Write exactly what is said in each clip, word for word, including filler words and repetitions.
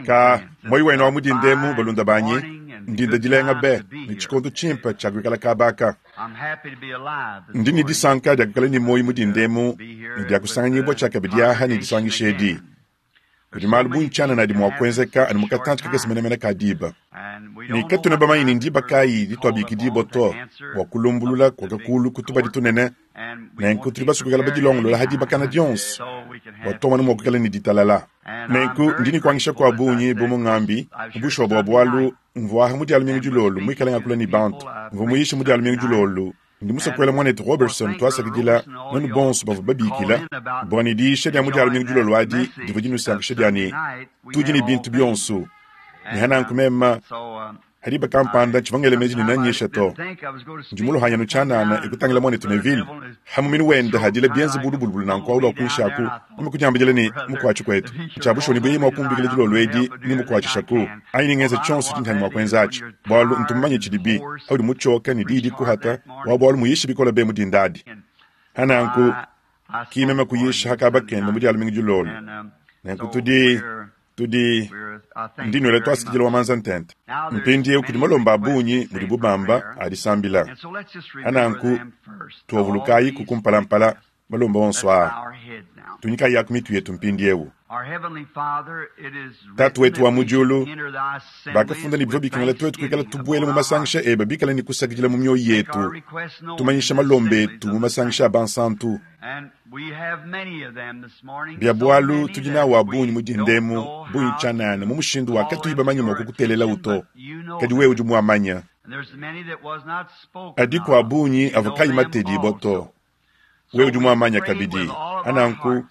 Ka moyi wenu wa mudindemu balunda banyi, ndinda dilenga be ne tshikondo tshimpe tshia kuikala kabaka. Ndi ne disanka dia kuikala ne moyi mudindemu ne dia kusanganyibua tshia kabidi aha ne disangisha edi. Kudi malu bungi tshianana adi mua kuenzeka anu mu katantshi kakese menemene ka diba. Ne katuena bamanye ne ndiba kayi dituabikidibua to bua kulumbulula kua kakulu ku tubadi tunene, nenku tudi basue kuikala badilongolola ha dibakana dionso bua tuamona mua kuikala ne ditalala. Nenku ndi ne kuangisha kua bungi bu mungambi mu bushuwa bua bualu mvua mu dia lumingu dilolo muikale ngakula ne bantu, mvua muyishe mu dia lumingu dilolo. Ndi musue kuela muanetu Robertson tuasakidila nuenu bonso bavua babikila bua ne diyisha dia mu dia lumingu dilolo adi divua dinusankisha dia ne tudi ne bintu bionso. Ne hananku mema hadiba kampanda tshivua ngela meji ne nanyisha to. Ndi muluhanyanu tshianana ekutangila muanetu Neville hamuminu wende hadila bienze bulubulubulu nanku aulu akunshaku meme kudiambidila ne mukuatshi kwetu tshia bushuwa ne buye mua kumbikila dilolo edi ne mukuatshishaku anyi ne ngenza tshionso tshindi mua kuenza atshi bualu ntumanye tshidibi audi mutshioka ne diyi dikuhata wa bualu muyishe bikola be mudindadi. Hananku ki meme kuyisha hakaba kende mu dia lumingu dilolo. Nenku tudi tudi ndi nwela twasikidila wa manza ntente. Mpindieu kudi malomba a bungi mudi bubamba adisambila. Hananku tuavulukayi kukumpalampala malomba onso aa. Tunyikayi yaku mitu yetu mpindieu. Tatu wetu wa mu diulu, bakafunda ne bivua bikengela twetu kuikala tubuela mu masangisha eba bikala ne kusakidila mu mioyo yetu, tumanyisha malomba etu mu masangisha a bansantu. Bia bualu tudi nawu a bungi mu dindemu bungi tshianana mu mushindu wa katuyi bamanye mua kukutelela uto, kadi wewe udi muamanya. Adi kua bungi avua kayi matedibua to, wewe udi muamanya kabidi. Hananku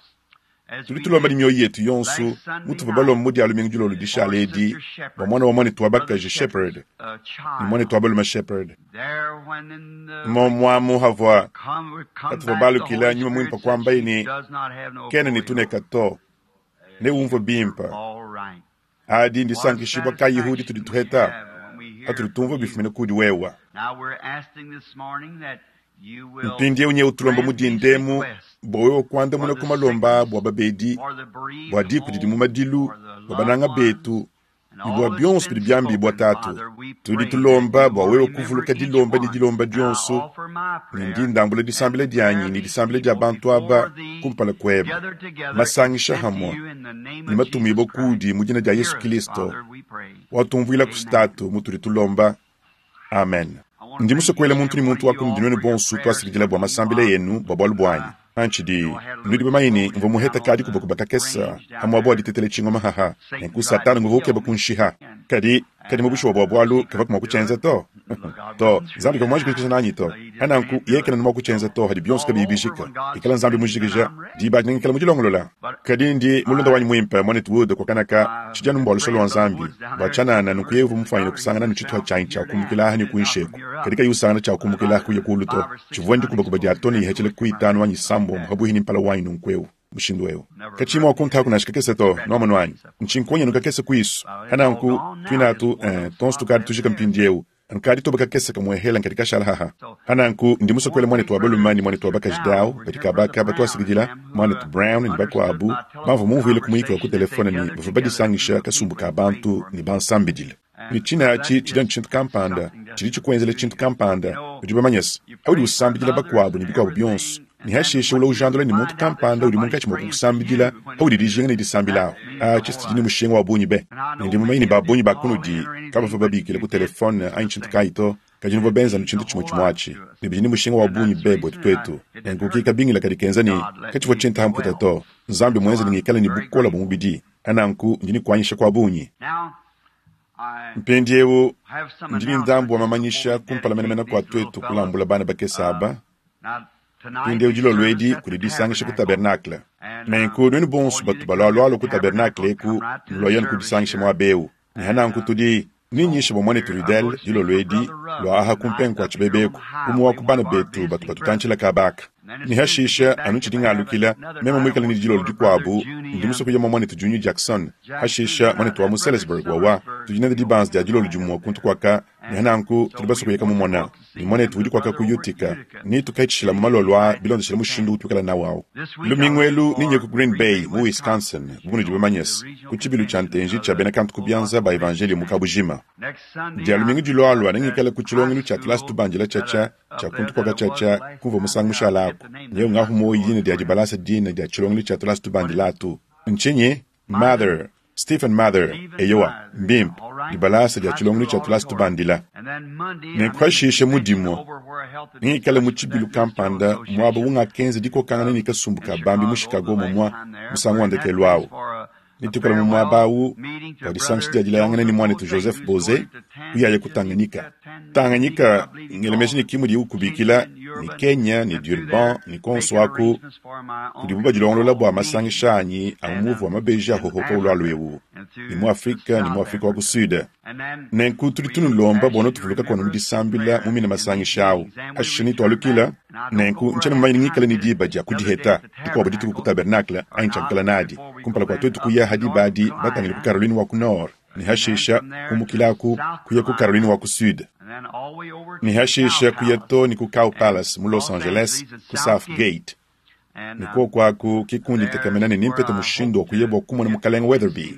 tudi tulomba ne mioyo yetu yonso mutuvua balomba mu dia lumingu dilolo dishala edi bua mwana wa muanetu wa bakaji Shepherd ne muanetu wa balume Shepherd. Momwamu havua katuvua balukila nyuma muimpe kuambaye ne kena ne tuneka to, ne umvue bimpe. Adi ndisankishibua kayi tudi tuheta patudi tumvua bifumina kudi wewa. Mpindieu nyewu tulomba mudindemu bua wewe kuandamuna ku malomba bua babedi, bua diku didi mu madilu, bua bananga betu ne bua bionso bidi biambibua tatu. Tudi tulomba bua wewe kuvuluka dilomba ne dilomba dionso, ne ndi ndambula disambila dianyi ne disambila dia bantu aba kumpala kuebe. Masangisha hamwe ne matumibua kudi mu dina dia Yesu Kristo watumvuila ku tatu mutudi tulomba. Amen. Ndi musue kuela muntu ne muntu wa kunudi nuenu bonso twasikidila bua masambila yenu bua bualu buanyi. Antshidi nudi bamanye ne mvua muheta kadi kubakuba kakesa hamwa bua ditetela tshingoma haha nenku Satana nguvua ukeba kunshiha. Kadi kadi mu bushuwa bua bualu kavua mua kutshienza to. To Nzambi kavua muanji kujikija nanyi to. Hananku yekena mua kutshienza to hadi bionso kabiyi bijika. Ikala Nzambi mujikija diba adi ngikala mudilongolola. Kadi ndi mulunda wanyi muimpe muanetu Wood kwakanaka tshidi anu mbua lusolo lua Nzambi bua tshianana nunku yeye uvua mufuanyine kusangana nu tshituha tshianyi tshia kumbukila aha ne kuinsheku. Kadi kayi usangana tshia kumbukila kuya kulu to. Tshivua ndikubakuba dia tone yihechele kuitanu anyi sambombo habuhi ni mpala wanyi nunku eu mushindu eu. Kachimu akunta kunashika kakese to noamano anyi. Nchinkonya nukakese kuisu. Hananku twinatu eh, tonso tukadi tujika mpindieu. Nkadi toba kakese kamwehela nkadi kashala haha. Hananku ndi musue kuela muanetu wa balume ne muanetu wa bakaji dawu badi kabaka batwasikidila muanetu Brown ne bakuabu bamvua mumvuile ku muyiki wa ku telefone ne bavua badisangisha kasumbu ka bantu ne bansambidile. Ne tshina atshi tshidi anu tshintu kampanda tshidi tshikuenzela tshintu kampanda udi bamanyese audi usambidila bakuabu ne bikuabu bionso ne hashishe ula ujandula ne muntu kampanda udi munkatshi mua kukusambidila audi dijinga ne disambila awu atshi tshidi ne mushinga wa bungi be. Ne ndi mumanye ne babungi ba kunudi kabavua babikila ku telefone anyi tshintu kayi to, kadi nuvua benza nu tshintu tshimue tshimue atshi ne bidi ne mushinga wa bungi be buetu twetu. Nenku kikabingila kadi kenza ne katshivua tshintu hamputa to. Nzambi muenze ne ngikale ne bukola bua mubidi. Hananku ndi ne kuanyisha kwa bungi. Mpindieu ndi ne ndambu wa mamanyisha kumpala menemene kua twetu kulambula bana bakese aba. Mpindieu dilolo edi kudi disangisha ku tabernacle. Nenku nuenu bonso batu balualualua ku tabernacle eku nulua kudisangisha muaba eu. Ne hananku tudi ninyisha bua muanetu Rudel dilolo edi lua aha kumpenga kua tshibebeku umue wa ku bana betu batu batutantshila kabaka. Ne hashisha anu tshidi ngalukila meme muikale ne dilolo dikuabu ndi musue kuya mwanetu Junior Jackson hashisha mwanetu wa mu Salisbury wawa tudi nende dibanza dia dilolo dimue kuntu kwaka ne hananku tudi basue kuyeka mumona ne mwanetu udi kwaka ku Utica ni tukaitshila mu malolo a bilondeshela mushindu utuikala nawu awu lumingu elu ninye ku Green Bay mu Wisconsin bu bamanyese ku tshibilu tshia ntenji tshia bena kantu ku bianza ba evangelio mu kabujima dia lumingu dilwalwa nengikala ku tshilongelo tshia tulasi tubandila tshatsha tshia kuntu kwaka tshatsha kumva musangu mushala aku nyeu ngahumo yina dia dibalasa dina dia tshilongelo tshia tulasi tubandila atu nchinyi Mother Stephen Mather eyowa mbimpe dibalasa dia tshilongelo tshia tulasi tubandila nenkwashishe mudimo nengikale mu tshibilu kampanda mwaba ungakenza dikokangana ne kasumbu ka bambi mu Chicago momwa musangu wa ndekelu awu nitukala mu mwaba awu wa disangisha dia dilayangana ni mwanetu Joseph Boze uyaye ku Tanganyika Tanganyika ngelemeji ni kimwe di ukubikila ni Kenya ni Durban ni konso aku kudibu badilongolola bua masangisha anyi a muvu wa mabeji ahohoka ulwalu ewu ni mu Afrika ni mu Afrika wa ku Sud nenku tudi tunulomba bona tuvuluka kono mu disambila mu mina masangisha awu hashishe ni twalukila nenku ntshena mumanyi ngikale ni diba dia kudiheta dikuabu dituku ku tabernacle anyi tshiakukala nadi kumpala kua tuetu kuya hadi badi batangile ku Caroline wa ku Nord ni hashisha kumukilaku kuya ku Caroline wa ku Sud ni hashisha kuya to ni ku Cow Palace mu Los Angeles ku South Gate ni kwo kwaku kikundi ntekamena ne nimpete mushindu wa kuyebwa kumona mukalenga Weatherby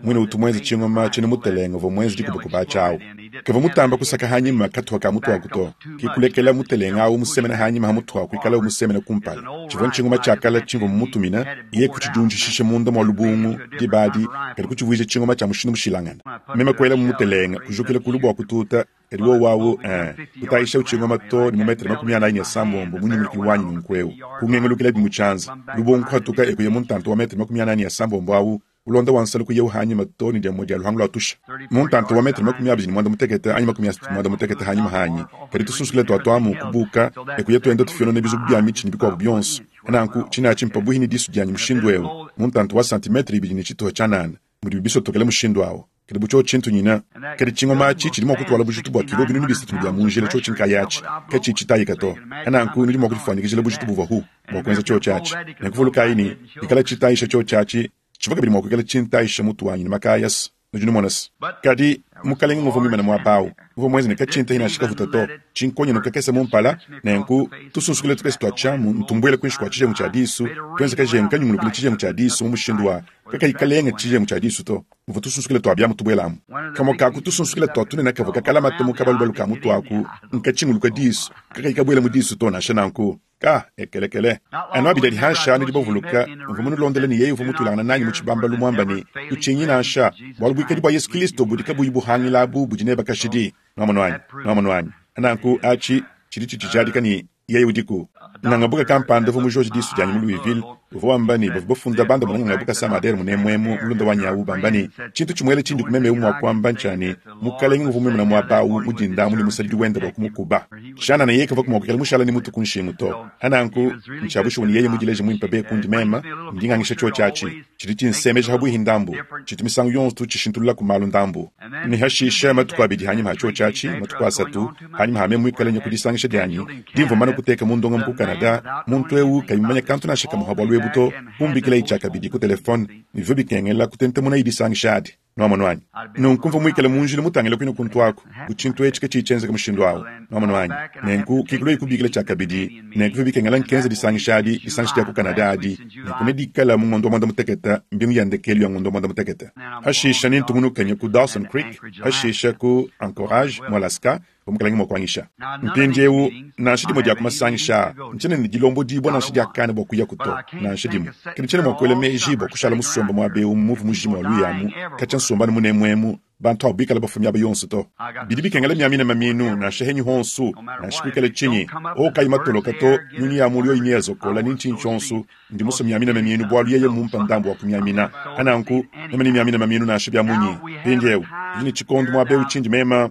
mwine utu mwenzi tshingoma tshene mutelenga vo mwenzi dikubakuba tshawu keva mutamba kusaka hanyima kathuka ka mutu waku to kikulekela mutelenga awu musemena hanyima ha mutu waku ikala umusemena kumpala tshivua tshingoma tshiakala tshimvua mumutumina iye kutshidunjishishe munda mwa lubungu dibadi kadi kutshivuija tshingoma tshia mushindu mushilangana meme kuela mumutelenga kujukila kulu bua kututa kadi wo wawu eh kutayisha utshingoma to ni mumetere makumi anayi ne sambombo munyungulukilu wanyi nunkuewu kungengelukila bimu tshianza lubungu kuhatuka ekuya muntanto wa metere makumi anayi ne sambombo awu ulonda wansala kuya uhanyima to ni dia dia luhangu lwa tusha muntanto wa metere makumi abiri ni mwanda mutekete anyi makumi asatu mwanda mutekete hanyima hanyi kadi tusunsukile twatwamu kubuka ekuya twenda tufyonone bizubu bya mitshi ni bikuabu bionso nanku tshina tshimpa buhi ni disu dianyi mushindu ewu muntanto wa santimetre ibili ni tshituha tshanana mudi bisotokele mushindu awu kadi butsho tshintu nyina kadi tshingoma atshi tshidi mua kutwala bujitu bua kilo binunu bisatu bia munjila tsho tshinkaya atshi ke tshitshitayika to ananku nudi mua kudifuanyikijila bujitu buvua hu bua kuenza tsho tshiatshi nekuvulukayi ni ikala tshitayisha tsho tshiatshi tshivua kabidi mua kuikala tshintayisha mutu wanyi ne makayasa nudi numonasa kadi mukalenga nguvua muimana muaba awu uvua muenze ne katshinta hina shikavuta to tshinkonyo kakese mumpala nenku tusunsukile tukese tua tshiamu ntumbuele kuinshi kua tshijengu tshia disu tuenze kajengu kanyungulukile tshijengu tshia disu mu mushindu wa kakayikalenga tshijengu tshia disu to muvua tusunsukile tua biamu tubuelamu kamue kaku tusunsukile tua tunene kavua kakalamata mu kabalubalu ka mutu aku nkatshinguluka disu kakayikabuela mu disu to nansha nanku ka ekelekele anu abidi adi hansha nudi bavuluka mvua munulondele ni yeye uvua mutulangana nanyi mu tshibambalu muamba ni tutshinyi nansha bualu buikadi bua Yesu Kristo budi kabuyi buhangilabu budi neba kashidi nwamonu wanyi nwamonu wanyi ananku atshi tshidi tshitshijadika ni yeye udiku ngangabuka kampanda uvua mujoji disu dianyi mu Louisville uvua wamba ni bavua bafunda banda muna ngangabuka samadere munemwemu mulunda wanyi awu bamba ni tshintu tshimuele tshindi kumeme mua kuamba ntshani mukalenge uvua muimana muaba awu mudinda muli musadidi wenda bua kumukuba shana na yeye kavua kumwakukela mushala ni mutu kunshingu to ananku ntshiabushuwa ni yeye mudileje muimpe be kundi mema ndingangisha tsho tshiatshi tshidi tshinsemeja habuihi ndambu tshitu misangu yonso tshishintulula ku malu ndambu ni hashisha matuku abidi hanyima ha tsho tshiatshi matuku asatu hanyima hame muikale nya kudisangisha dianyi dimvua mana kuteka mundonga mu Canada muntu ewu kayimanya kantu nansha kamuha bualu ebu to kumbikila itshia kabidi ku telefone nivyo bikengela kutentemuna idisangisha adi nwamonu wanyi nunku mvua muikale munjila mutangile kuino kuntu aku kutshintu etshi ke tshitshenzeka mushindu awu nwamonu wanyi nenku kikilo ikubikila tshia kabidi nenku vyo bikengela nkenza disangisha adi disangisha dia ku Canada adi nenku nedikala mu ngondo wa mwanda mutekete mbingu ya ndekelu ya ngondo wa mwanda mutekete hashisha nintungunukanya ku Dawson Creek hashisha ku Anchorage mu Alaska omukalangi mwakuangisha mpindiewu nansha dimue dia kumasangisha ntshene ne dilombo dibua nansha diakana bua kuya kuto nansha dimue kadi ntshene mua kuela meji bua kushala musomba muaba ewu muvu mujima wa luyamu katshia nsombanu munemuemu bantu abo bikala bafumi aba yonso to bidi bikengela miamina maminu nansha henyi honsu nansha kuikala tshinyi okayi matoloka to nyunyi ya mulu yoyi yazokola ni ntshinyi tshionso ndi muso miamina maminu bualu yeye mumpa ndambu wa kumiamina ananku meme ni miamina maminu nansha bia munyi mpindiewu tudi ne tshikondo muaba ewu tshindi mema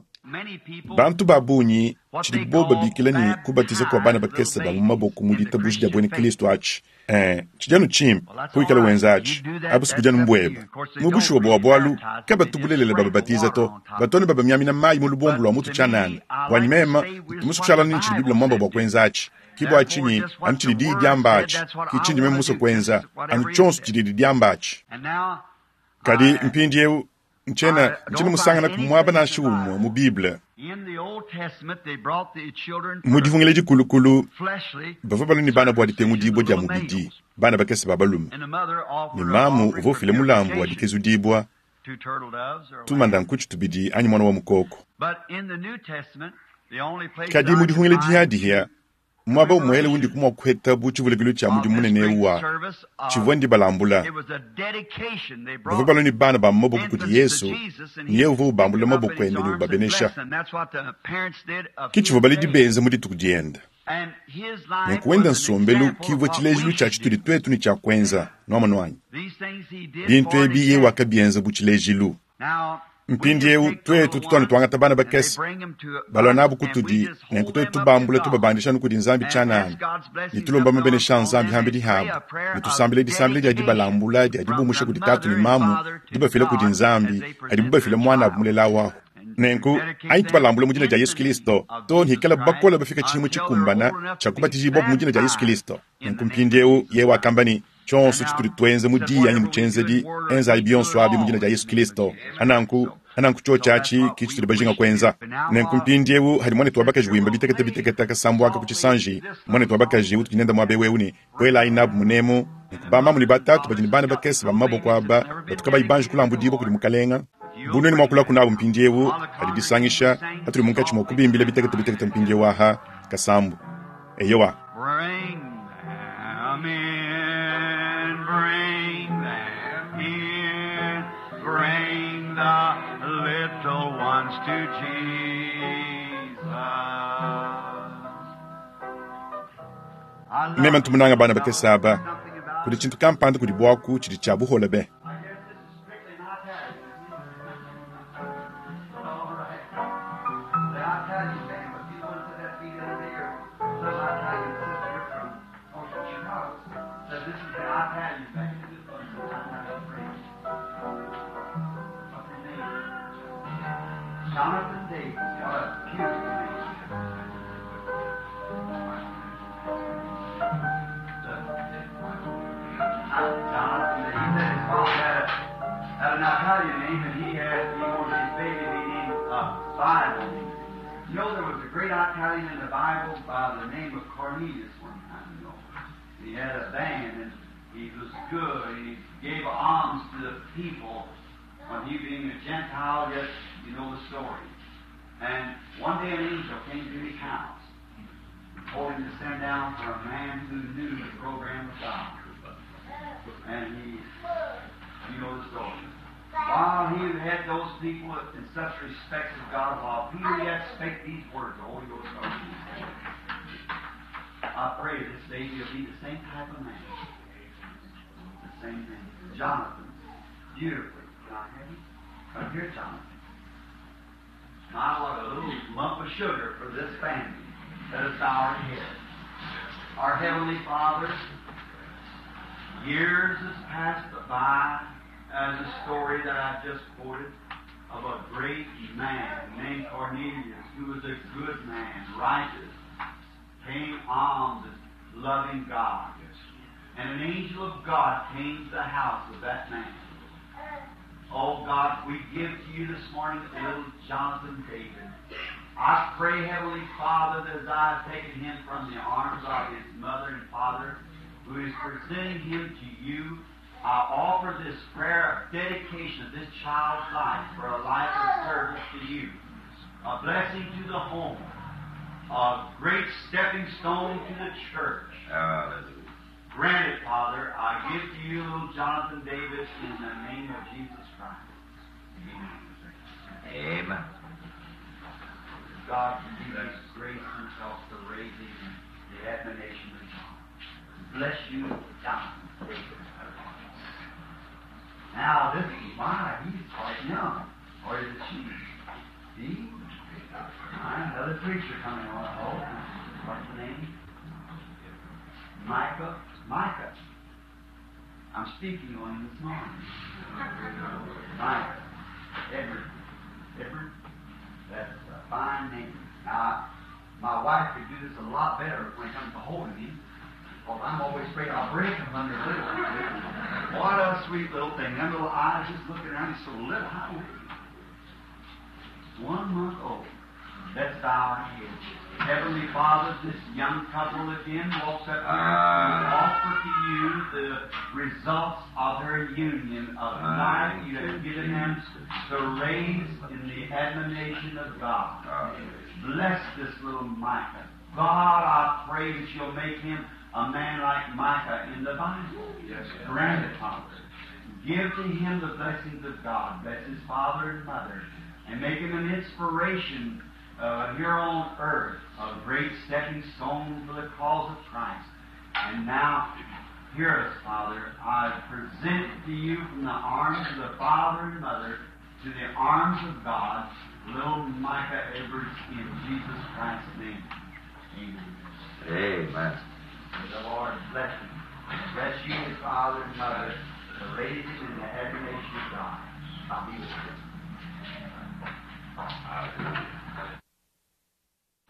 bantu ba bungi tshidi bo babikila ni kubatiza kua bana bakese ba mu maboko mu ditabuji dia buena Kristo atshi eh tshidi anu tshimpe kuikala wenza atshi abu sikudia anu mbueba mu bushuwa bua bualu kabatubulelela bababatiza to batone babamiamina mayi mu lubombo lua mutu tshianana buanyi mema tumusu kushala ni tshidi Biblia mwamba bua kuenza atshi Ke bua tshinyi anu tshidi diyi diamba atshi, ke tshindi meme musue kuenza, anu tshionso tshididi diamba atshi. Kadi mpindieu ntshiena ntshiena musanganaku muaba nansha umue mu Bible. Mu Dipungila Dikulukulu, bavua balua ne bana bua ditengudibua dia mubidi, bana bakese ba balume, ne mamu uvua ufila mulambu wa dikezudibua, tumanda nkutshi tubidi anyi muana wa mukoko. Kadi mu Dipungila Dihiadihia, muaba umuele undi mua kuheta bu tshivulukilu tshia mudimu munene eu wa tshivua ndibalambula. Bavua balua ne bana ba mu maboko kudi Yesu, ne yeye uvua ubambula maboko ende ne ubabenesha. Ke tshivua baledi benza mu dituku diende. Nenku wenda nsombelu kivua tshilejilu tshia tshitudi tuetu ne tshia kuenza, nuamonu anyi? Bintu ebi yeye wakabienza bu tshilejilu. Mpindieu tuetu tutu tuangata bana bakese balua nabu kutudi, nenku tuetu tubambula tubabandisha anu kudi Nzambi tshianana, ne tulomba mabenesha a Nzambi hambidi habu, ne tusambila disambila dia dibalambula dia dibumusha kudi tatu ne mamu, dibafila kudi Nzambi adibu bafila muanabu mulela wahu. Nenku anyi tubalambula mu dina dia Yesu Kristo to hikala bakola bafika tshihimo tshikumbana tshia kubatijibua mu dina dia Yesu Kristo. Nenku mpindieu yeye wakamba ne, tshionso tshitudi tuenza mu diyi anyi mu tshienzedi, enzayi bionso abi mu dina dia Yesu Kristo. Ananku ananku tshiotshi atshi ke tshitudi bajinga kuenza. Nenku mpindieu hadi muanetu wa bakaji wimba bitekete bitekete kasambu aka ku tshisanji, muanetu wa bakaji utudi nenda muaba eu ne buelayi nabu munemu. Nenku bamamu ne batatu badi ne bana bakese ba mu maboko aba batu kabayi banji kulambudibua kudi Mukalenga. Bu nuenu mua kulaku nabu mpindieu hadi disangisha hatudi munkatshi mua kubimbila bitekete bitekete mpindieu aha kasambu. Eyowa. Bring them in, bring them in, bring the little ones to Jesus. I love Meme ntu munanga bana bakese aba, kudi tshintu kampanda kudi buaku tshidi tshia buhola be. I guess this is strictly an Italian. All right. The Italian band, but you ones that that be the other day, or some Italian sister from oh, from Chicago said this is the Italian band. This one's the Italian praise. What's his name? Jonathan Davis. What a beautiful name. Jonathan Davis. He said his father had, a, had an Italian name, and he had he wanted his baby to be named uh, Bible. You know, there was a great Italian in the Bible by the name of Cornelius one time, you know. He had a band, and he was good, and he gave alms to the people. When he being a Gentile, yet you know the story. And one day an angel came to his house and told him to send down for a man who knew the program of God. And he, you know the story. While he had those people in such respect of God, while Peter yet spake these words, the Holy Ghost started to. I pray this baby will be the same type of man. The same thing. Jonathan. Beautifully. Can I have him? Come here, Jonathan. My, what a little lump of sugar for this family. Let us bow our heads. Our Heavenly Father, years has passed by as a story that I just quoted of a great man named Cornelius, who was a good man, righteous, paying alms and loving God. And an angel of God came to the house of that man. Oh God, we give to you this morning little Jonathan David. I pray, Heavenly Father, that as I have taken him from the arms of his mother and father, who is presenting him to you, I offer this prayer of dedication of this child's life for a life of service to you, a blessing to the home, a great stepping stone to the church. Hallelujah. Grant it, Father. I give to you little Jonathan Davis in the name of Jesus Christ. Amen. Amen. God can give us grace himself to raise him in the admonition of God. Bless you, Jonathan Davis. Now, this is my, he's quite young. Or is it she? See? Another preacher coming on. Oh, what's the name? Micah. Micah. I'm speaking on him this morning. Micah. Edward. Edward. That's a fine name. Now, My wife could do this a lot better when it comes to holding him. Because I'm always afraid I'll break him under little. What a sweet little thing. Them little eyes just looking around. He's so little. How old is he? One month old. Let's bow our heads. Heavenly Father, this young couple again walks up here to offer to you the results of their union of life you have given them to raise in the admonition of God. Bless this little Micah. God, I pray that you'll make him a man like Micah in the Bible. Yes. Grant it, Father. Give to him the blessings of God. Bless his father and mother. And make him an inspiration uh, here on earth, a great stepping stone for the cause of Christ. And now, hear us, Father. I present to you from the arms of the father and mother to the arms of God, little Micah Edwards, in Jesus Christ's name. Amen. Amen. May the Lord bless him. Bless you, his father and mother, to raise him in the admiration of God. I'll be with you.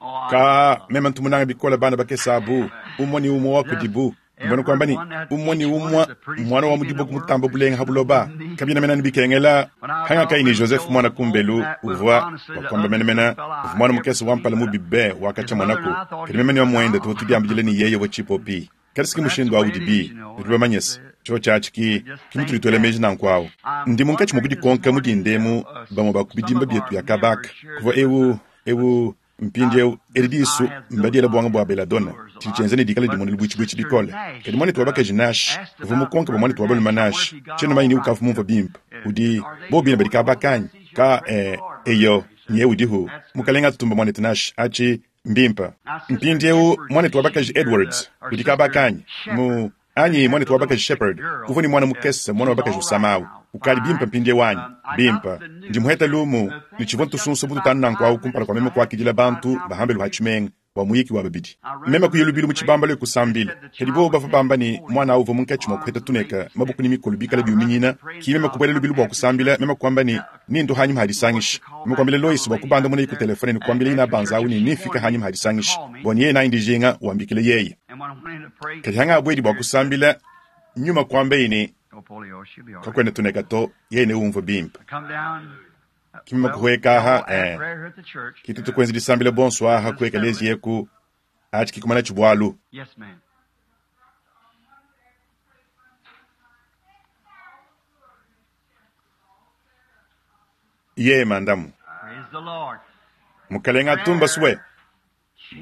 Oh, I Ka meme ntumunanga bikola bana bakese abu umwe ni umwe wa kudibu mbona kwamba ni umwe ni umwe mwana wa mudibu kumutamba bulenga habuloba kabina mena nibikengela hanga kai ni Joseph mwana kumbelu uvwa wakwamba mena mena uvwa mwana mukese wampala mubibe wakacha mwanako kadi meme ni wamwende tuho tudiambijile ni yeye wa chipopi kadi siki mushindu awu dibi ditubamanyese cho chachi ki kimutulitwele meji nankwawo ndi munkatshi mukudikonka mudindemu bamwe bakubidimba byetu ya kabaka kuva ewu ewu mpindiewu edi disu mbadiela bwanga bwa beladona tshili ne dikala dimone libuitshibwitshi bikole kadi mwanetu wa bakaji nashi uvua mukonka bua mwanetu wa balume nashi tshiena manyi ni ukavu mumvua bimpe udi bobina badi kabakanyi ka eh, eyo nye udihu mukalenga atutumba mwanetu nashi atshi mbimpa mpindiewu mwanetu wa bakaji Edwards udi kabakanyi mu anyi mwanetu wa bakaji Shepherd uvua ni mwana mukese mwana wa bakaji usamawu ukali bimpa mpindie wanyi bimpa ndi muheta lumu ni tshivua ntusunsa bututanu nankwawu kumpala kwa meme kuakidila bantu bahambelu ha tshimenga wa muyiki wa babidi meme kuya lubilu mu tshibambalo ekusambila kadi bobo bava bamba ni mwana awu uvua munkatshi mua kuheta tuneka mabuku ni mikolo bikala biuminyina ki meme kubuela lubilu bua kusambila meme kuamba ni nindu hanyuma hadisangisha meme kuambila Lois bua kubanda muna iku telefone ni kuambila ina banza awu ni nifika hanyuma hadisangisha bua ni yeye nayi ndijinga wambikile yeye And when I went in to pray, kadi hanga abuedi bua kusambila nyuma kuamba ini oh, polio, she'll be all right. kakwena tuneka to yeye ne umva bimpa Come down. Kimima Well, kuhweka aha we'll have eh prayer here at the church. kitu tukwenzi disambila bonso aha kueka lezi yeku achi kikumana chibwalu Yes, ma'am. ye mandamu Praise the Lord. mukalenga atumba suwe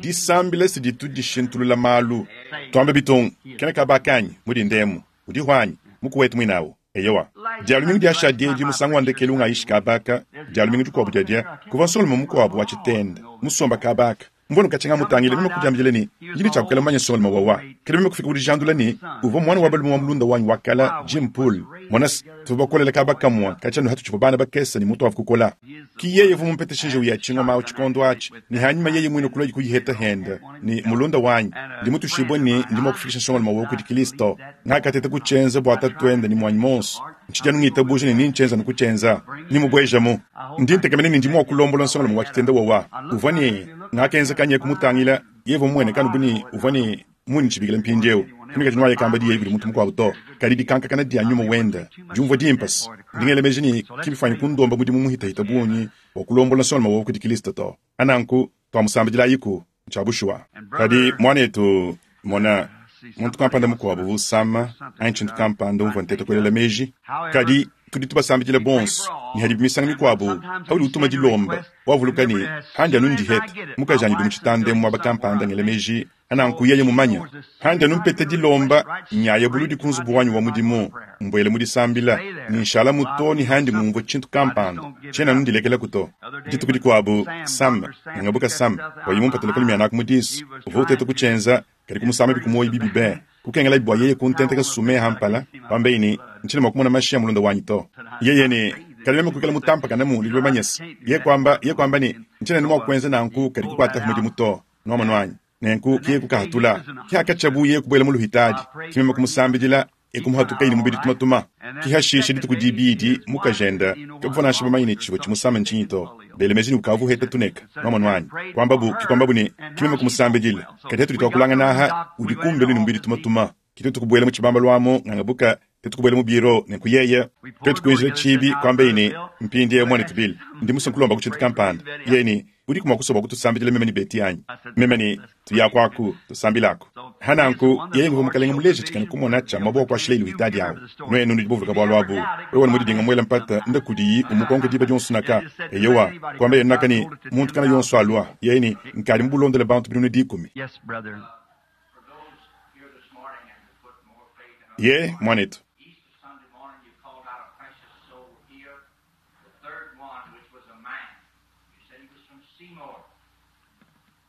disambila siditu dishintulula malu twambe bitunga kene kabakanyi mudi ndemu udi hwanyi mukuwetu mwinawo eyowa dialumingu diasha diedi musangu wa ndekelu ungayishi kabaka dialumingu dikuabu diadia kuva nsongolume mukuabu wa tshitenda musomba kabaka mvono kachenga mutangile meme kudiambile ni njini tshakukela mumanye nsongolume wawa kele meme kufika kudijandula ni uvua mwana wa balume wa mulunda wanyi wakala Jim Pool mwanasi tuva bakolela kabaka mwa kachanu hatu tshivua bana bakesa ni mutu wavu kukola ki yeye vu mumpetesha njewu ya tshingoma awu tshikondo atshi ni hanyuma yeye mwine kulwa kuyiheta henda ni mulunda wanyi ndi mutushibwe ni ndimo kufikisha nsongolume wawu kudi Kristo ngakatete kutshenza bua tatuenda ni mwanyi monso ntshijanu ngitabuja ni ninchenza nikuchenza nimubwejamu ndi ntekemene ni ndimo wakulombola nsongolume wa tshitenda wawa uvua ni ngakenza kanye kumutangila yevo mwene kanu buni uvua ni muni tshibikila mpindiewu kunika tshinu kamba diye kudi muntu mukuabu to kadi dikankakana dia nyuma wenda diumvua dimpasi ndingelemeji ni kibifanyi kundomba mudimu muhitahita bunyi wa kulombola nsongolume wawu kudi Kristo to ananku twamusambidila yiku ntshia kadi mwanetu mona muntu kampanda mukuabu vusama anyi tshintu kampanda umvua ntete kuelela meji kadi tudi tubasambidila bonso ni hadi bimisanga mikuabu hauli utuma dilomba wavuluka ni handi anu ndiheta mukaji anyi dumutshitande muaba kampanda ngele meji ananku yeye mumanya handi anu mpete dilomba nyaye buludi ku nzubu wanyi wa mudimu mbuele mudisambila ni nshala muto ni handi ngumvua tshintu kampanda tshiena anu ndilekelaku to dituku dikuabu Sam ngangabuka Sam wayi mumpatela mianaku mudisu uvua uteta kutshenza kadi kumusamba bikumoyi bibi be kukengela bua yeye kuntenteka sume hampala pambeini ntshina mua kumona mashi ya mulunda wanyi to yeye ni kadi meme kuikala mutampakana mu lilibe manyesa ye kwamba ye kwamba ni ntshina ni mua kuenza nanku kadi kukuata mudimu to nuamanu wanyi nenku kiye kukahatula kiakatshabu ye kubuela mu luhitadi kimeme kumusambidila ekumuhatuka ili mubidi tumatuma Ki hashishe dituku dibidi mukajenda kabuvua nansha bamanye ne tshivua tshimusama ntshinyi to. Bele meji ne ukavu uheta tuneka nwamonu wanyi. Kwambabu ki kwambabu ne ki meme kumusambidila. Kadi hatudi twakulangana aha udi kumbelu ne mubidi tumatuma. Ki twetu kubuela mu tshibamba lwamo ngangabuka twetu kubuela mu biro ne nkuyeye. Twetu kuinjila tshibi kwambaye ne mpindiewu mwanetu Bill. Ndi musue nkulomba ku tshintu kampanda. Yeye ne udiku mua kusua bua kutusambidila meme ne Betty anyi? Meme ne tuyakuaku tusambilaku. Hananku yeye nguvua mukalenge muleje tshikena kumona tshia muaba wa kuashila ilu hitadi awu. Nuenu nudi buvuluka bualu abu. Wewe mudidinga muela mpata nda kudiyi umukonka diba dionso naka. Eyowa kwamba yeye naka ne muntu kana yonso alua. Yeye ne nkadi mubulondele bantu binunu dikumi. Yes, brother. Ye mwanetu. Easter Sunday morning, you called out a precious soul here, the third one, which was a man. You said he was from Seymour.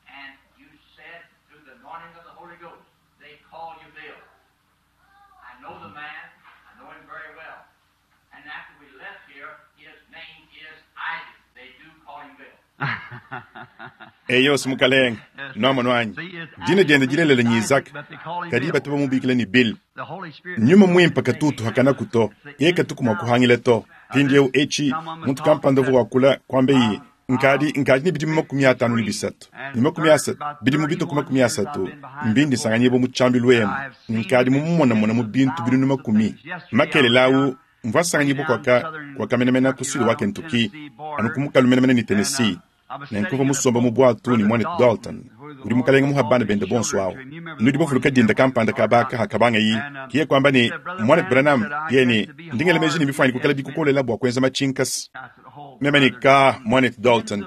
And you said, through the anointing of the Holy Ghost, they call you Bill. I know the man. I know him very well. And after we left here, his name is Isaac. They do call him Bill. Eyo simukalenga nwamonu wanyi. Dina diende dilelela nyi Isaka. Kadi batu bamubikila ni Bill. Nyuma mwimpa katutu hakana kuto. Ye katuku mua kuhangila to. Mpindiewu echi muntu kampanda uvua wakula kwambe yi nkadi nkadi ni bidimu makumi atanu ni bisatu. Ni makumi asatu bidimu bituku makumi asatu mbindi nsanganyibwa mu tshiambilu emu. Nkadi mumumonamona mu bintu binunu makumi. Makelela awu mvua nsanganyibwa kwaka kwaka menemene ku sud wa Kentucky anu ku mukalu menemene ni Tennessee. Nenkuva musomba mu bwatu ni mwanetu Dalton. Udi mukalenga muha bana bende bonso awu. Nudi bavuluka dinda kampanda kabaka hakabanga yi. Kiye kwamba ni mwanetu Branham yeye ni ndingele meji ni mifanyi kukala bikukolela bua kuenza machinkasi. Meme ni ka mwanetu Dalton.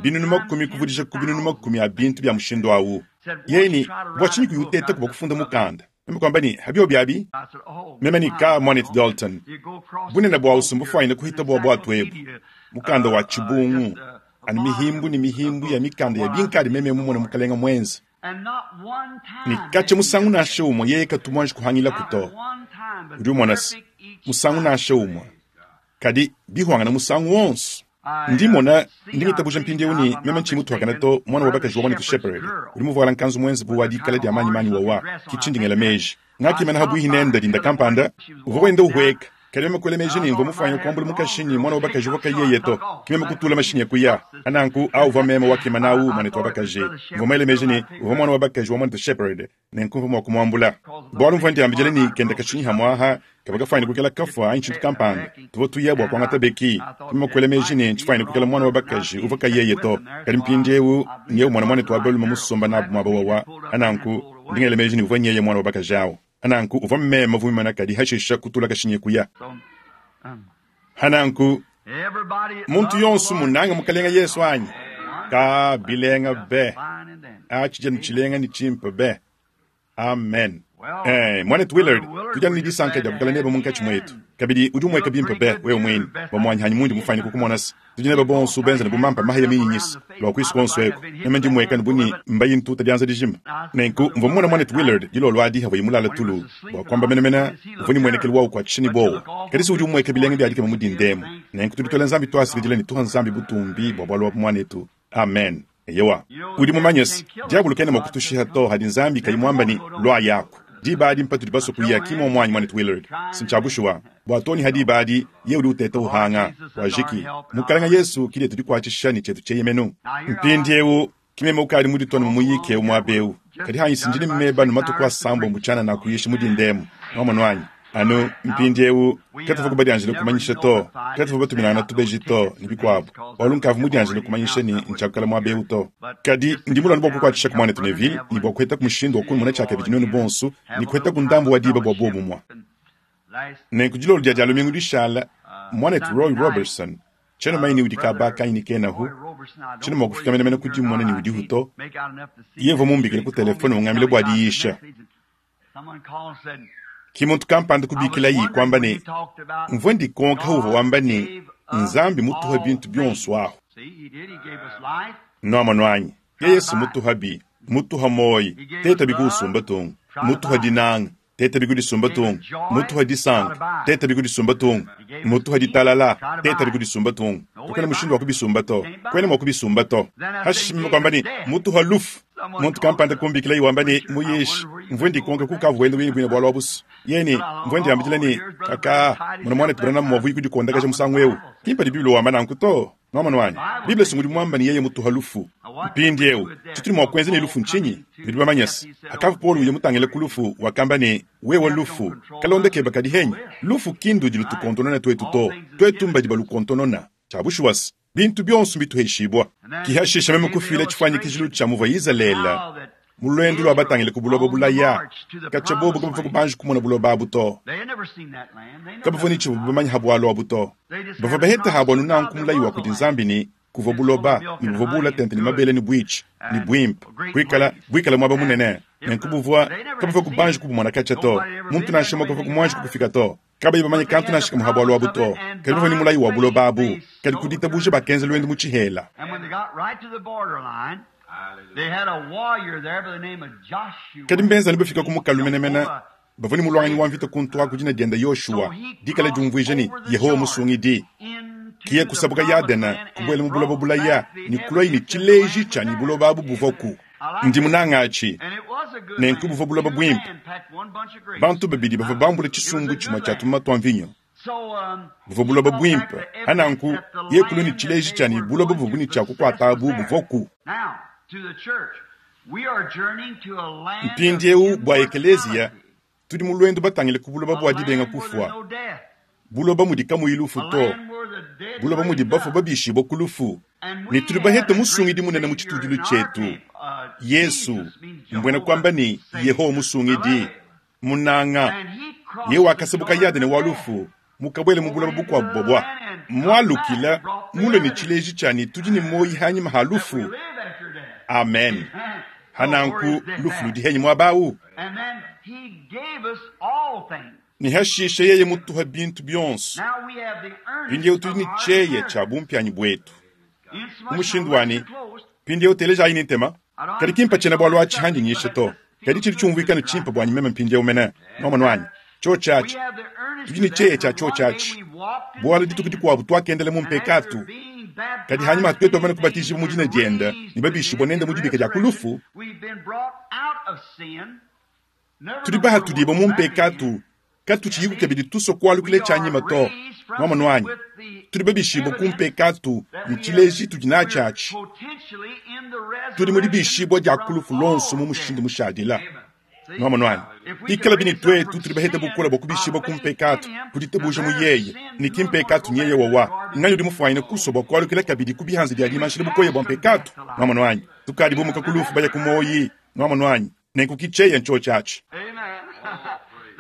Binunu makumi kuvudisha ku binunu makumi a bintu bya mushindo awu. Yeye ni bua tshinyi kuyuteta kuba kufunda mukanda. Meme kwamba ni habyo byabi. Meme ni ka mwanetu Dalton. Bunene bwa usumbufu aina kuhita bua bwatu ebu. Mukanda wa chibungu. Anu mihimbu ni mihimbu ya mikanda ya binkadi meme mumona mukalenga mwenza. Ni kache musangu nashe umwe yeye katumwanji kuhangila kuto. Udi umona si musangu nashe umwe. Kadi bihwanga na musangu wonso. Ndimona ndingitabuja mpindiewu ni meme nchimu tuhakana to mwana wa bakaji wa mwanetu Shepherd. Udi muvuala nkanzu mwenza bu wa dikala dia manyi manyi wawa. Kichindingela meji. Ngakimana habuihi nenda dinda kampanda. Uvua wenda uhweka. Kadi meme kuela meji ni mvua mufanya kuambula mukashinyi mwana wa bakaji wakayeye to. Kimeme kutula mashinyi ya kuya. Ananku au uvua meme wakimana au mwanetu wa bakaji. Mvua mwele meji ni uvua mwana wa bakaji wa mwanetu Shepherd. Nenkumva mwa kumwambula. Bwalu mvua ndiambijele ni kenda kashinyi hamwaha. Kabaka fanya kukela kafwa anchi kampanda. Tuvo tuya bwa kwangata beki. Kimeme kuela meji ni nchifanya kukela mwana wa bakaji uvua kayeye to. Kadi mpindiewu nyeu mwana mwanetu wa balume musomba nabu mwaba wawa. Ananku ndingele meji ni uvua nyeye mwana wa bakaji awu. Ananku uvua mmeme vumana kadi hashisha kutula kashinye kuya. Hananku muntu yonso munanga mukalenga Yesu anyi. Ka bilenga be. Achija nchilenga ni chimpa be. Amen. Eh, mwanetu Willard, tujana ni disanka dia kukala neba munkachi mwetu. Kabidi udi umweka bimpa be wewe mwini. Bamwanyi hanyi mundi mufanye kukumona si. Tudi neba bonso benza ne bumampa mahaya minyinyisi. Lwa kwisu konso eko. Neme ndi mweka ne buni mbayi ntuta dianza dijima. Nenku mvua mumona mwanetu Willard dilo lwa diha vwa imulala tulu. Bwa kwamba menemena uvua ni mwenekelu wau kwa chini bowo. Kadi si udi umweka bilenga bya dikema mudindemo. Nenku tudi twela nzambi twasikidila ni tuha nzambi butumbi bwa bwalwa mwanetu. Amen. Eyowa. Udi mumanyesi diabulu kene mwakutushiha to hadi nzambi kayimwamba ni lwa yako. Dibadi mpatu dibaso kuya kimo mwanyi mwanetu Willard. Sinchabushuwa. Bwa toni hadi badi ye udi uteta uhanga. Wajiki. Mukalenga Yesu kile tudikwachisha ni chetu cheyemenu. Mpindiewu kimeme ukali mudi toni mumuyike umwabeu. Kadi hanyi sinjini mmeba numatu kwa sambo mbuchana na kuyishi mudi ndemu. Nwamonu wanyi. Anu mpindiewu katuva kubadianjile kumanyisha to. Katuva batuminana tubeji to ni bikwabu. Walu nkavu mudianjile kumanyisha ni nchakala mwabeu to. Kadi ndimulano bwa kukwachisha ku mwanetu Neville ni bwa kuheta ku mushindo wa kumona chaka bijinoni bonsu ni kuheta ku ndambu wa diba bwa bobu mwa. Nenku dilolo dia dia lumingu dishala mwanetu Roy Robertson cheno maini udi kabaka ini kenahu chino mwakufika menemene kuti mwana ni udi huto yevo mumbikile ku telefone ungambile bwa diyisha. Kimuntu kampanda kubikila yi kwamba ne mvua ndikonka uva wamba ne nzambi mutuha bintu byonso aho. Nwamonu wanyi ye Yesu mutuha bi mutuha moyi teta bikusumba tungu mutuha dinanga teta bikudisumba tungu mutuha disanka teta bikudisumba tungu mutuha ditalala teta bikudisumba tungu tukana mushindu wa kubisumba to kwene mwa kubisumba to hashishimima kwamba ni mutuha lufu muntu kampanda kumbikila iwamba ni muyishi Mvwe ndikonka kukavu wenda wini bwina bwalo abusu. Yeni, mvwe ndiambila ni kaka mwana mwana tibana mwavu kudikondakaja musangu eu. Kimpa di Biblia wamba nanku to. Nwama nwanyi. Biblia sungudi mwamba ni yeye mutu halufu. Mpindi eu. Chituli mwa kwenze ni lufu nchinyi. Bidu bamanyasi. Akavu Paul uye mutangele kulufu wakamba ni wewe lufu. Kalonde keba kadi henyi. Lufu kindu dilutukontonona twetu to. Twetu mba dibalukontonona. Chabushuwas. Bintu byonso bituheshibwa. Kihashisha meme kufila chifwanyikijilu cha muva Izalele. Mulwendu lwa batangile ku buloba bulaya. Kachabobo kabava kubanji kumona buloba abu to. Kabava ni chibu bamanya habwalo abu to. Bava baheta habwanu nanku mulayi wa kuti nzambi ni kuva buloba ni buva bula tente ni mabele ni bwichi ni bwimpa bwikala bwikala mwaba munene nenkubuvwa kabava kubanji kubumona kacha to. Muntu nashema kava kumwanji kukufika to. Kaba bamanya kantu nashika muhabwalo abu to. Kali bava ni mulayi wa buloba abu. Kali kudita buje bakenze lwendu muchihela. Kadi mbenza nibafika kumukalumenemena bavuni mulwanganyi wa mvita kuntu aku dina dienda Yoshua dikala diumvuija ni Yehowa musungidi kiye kusabuka Yadena kubwela mu buloba bulaya ni kulwa ni chileji cha ni buloba abu buvoku ndi munangachi nenku buva buloba bwimpe bantu babidi bava bambula chisungu chimwe cha tumuma twa mvinyo buva buloba bwimpe ananku ye kulwa ni chileji cha ni buloba buvuni cha kukwata abu buvoku. Mpindiewu bwa ekelezia tudi mulwendo batangile ku buloba bwa dibenga kufwa buloba mudi kamuyi lufu to buloba mudi bafu babishibwa ku lufu ni tudi bahete musungidi munene mu chitudilu chetu Yesu mbwena kwamba ni Yehowa musungidi munanga ye wakasabuka Yadene wa lufu mukabwele mu buloba bukwabu bobwa mwalukila mule ni chileji chani tudi ni moyi hanyuma ha lufu. Amen. Hananku lufu ludihenyi mwabawu. Ni hashishe yeye mutuha bintu byonso. Pindi tudi ni cheye cha bumpyanyi bwetu. Umushindu wani pindi uteleja ayini ntema. Kadi kimpa chena bwalo achi handi nyishe to. Kadi chili chumvuikano chimpa bwanyi meme mpindi umene. Noma nwanyi. Cho chachi. Tudi ni cheye cha cho chachi. Bwalo dituku dikwabu twakendele mu mpekatu. Kadi hanyuma twetu amana kubatizibwa mu dina dienda ni babishibwa nenda mu dibika dia kulufu. Tudi baha tudiba mu mpekatu katuchiyiku kebidi tuso kwalukile chanyima to. Mama nwanyi. Tudi babishibwa ku mpekatu ni chileji tudi na chachi. Tudi mu dibishibwa dia kulufu lonso mu mushindu mushadila. Mama nwanyi. Ikala bini twetu tudi baheta bukola bwa kubishibwa ku mpekatu kuditabuja mu yeye ni kimpekatu nyeye wawa nganyo di mufwaine kuso bwa kwalukila kabidi kubihanzi dia dimanshile bukoye bwa mpekatu. Mama nwanyi. Tukadi bumuka kulufu baya kumoyi. Mama nwanyi. Nenku kicheye ncho chachi.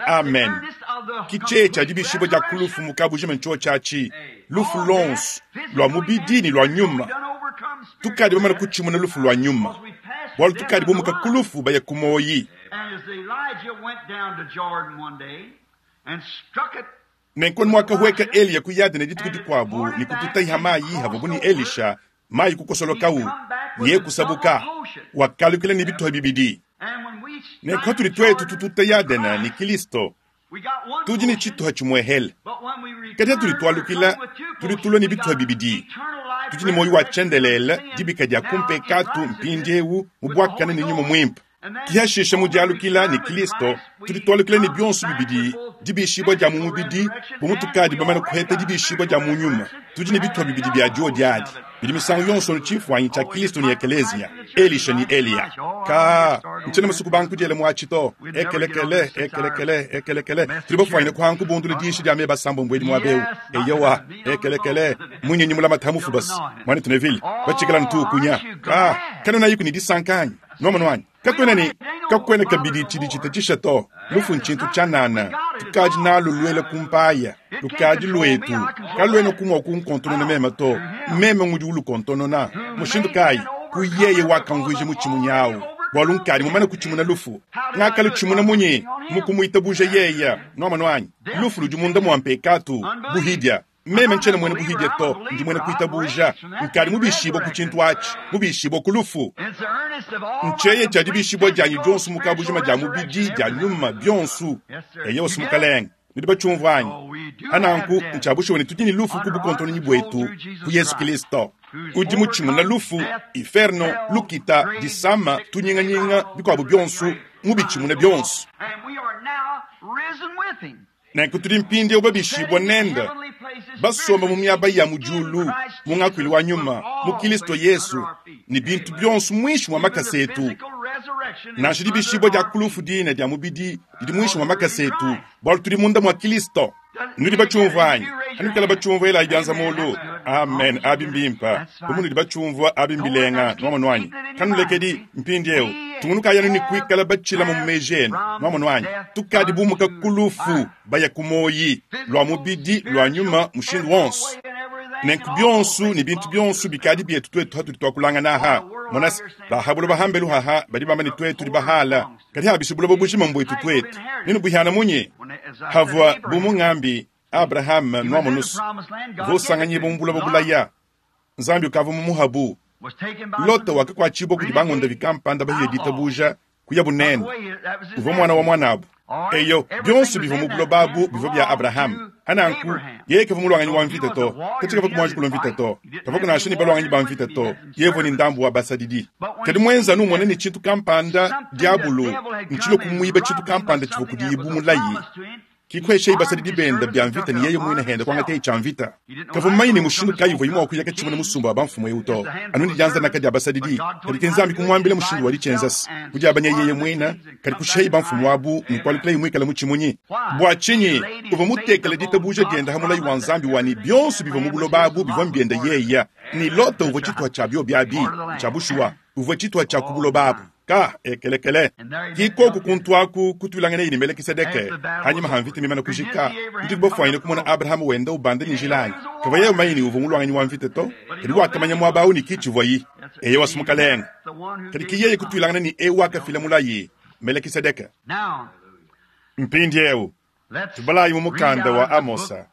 Amen. Kicheye cha dibishibwa dia kulufu mukabujima ncho chachi. Lufu lonso lwa mubidi ni lwa nyuma. Tukadi bamana kuchimuna lufu lwa nyuma. Bwalu tukadi bumuka kulufu baya kumoyi. Nenkoni mwaka hueka Eliya ku Yadene dituku dikwabu ni kututaiha mayi havubu ni Elisha mayi kukosolokawu ye kusabuka wakalukila ni bituha bibidi. Nenko tuli twetu tututa Yadena ni Kristo tudi ni chituha chimwehele. Kati tuli twalukila tuli tulwa ni bituha bibidi. Tudi ni moyo wa chendelele dibika dia kumpekatu mpindiewu mubwakana ni nyuma mwimpa. Kihashisha mudialukila ni Kristo tudi twalukila ni byonso bibidi dibishibwa dia mu mubidi bumutukadi bamana kuheta dibishibwa dia mu nyuma. Tudi ni bituha bibidi bya dio diadi bidi misangu yonso ni chifwanyi cha Kristo ni ekelezia Elisha ni Eliya. Ka nchena masuku banku diele mwachito ekelekele ekelekele ekelekele tudi bafwanyine kuhanku bundule dishi dia meba sambo mbwedi mwabeu eyowa ekelekele munyenyi mulama tamufu basi mwana tunevile bachikala ntukunya ka kanona yiku ni disankanyi noma nwanyi. Kakwena ni kakwena kabidi chidi chitatisha to lufu nchintu chanana tukaji nalo lwele kumpaya lukaji lwetu kalwena kumwa kunkontonona mema to meme ngudi ulukontonona mushindu kai kuyeye wakamvuje muchimunyawo bwalu nkali mumana kuchimuna lufu ngakali chimuna munyi mukumuitabuja yeya noma nwanyi lufu ludi munda mwampekatu buhidya meme nchena mwene buhidya to ndi mwene kuitabuja nkali mubishibwa kuchintu achi mubishibwa kulufu ncheye cha dibishibwa janyi jonsu mukabujima ja mubidi ja nyuma byonsu eyo sumukalenga nidi bachumvanyi ananku nchabushiwe tudi ni lufu kubukontonyi bwetu ku Yesu Kristo udi muchimuna lufu inferno lukita disama tunyinganyinga bikwabu byonsu Mubitshimune bionso. Nenku tudi mpindieu babishibua nende, basomba mu miaba ya mu diulu, mu ngakuilu wa nyuma, mu Kristo Yesu, ne bintu bionso muinshi mua makasa etu. Nansha dibishibua dia ku lufu dine dia mubidi didi muinshi mua makasa etu, bualu tudi munda mua Kristo. Nudi batshiumvua anyi? Anukala batshiumvua elayi bianza mulu. Amen. Abi mbimpa. Bu munudi batshiumvua abi mbilenga. Nuamonu anyi? Kanulekedi mpindieu. Tungunukayi anu ne kuikala batshilama mu meji enu. Nuamonu anyi? Tukadi bumuka ku lufu baya ku muoyi, lua mubidi, lua nyuma, mushindu wonso. Nenku bionso ne bintu bionso bikadi bietu tuetu hatudi tuakulangana aha. Monasi, bahabula bahambelu haha badi bamba ne tuetu tudi bahala. Kadi habisha buloba bujima mbuetu tuetu. Nenu buhiana munyi? Havua bu mungambi Abraham nuamunusu. Vosanganye bu buloba bulaya. Nzambi ukavua mumuhabu. Lota wakakuatshibua kudi bangonda bikampanda bahiye ditabuja kuya bunene. Uvua mwana wa mwanabu. Eyo, bionso bivua mu buloba abu bivua bia Abraham. Hananku, yeye kavua mulwanganyi wa mvita to. Kati kavua kumwanji kulwa mvita to. Kavua kunasha ne balwanganyi ba mvita to. Yevua ni ndambu wa basadidi. Kadi mwenza anu umona ne tshintu kampanda diabulu, ntshilo kumuiba tshintu kampanda tshivua kudibu mulayi. Kikwesha ibasadidi benda bya mvita ni yeye mwine henda kwangata cha mvita. Kavua mmanyi ne mushindu kayi uvua imwa kuyaka tshimuna musumba wa bamfumu eu to. Anu ni dianza nakadi abasadidi. Kadi ke Nzambi kumwambila mushindu wa ditshenza. Kudiabanya yeye mwina, kadi kusheyi bamfumu abu ni kwalukila imwikala mu tshimunyi. Bua tshinyi uvua mutekele ditabuja dienda hamulayi wa Nzambi wani bionso bivua mu buloba abu bivua mbienda yeya. Ni Lota uvua tshituha tshia bio biabi, tshia bushuwa, uvua tshituha tshia ku buloba abu. Ka ekelekele kikoku kuntu aku kutulangana ni Melkisedeke hanyuma ha mvita mimana kujika ndi bofwanyine kumona Abraham wenda ubanda ni njilani kava yeye mayini uvua mulwanganyi wa mvita to kadi wakamanya mwaba au ni kichivwayi eye wasumukalenga kadi kiyeye kutulangana ni ewa kafila mulayi Melkisedeke. Mpindieu tubalayi mu mukanda wa Amosa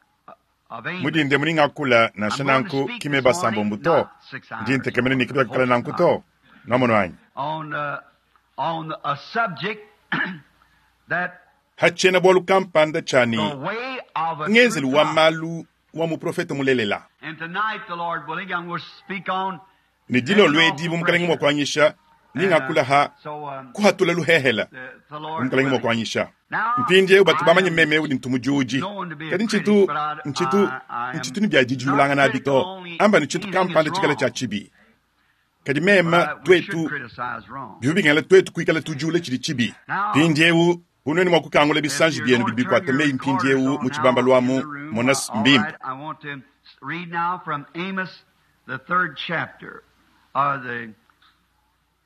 mudinde muningakula nansha nanku kime basambo mbuto ndi ntekemene ni kibakala nanku to namono anyi On, uh, on a subject that hachena bwalu kampanda chani the way of a ngenzelu true wa prophet. malu wa muprofeta mulelela. And tonight the Lord willing, I'm going to speak on Ni dilo lwedi bu mukalenge mwa kuanyisha ningakula ha so um, kuhatula luhehela the, the Lord mukalenge mwa willing. kuanyisha. Now, Mpindiewu batu I bamanye am meme udi ntumujuji. known to be a Kadi critic, nchitu but I, nchitu I, I am nchitu ni bya not dijulangana critical abito. only Amba ni chitu anything kampanda is chikala cha wrong. chibi. Kadi mema But we should twetu criticize wrong. bivubingala twetu kuikala tujule chili chibi. Now, Mpindiewu unweni mwa kukangula if bisanji you're byenu going to turn bibikwata your meyi recorders mpindiewu on mu chibamba now in lwamu the room, monas uh, all mbimba. right, I want to read now from Amos, the third chapter, uh, the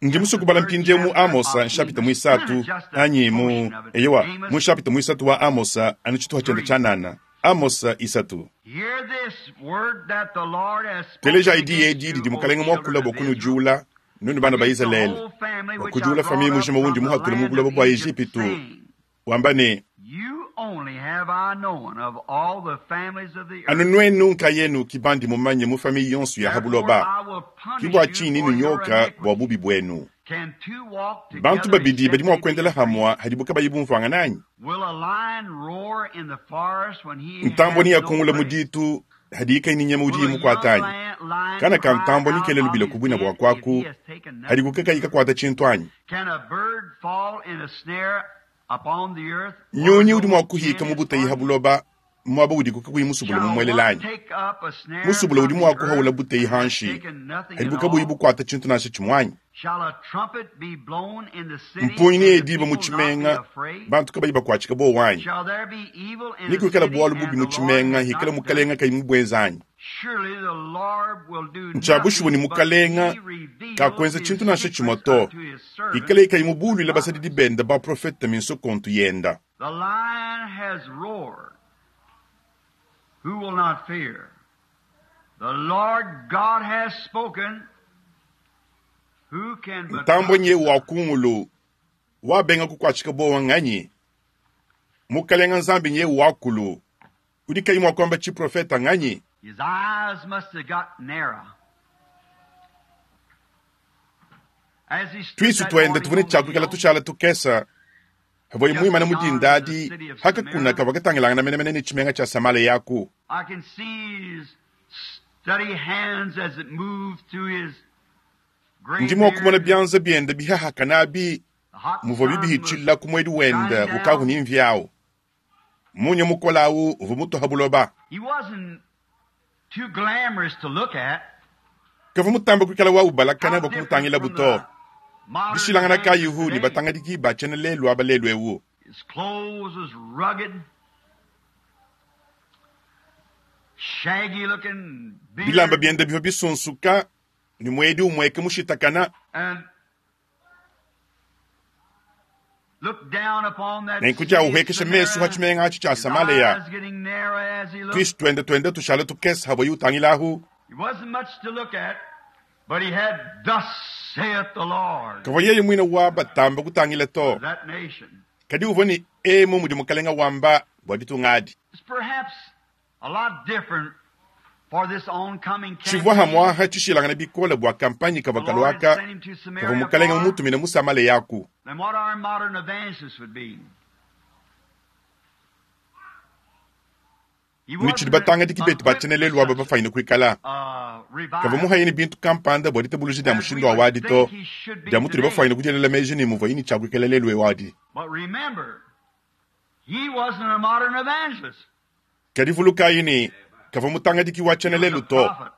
Ndi yes, the musukubala third mpindiewu mu chapter Amosa of nshapita Amos, mwisatu just a anyi mu portion of it. eyewa Amos mu nshapita mwisatu wa Amosa anu chituha chenda three. cha nana Amosa isatu. Hear this word that the Lord has Teleja spoken idi against edi you, didi O mukalenge children mwakula of bwa Israel, kunujula nunu bana ba against the Israeli whole family bwa which I kujula brought famiye up mujima from wundi the muhatule mu land buloba of bwa Egypt, Egipitu saying, wamba ne You only have I known of all the families of the anu earth. nwenu nkayenu kibandi mumanye mu famiye yonso ya Therefore habuloba I will punish kibwa you chini for your nunyoka bwa iniquity. bubi bwenu. Can two walk Bantu together babidi except badi they mwa be kuendela agreed? hamwa hadibuka bayibumvwanga nanyi. Will a lion roar in the forest when he Ntambo has ni no yakungula prey? muditu hadiika ininyama udi Will a young mukwatanyi. lion, lion Kana ka cry ntambo out nikele of lubila his kubwina den bwa if kwaku he has taken nothing? hadikuka ikakwata chintu anyi. Can a bird fall in a snare upon the earth where Nyonyi udi no mwa kuhika pen mu is buteyi hardened? habuloba mwaba udi kukakuyi musubula Shall one mumwelelanyi. take up a snare Musubula from udi the mwa earth kuhawula buteyi and has hanshi taken nothing at hadibuka buyi all? bukwata chintu nasha chimwanyi. Shall a trumpet be blown in the city Mpunyi and ni the ediba mu people not be chimenga afraid? bantu kabayi bakwachika bowanyi. Shall there be evil in the Nikuikala city bwalu and bubi the mu Lord chimenga has hikala not done mukalenga it? kayi mubwezanyi. Surely the Lord will do Nchabushibwe ni nothing but mukalenga he reveals kakwenza his chintu nasha secrets chimoto. unto his servants, Hikala ikayi the mubulwila basadidi prophets. benda ba profeta minsokontu yenda. The lion has roared. Who will not fear? The Lord God has spoken. Who can but Ntambwe nye prophesy? wa kungulu wabenga kukwachika bowa nganyi. Mukalenga nzambi nye wakulu udi kayi mwa kwamba chiprofeta nganyi. His eyes must have got narrow. As he stood Twisu that twende morning tuvune on the chakwikala hill, tushala tukesa havoyi just mwimana beyond the mudindadi city of hakakuna Samaria, kavakatangilangana menemene ni chimenga cha Samala yaku. I can see his steady hands as it moved through his gray Ndi mwa kumona beard byanza byenda bihahaka nabi Muvua bibihitshila ku mwedi wenda ukavu ni mvyawu. Munya mukolawu uvua mutoha buloba. He wasn't too glamorous to look at. Kavua mutamba kuikala wa ubalakana How bua different kumutangila from buto. the modern Dishilangana kayihu evangelists ni today. batangadiki ba tshiena lelu aba lelu ewu. His clothes was rugged, shaggy looking Bilamba beard, bienda bivua bisunsuka ni mwedi umweke mushitakana and looked down upon that nenku city dia of uhekesha mesu ha Samaria, tshimenga atshi tshia his Samaleya. eyes getting narrow as he looked. Twisi twende twende tushala tukesa habwa yutangilahu. He wasn't much to look at, but he had thus saith the Lord Kavua yeye mwina wa batamba kutangila to. to that nation. Kadi uvua ni emu mudi mukalenga wamba bua ditungadi. It's perhaps a lot different for this oncoming Tshivua campaign. hamwaha tshishilangana bikola bua kampanyi The kavua Lord had kaluaka sent him to kavua Samaria mukalenga for mumutumine mu Samaleyaku. than what our modern evangelists would be. He Ni wasn't tshidi batangadiki betu ba equipped tshiena for lelu aba such bafaine kuikala. a Kavua revival muhayini bintu kampanda bua ditabuluji dia as we mushindu wa would wadi to think he should be dia mutudi today. bafaine kudielela meji ni muvua yini tshia kuikala lelu ewadi. But remember, he wasn't a modern evangelist. Kadi vulukayi ni kavua mutangadiki wa He tshiena was a lelu to. prophet.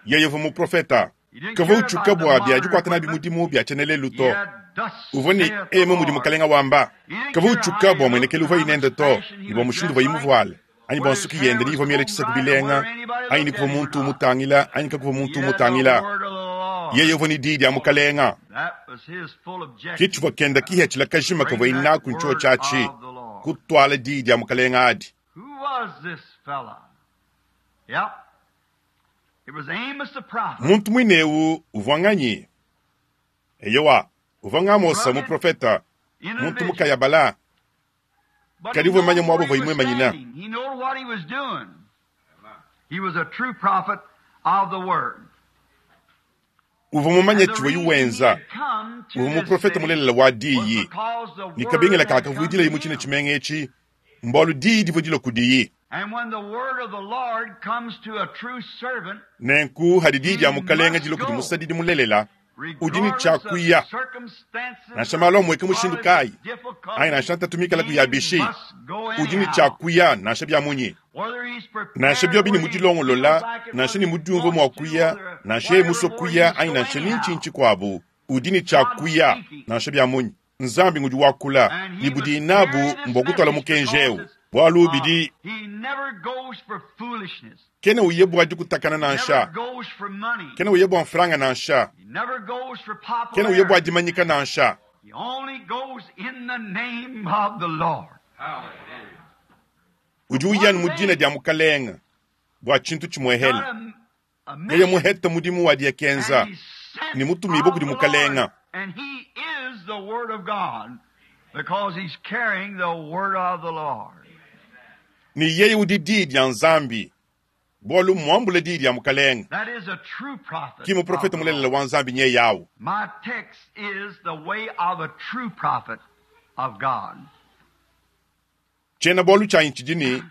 Yeye uvua muprofeta. He didn't Kavua care about utshuka the bua bia modern dikuata nabi equipment. mudimu bia tshiena lelu He to. had thus Uvua ni saith the emu mudi Lord. mukalenga wamba. He didn't Kavua care how utshuka he bua looked mwenekelu or uvua how much inenda to fashion he ni bua was mushindu dressed uvua like, imuvuale. Anyi bua whether his nsuki hair yende ni was ivua miele combed tshisaku right or bilenga whether anybody anyi ni looked kuvua at him or muntu not. umutangila anyi kakuvua He muntu had the umutangila. word of the Lord. Yeye uvua ni dii dia mukalenga. That was his full objective. Kitshivua kenda kihetshila kajima kavua Bring that inaku ntshiwo word tshiatshi of the Lord. kutwala dii dia mukalenga adi. Who was this fella? Yep. It was Amos the prophet. Muntu mwinewu uvua nganyi? Eyowa, uvua ng'Amosa Rugged muprofeta, muntu individual. mukayabala. But Kadi he uvua knew manya where mwabo he uvua was imwe manyina. standing. He knew what he was doing. He was a true prophet of the word. Uvua mumanye And the tshivua reason he yuwenza. had come to Uvua this muprofeta city mulelela wa was diyi. because the Ni word kabingila had come kakavuidila to imu tshine him. tshimenga etshi, mbualu diyi divua dilua kudiyi. And when the word of the Lord comes to a true servant, Nenku hadi diyi he dia mukalenga must dilua kudi go, musadidi mulelela, udi ni regardless of tshiakuya. circumstances, Nansha malu amweke mushindu regardless kayi, of anyi difficulties, nansha ntatumikala he kuyabishi, must go udi ni anyhow. tshiakuya nansha bia munyi. Whether he's Nansha prepared, biobi ni whether he feels mudilongolola, like it, nansha whether ni he mudiumvu mua wants to, kuya, whether nansha yeye whatever musue more, he kuya, must anyi go nansha ni anyhow. ntshinyi tshikuabu, udi ni God tshiakuya, speaking. nansha bia munyi. Nzambi ngudi wakula, And ni he was budi inabu carrying this mbua kutwala message mukenji because ewu. it's, Bualu uh, bidi he never goes for foolishness. kena uye bua dikutakana He never nansha, goes for money. kena uye bua mfranga nansha, He never goes for kena uye bua popularity. dimanyika nansha. He only goes in the name of the Lord. Udi For uyanu one mu dina thing, dia mukalenga bua tshintu got tshimuehele. a, a Yeye mission, muheta mudimu wa diakenza and he's sent ni mutumibue of kudi the Lord, mukalenga. and he is the Word of God because he's carrying the Word of the Lord. Ni yeye udi dii dia Nzambi bualu muambule dii dia mukalenga. That is a true prophet Ki of muprofeta the mulelela Lord. wa Nzambi nye yawu. My text is the way of a true prophet of God. Tshiena bualu tshianyi tshidi ni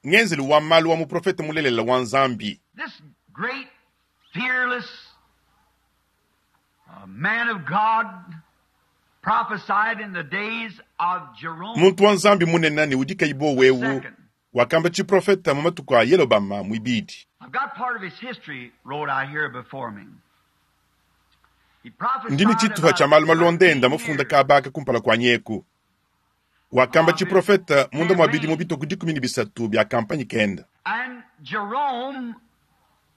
ngenzelu wa malu wa muprofeta mulelela wa Nzambi. This great, fearless uh, man of God prophesied in the days of Jerome Muntu wa Nzambi munene ne udi kayi bo the wewu second. wakamba tshiprofeta mu matuku a Yelobama mwibidi. I've got part of his history wrote out here before me. He Ndi ni prophesied tshituha about tshia malu malonda enda thirteen mafunda years kabaka kumpala kua nyeku. Wakamba of his tshiprofeta munda mua bidimu campaign. bitoku dikumi ne bisatu bia kampanyi kenda. And Jerome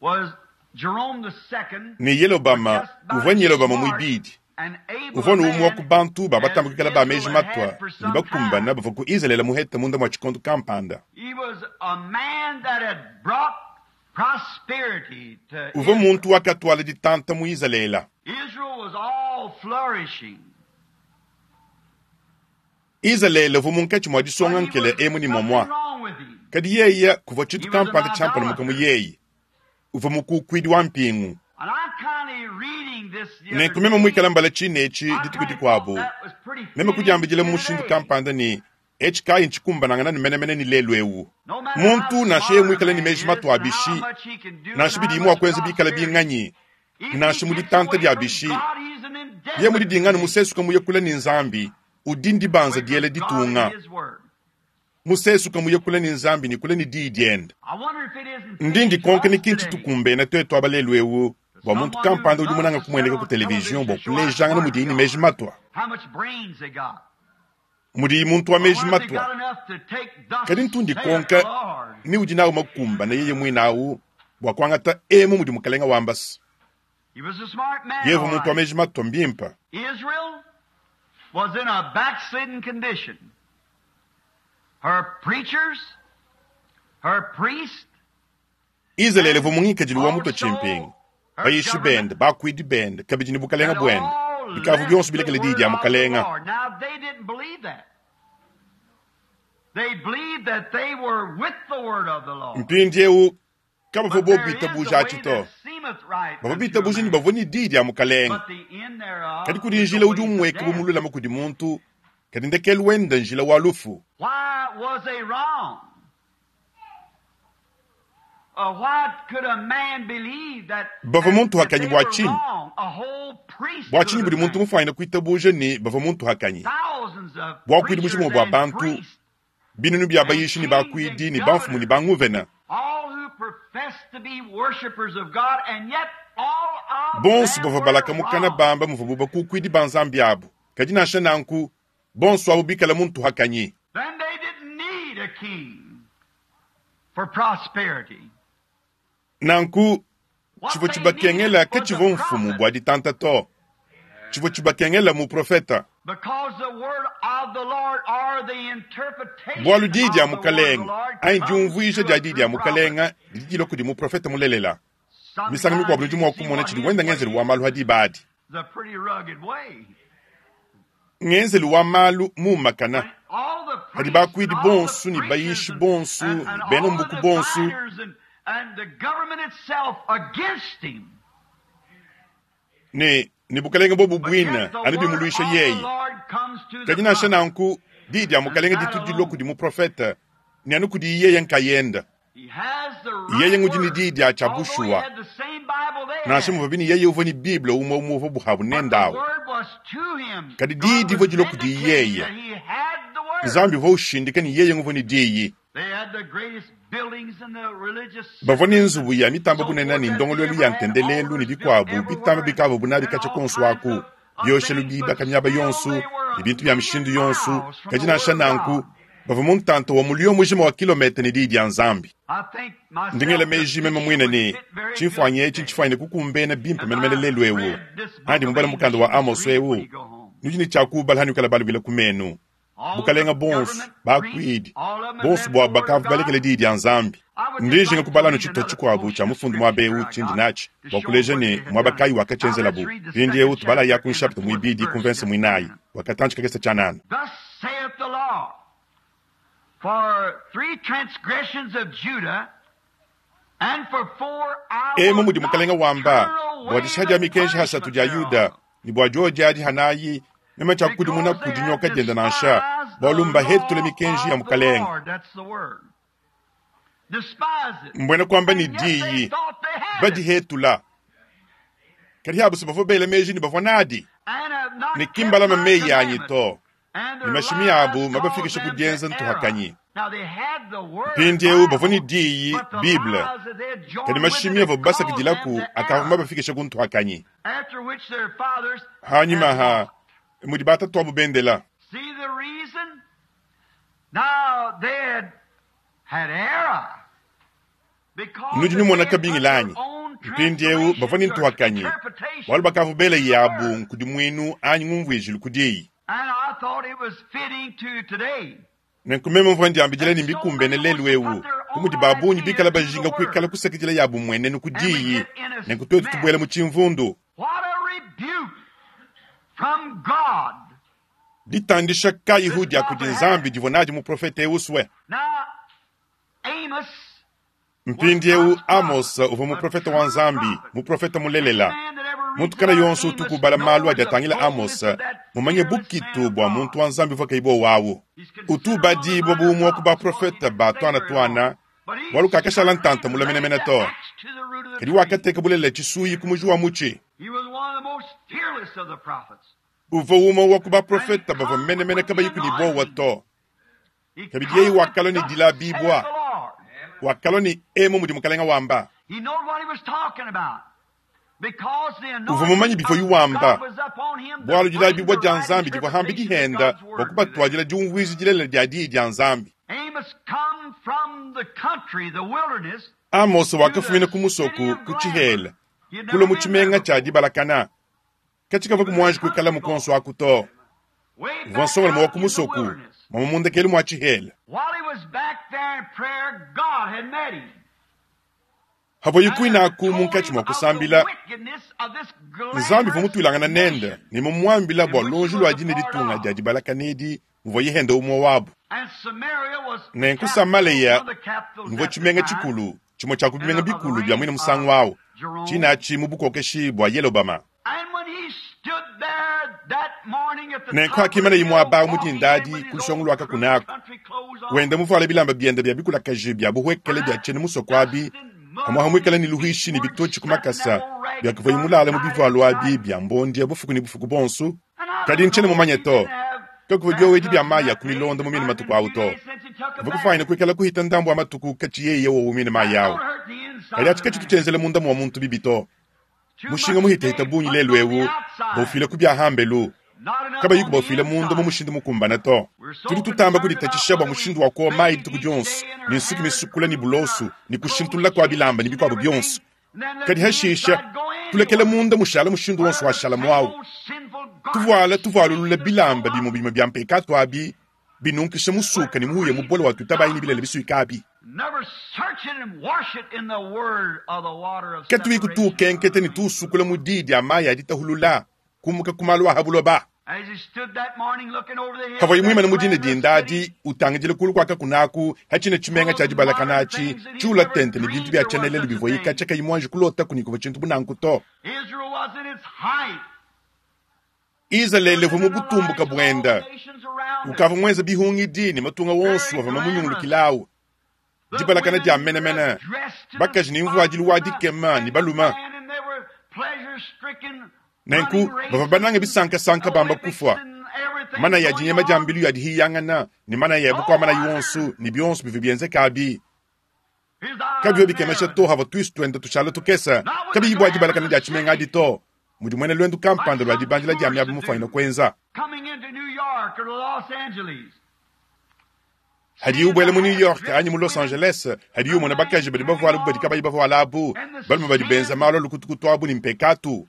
was Jerome the second Ne was Yelobama just about uvua as Yelobama smart mwibidi. and able Uvua a ni umwe wa ku man bantu as babatambukikala ba meji Israel had matwa had for ne some bakumbana time. bavua ku Izraele muheta munda mua tshikondo kampanda. He was a man that had brought prosperity to Uvua Israel. muntu wakatwala ditanta mu Izraele. Israel was all flourishing. Izraele uvua munkatshi mua But disonga he nkele was emu ni something momwa. wrong with him. Kadi yeye kuvua He tshintu was an kampanda tshiampalamuka mu idolater. yeye. Uvua mukukuidi wa mpingu. And I'm kind of reading this the other Nenku meme day. muikala mbala tshine etshi I dituku kind of thought dikuabu. that was pretty Meme fitting kudiambidila mu to mushindu today. kampanda ni etshi kayi ntshikumbanangana ne menemene ni lelu ewu. No matter how Muntu nansha yeye smart a muikale ni man meji is matwa and how abishi, much he can do and nansha how bidi mua much kuenza bikala prosperity, binganyi, if he nansha mu gets ditanta away dia from bishi, God, he's an Ye mudi dinganu musesuka muye kule ne Nzambi, udi ndibanza diela ditunga. Musesuka muye kule ne Nzambi ne kule ne diyi diende. Ndi ndikonka ne kintu tshitukumbena twetu aba lelu eu, bua muntu kampanda udi munanga kumueneka ku televizion bua kulejangana mudiyi ne meji matwa. Mudiyi muntu wa meji matwa. Kadi ntu ndikonka ni udi nawu makumbana yeye muinawu bua kuangata emu mudi mukalenga wambasa. Yevu muntu wa meji matwa mbimpa. Israel was in a backslidden condition. Her preachers, her priests, Israel uvua mungikadilu wa mutwa tshimpingu. Bayishi bende, bakuidi bende, kabidi ne bukalenga bwende. Bikavu bionso bilekele diyi dia mukalenga. Now they didn't believe that. They believed that they were with the word of the Lord. Mpindiewu kabavua But there bobiitabuja is a way atshi to. that seemeth right Bavua unto a biitabuja ne man, bavua ne diyi dia mukalenga. but the end thereof Kadi kudi is the njila udi ways of umweka death. bumululama kudi muntu, kadi ndekelu wenda njila wa lufu. Why was they wrong? Uh, why could a man believe that, Bavua that, muntu that hakanyi they bua were tshinyi? wrong? A whole priesthood Bua tshinyi of budi muntu man. mufuanyine kuitabuja ne bavua muntu hakanyi? Thousands of Bua kuidi preachers mushima bua and bantu, priests, binunu bia and bayishi ne kings and bakuidi ne bamfumu ne governors, banguvena. all who profess to be worshipers of God, and yet all of Bonso them bavua were balaka mukana wrong. bamba muvua bakukuidi ba Nzambi abu. Kadi nansha nanku, bonso abo bikala muntu hakanyi. Then they didn't need a king for prosperity. Nanku, What tshivua they tshibakengela needed ke was a tshivua mfumu prophet, bua ditanta to. Tshivua tshibakengela muprofeta. because the word of the Lord or the interpretation Bualu diyi dia of the word of the mukalenga, Lord anyi comes diumvuija through dia a diyi true dia prophet. mukalenga didi dilua kudi muprofeta mulelela. Misangu Sometimes mikuabu nudi you mua see kumona what tshidi his wenda way ngenzelu wa is. malu hadi badi. It's a pretty rugged way. Ngenzelu wa malu mumakana. When all the Kadi priests and bakuidi all the bonso ne preachers bayishi and, bonso, and, and bena all the mbuku bonso, diviners and, and the government itself against him. ne ne bukalenga bobu But bwina yet the anu word bimuluisha of the yeye. Lord comes to the Kadi nansha prophet, nanku, diyi dia and mukalenga that ditu dilua alone. kudi muprofeta, ne anu kudi yeye nkayenda. He has the Yeye right ngudi ne word, diyi dia tshia although he bushuwa. had the same Bible they Nansha had. muvua bini yeye uvua ne Bible umwe umwe uvua buhabu But the nendawu. word was to him. Kadi diyi God was divua dilua kudi vindicating yeye. that he had the word. Nzambi uvua ushindika ne yeye nguvua ne diyi. They had the greatest buildings and the religious Bavua ne systems and nzubu ya mitamba so bunene forth ne that they ndongoluelu ever ya had, ntendelelu ne altars built bikuabu bitamba everywhere and, bikavua bunabi and katshia all konso kinds aku. of, of Bioshelu things, but bibaka miaba still yonso, they were ne a bintu bia million mishindu yonso. miles from Kadi the nansha Word of nanku, God. bavua mu ntanta wa mulio mujima wa kilometa ne diyi dia Nzambi. I think Ndingela myself the meji meme picture mwine would ne fit very good tshimfuanyi etshi today. ntshifuanyine kukumbena bimpe As menemene I lelu ewu. read this book Andi of mubala Amos, mukanda you wa must Amos read it when ewu. you go home. Nudi ne tshiakubala hanukala balubila ku menu. All the Bukalenga bonso, government, priests, bakuidi, all of them had bonso left the bua Word of bakavu God. balekele diyi dia Nzambi. I would just Ndijinga like to kubala read tshitupa another tshikuabu portion tshia of mufundu muaba scripture ewu I tshindi got natshi to bua show kuleja what ne they had muaba done. kayi Now wakatshenzelabu. let's read the Mpindiewu second tubala ya chapter ku and the nshapita fourth muibidi verse ku mvense just a muinayi minute. wakatantshi kakese tshianana. Thus saith the Lord, for three transgressions of Judah, and for four I Emu will mudi not mukalenga wamba turn bua away disha dia the mikenji hasatu punishment dia Yuda thereof, ne bua diodi hanayi meme tshiakukudimuna because they ku have dinyoka dienda nansha despised the bualu mbahetule law mikenji ya of the mukalenga. Lord. That's the word. Despise it. Mbwena kwamba ni And yet they diyi thought they had it, badihetula. Kadi habu bavua bela meji ne bavua nadi and have not ne kept kimbalama my meyi anyi commandments. to. And Ne their mashimi abu lies caused mabafikishe ku them dienza to error. ntuhakanyi. Now they had the word Mpindiewu bavua ne Bible, diyi but the Bible. lies that they had Kadi joined with it mashimi had avua caused them basakidilaku to akavua error, mabafikishe ku ntuhakanyi. after which their fathers Hanyuma had ha walked. mudi batatu abu bendela. See the reason? Now they had had error because Nudi that they numona had put kabingi their lanyi. own Mpindiewu bavua ne translations or ntuhakanyi. Bualu interpretations bakavua bela to the yabu word. nkudimuinu anyi ngumvuijilu ku diyi. And I thought it was fitting to today. Nenku meme mvua ndiambidila And ne so mbikumbene many lelu wants to ewu. put their Bu mudi own babungi idea bikala to the bajinga kuikala word. kusakidila yabu mwenenu ku And we diyi. get in a Nenku twetu tubuela mess. mu tshimvundu. What a rebuke from God Ditandisha kayihu this dia kudi prophet Nzambi had. divua nadi muprofete ewu swe. Now, Amos was Mpindiewu God's Amos prophet, uvua a muprofeta wa true Nzambi, prophet. muprofeta Any mulelela. man that ever reads Muntu kana about yonso Amos utukubala malu knows adi the atangila boldness Amos, of that mumanye fearless man bukitu of bua God. muntu wa Nzambi uvua kayibo wawu. He's considered one of the Utubadibwa minor bu umwe ku prophets because he baprofeta didn't ba stay twana very long. twana, But he bualu kakashala certainly ntanta mulamenamena laid the to. axe to the root of the Kadi tree. wakateka bulelela tshisuyi ku muji wa mutshi. He was one of the most fearless Uvua umue wa ku baprofeta bavua menemene kabayi ne buowa to. Kabidi yeye wakalua ne dilabibua, wakalua ne emu mudi mukalenga wamba. Uvua mumanye bivua wamba, bualu dilabibua dia Nzambi divua hambi dihenda bua kubatwadila diumvuija dilelela dia diyi dia Nzambi. Amos wakafumina ku musoko ku tshihela, kulua mu tshimenga tshia dibalakana. Katshikavua kumuanji kuikala mukonso aku to. Uvua nsongalume wa ku musoko, mwa mundekelu mwa tshihela. Havua yikuinaku munkatshi mua kusambila, Nzambi uvua mutuilangana nende ne mumuambila bua lonji lua dina ditunga dia dibalakana edi muvua yehenda umue wabu. Nenku Samaleya muvua tshimenga tshikulu, tshimue tshia ku bimenga bikulu bia muine musangu awu, tshinatshi mu bukokeshi bua Yelobama. Nenku hakimana imue abawu mu dindadi ku lushongo lua kakunaku, wenda muvuale bilamba biende bia bikulakaji bia buhwekele bia tshiena musoko abi, hamwe hamwikala ne luhishi ne bitotshi ku makasa biakavua mulala mu bivualu abi bia mbondia bufuku ne bufuku bonso. Kadi ntshiena mumanye to, kakuvua biowedi bia mayi a ku milonda mu mine matuku awu to. Kavua kufuanyina kuikala kuhita ndambu wa matuku katshi yeye wowu mine mayi awu. Kadi atshi katshitu tshienzela munda mua muntu bibi to. Mushinga muhitahita bungi lelu ewu baufile ku bia hambelu, kabayi kubaufile munda mu mushindu mukumbana to. Tudi tutamba kuditatshisha bua mushindu wa kuowa mayi dituku dionso, ne nsuki misukula ne bulosu, ne kushintulula kua bilamba ne bikuabo bionso. Kadi hashisha tulekele munda mushala mushindu wonso washala muawu. Tuvuala tuvualulula bilamba bimue bimue bia mpekatu abi, binunkisha musuka ne muhuya mubole wa tutabayi ne bilele bisuika abi. Katuyi kutuukenkete ne tuusukula mu diyi dia mayi a ditahulula, kumuka ku malu a habuloba. Havua muimane mu dina dindadi, utangidile kulu kua kakunaku, hatshina tshimenga tshia dibalakana atshi, tshiula tente ne bintu bia tshienelelu bivua yikatshia kayi muanji kulota kunikuvua tshintu bunanku to. Izalele uvua mu butumbuka buenda, ukavua muenze bihungidi ne matunga wonso avua mamunyungulukilawu. Dibalakana dia menemene, bakaji ne mvuadilu wa dikema ne baluma. Nenku bavua banange bisankasanka bamba kufua. Mana ya dinyema dia mbilu ya dihiyangana ne mana ya bukua mana yonso ne bionso bivua bienzeka abi. Kabivua bikemesha to havua tuisu tuenda tushala tukesa, kabiyi bua dibalakana dia tshimenga adi to. Mudi muena lwendu kampanda lua dibandila dia miaba mufuanyina kuenza. Hadi ubuela mu New York anyi mu Los Angeles, hadi umona bakaji badi bavuala bu badi kabayi bavuala abu, balume badi benza malu a lukutukutu abu ne mpekatu.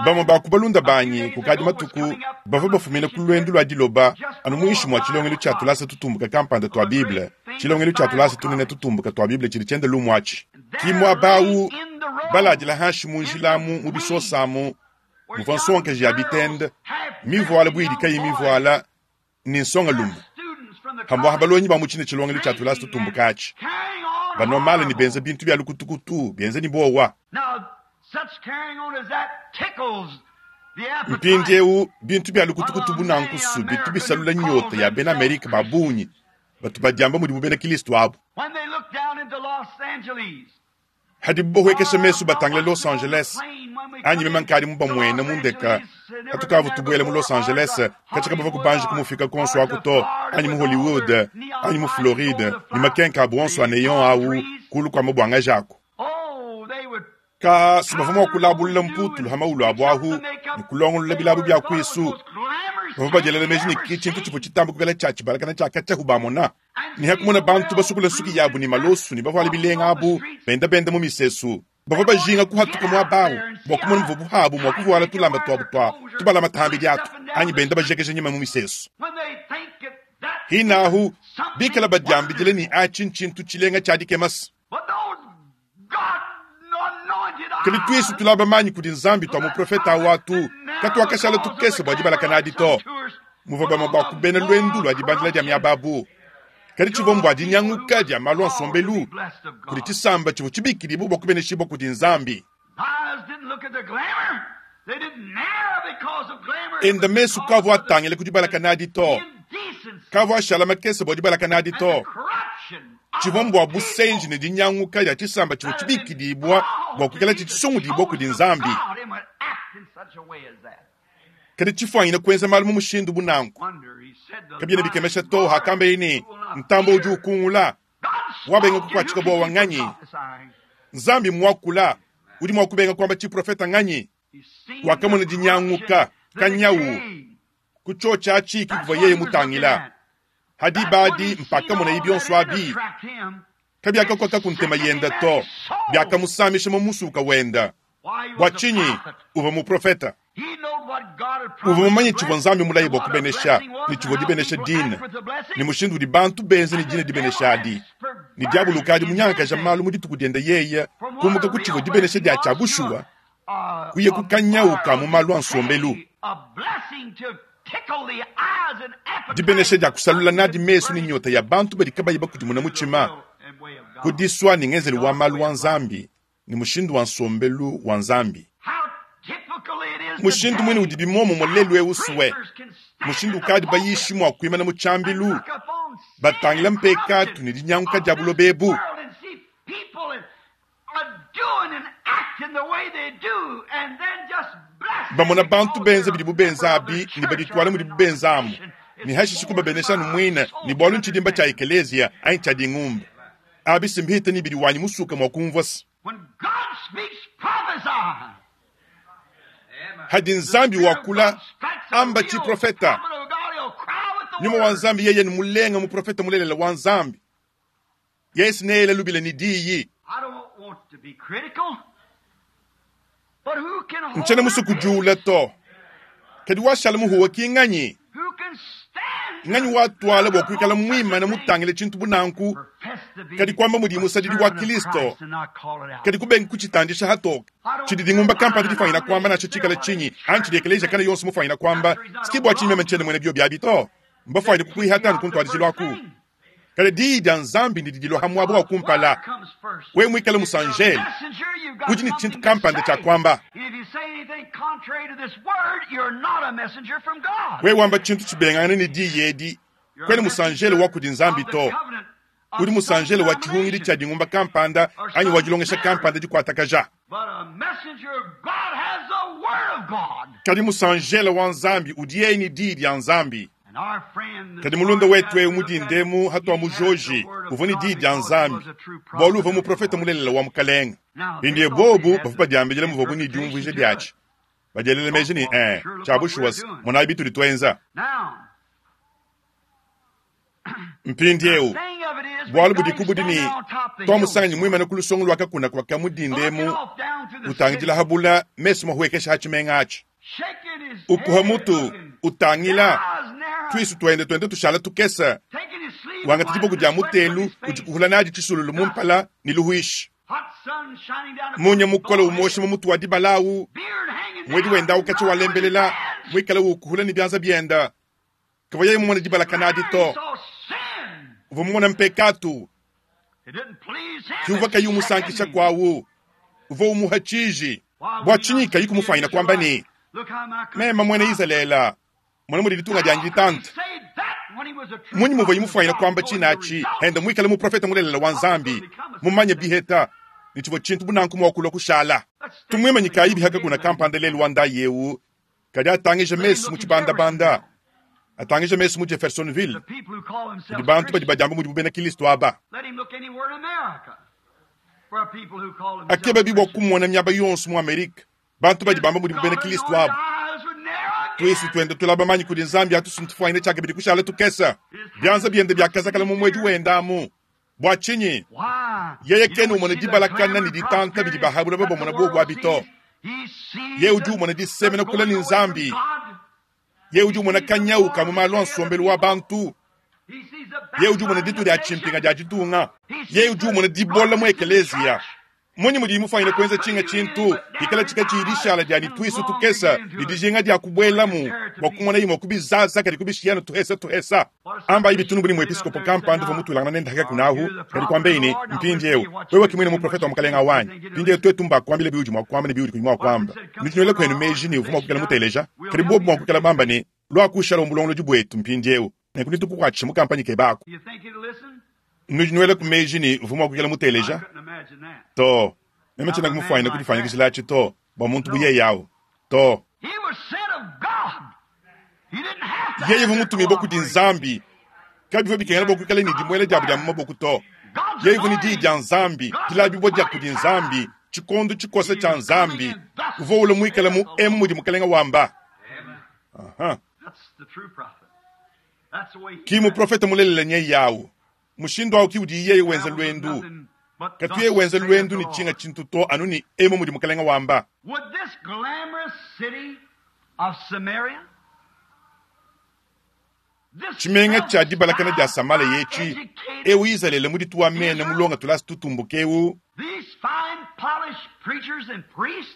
Bamue ba ku balunda banyi kukadi matuku bavua bafumina ku lwendu lua diloba anu muinshi mua tshilongelu tshia tulasa tutumbuka kampanda tua Bible, tshilongelu tshia tulasa tunene tutumbuka tua Bible tshidi tshienda lumu atshi. Ki muaba awu baladila hanshi mu njilamu mu bisosamu, muvua nsongaji ya bitende, mivuala bu idi kayi mivuala ne nsongalume. Hamwaha balonyi ba mu tshine tshilongelu tshia tulasa tutumbuka atshi. Banomale ne benza bintu bia lukutukutu, benza ne bowa. Mpindieu bintu bia lukutukutu bunankusu bitu bisalula nyota ya bena Amerika ba bungi batu badiamba mudibu bena Kristo abu. Hadi bohwekesha mesu batangile Los Angeles, anyi meme nkadi mubamwena mundeka atukavu tubuela mu Los Angeles, katshika bava kubanja kumufika konso aku to, anyi mu Hollywood, anyi mu Floride, ne makenka abu onso a neon awu kulu kua mabwanga jako. Ka sibava mua kulabulula mputulu ha maulu abu ahu, ne kulongolola bilabu bia kuisu. Bavua badielela meji ne ki tshintu tshivua tshitamba kukala tshia tshibalakana tshia katshia bamona. Ne hakumona bantu basukula nsuki yabu ne malosu ne bavuala bilenga abu, benda benda mu misesu. Bavua bajinga kuhatuka muaba awu, bua kumona muvua buhabu mua kuvuala tulamba tuabu tua tubalama tambi diatu, anyi benda bajekeja nyima mu misesu. Hinahu, bikala badiambidile ne atshi ntshintu tshilenga tshia dikemasa. Kadi tuisu tulaba manyi kudi Nzambi tua muprofeta awu atu, katuakashala tukese bua dibalakana adi to. Muvua bamue ba ku bena lwendu lua dibandila dia miaba abu. Kadi tshivua mbua dinyanguka dia malu a nsombelu kudi tshisamba tshivua tshibikidibua bua kubeneshibua kudi Nzambi. Enda mesu kavua atangila ku dibalakana adi to. Kavua ashala makese bua dibalakana adi to. Tshivua mbua busenji ne dinyanguka dia tshisamba tshivua tshibikidibua bua kuikala tshisungudibua kudi Nzambi. Kadi tshifuanyine kuenza malu mu mushindu bu nanku. Kabiena bikemesha to hakambeye ne, Ntambue udi ukungula, wabenga kukuatshika buowa nganyi? Nzambi muakula, udi mua kubenga kuamba tshiprofeta nganyi? Wakamona dinyanguka, kanyawu, ku tshiotshi atshi kikuvua yeye mutangila. Hadi badi mpakamona bionso abi. Kabiakakoka ku ntema yenda to, biakamusamisha mu musuka wenda. Bua tshinyi uvua muprofeta? Uvua mumanye tshivua Nzambi mulaye bua kubenesha, ne tshivua dibenesha dina, ne mushindu udi bantu benza ne dina dibenesha adi. Ne diabolo ukadi munyangakaja malu mu dituku diende yeye, kumuka ku tshivua dibenesha dia tshia bushuwa, kuya ku kanyauka mu malu a nsombelu. Dibenesha dia kusalula nadi mesu ne nyota ya bantu badi kabayi bakudimuna mutshima, ku disua ne ngenzelu wa malu wa Nzambi, ne mushindu wa nsombelu wa Nzambi. Mushindu mwene udi bimomumue lelu eu suwe, mushindu ukadi bayishi mua kuimana mu tshiambilu, batangila mpekatu ne dinyanguka dia buloba ebu. Bamona bantu benza bidibu benza abi ne badituala mudibu benza amu, ne hashishe kubabenesha numuine ne bualu ntshidimba tshia ekeleziya anyi tshia dingumba. Abi simbihita ni bidi wanyi musuka mua kumvua se. Hadi Nzambi wakula, amba tshiprofeta. Nyuma wa Nzambi yeye ni mulenga muprofeta mulelela wa Nzambi. Yesu neyele lubila ni diyi. Nchena musuku juula to. Kadi washala muhuwa ki nganyi? Nganyi watwala bua kuikala muimane mutangile tshintu bu nanku? Kadi kwamba mudi musadidi wa Kristo. Kadi kubenga kuchitandisha hatoka. Tshidi dingumba kampanda difanyina kwamba nacho tshikala tshinyi, anyi tshidi ekeleziya kana yonso mufanyina kwamba, sikibwa tshinyi meme ntshiena muena bio biabi to. Mbafanyine kukuihata anu kuntwadijilo aku. Kadi diyi dia Nzambi ndidi dilua ha muaba wa kumpala. Wewe muikale musanjele, udi ne tshintu kampanda tshia kwamba. Wewe wamba tshintu tshibengangane ne diyi edi, kwena musanjele wa kudi Nzambi to. Udi musanjele wa tshihungidi tshia dingumba kampanda anyi wa dilongesha kampanda dikuatakaja. Kadi musanjele wa Nzambi udi yeye ne diyi dia Nzambi. Kadi mulunda wetu eu mudindemu hatua mujoji uvua ne diyi dia Nzambi, bualu uvua muprofeta mulelela wa Mukalenge. Mpindieu bobu bavua badiambila muvuabu ne diumvuija diatshi, badielela meji ne eh, tshia bushuwa monayi bitudi tuenza. Mpindieu bualu budi kubudi ne twamusanganyi muimane ku lusongo lua kakuna kua kamudindemu utangidila habula mesu mahuekesha ha tshimenga atshi. Ukuha mutu utangila twisu twende twende tushala tukesa, wangata diboko dia mutelu udi kuhula nadi tshisululu mumpala ne luhuishi. Munya mukola umosha mu mutu wa dibalawu, mwedi wenda ukatshi walembelela mwikala ukuhula ne bianza bienda. Kavua yeye mumona dibala kanadi to. Uvua mumona mpekatu. Kiuvua kayi umusankisha kwawu. Uvua umuha tshiji. Bua tshinyi kayi kumufanyina kwamba ne, mema muena Izalele, mona mudi ditunga dianyi ditante. Munyi muvua imufanyina kwamba tshinatshi, henda muikale muprofeta mulelela wa Nzambi, mumanye biheta, ne tshivua tshintu bunanku mua kulua kushala. Tumwimanyikayi bihaka kuna kampanda lelu wa ndayi eu, kadi atangija mesu mu tshibandabanda, atangija mesu mu Jeffersonville, kudi bantu badi badiamba mudibu bena Kristo aba. Akeba bibua kumona miaba yonso mu Amerika, bantu badi bamba mudibu bena Kristo aba. Twesu twende tulaba manyi kudi Nzambi atusuntufuanyine tshiakabidi kushala tukesa. Bianza biende biakazakala mu mwedi wenda amu. Bua tshinyi? Yeye kena umona dibalakana ne ditanta bidi bahabula babamona bobu abi to. Yeye udi umona disemena kula ne Nzambi. Yeye udi umona kanyauka mu malu a nsombelu wa bantu. Yeye udi umona ditu dia tshimpinga dia ditunga. Yeye udi umona dibola mu ekeleziya. Munyi mudi mufanyine kuenza tshinga tshintu ikala tshika tshidishala dia nitwisu tukesa ne dijinga dia kubuelamu bua kumona imwe kubizaza kadi kubishiyana tuhesa tuhesa. Amba ibi tunu buli mu episkopo kampanda uvua mutulangana nende haka kunahu kadi kwamba ine mpindiewu wewe kimwene muprofeta wa Mukalenga wanyi mpindiewu twetu mba kuambila biudi mua kuamba ne biudi kuyi mua kuamba. Nitunyole kwenu meji ne uvua mua kukala muteleja kadi bobu mua kukala bamba ne lua kushala umulongolodi bwetu mpindiewu nenku nitukukuatshisha mu kampanyi kebako. Nujinwele ku meji ne uvua mua kukala muteleja to. Meme tshiena kumufanyina kudifanyikishila atshi to bua muntu bu yeye awu to. Yeye uvua mutumibue kudi Nzambi, kabivua bikengela bua kuikala ne dimuela diabu dia mu maboko to. Yeye uvua ne diyi dia Nzambi, dilabibua dia kudi Nzambi, tshikondo tshikosa tshia Nzambi. Uvua ulua muikale mu emu mudi Mukalenga wamba. Aha. Ki muprofete mulelela nyeye awu. Mushindu awu ki udi yeye wenza luendu. Katu yeye wenza luendu ne tshinga tshintu to anu ne emu mudi Mukalenga wamba. Would this glamorous city of Samaria, this Tshimenga tshia dibalakana dia Samala yetshi, ewu Izalele muditu wa mena mulonga tulasa tutumbuke ewu, these fine polished preachers and priests,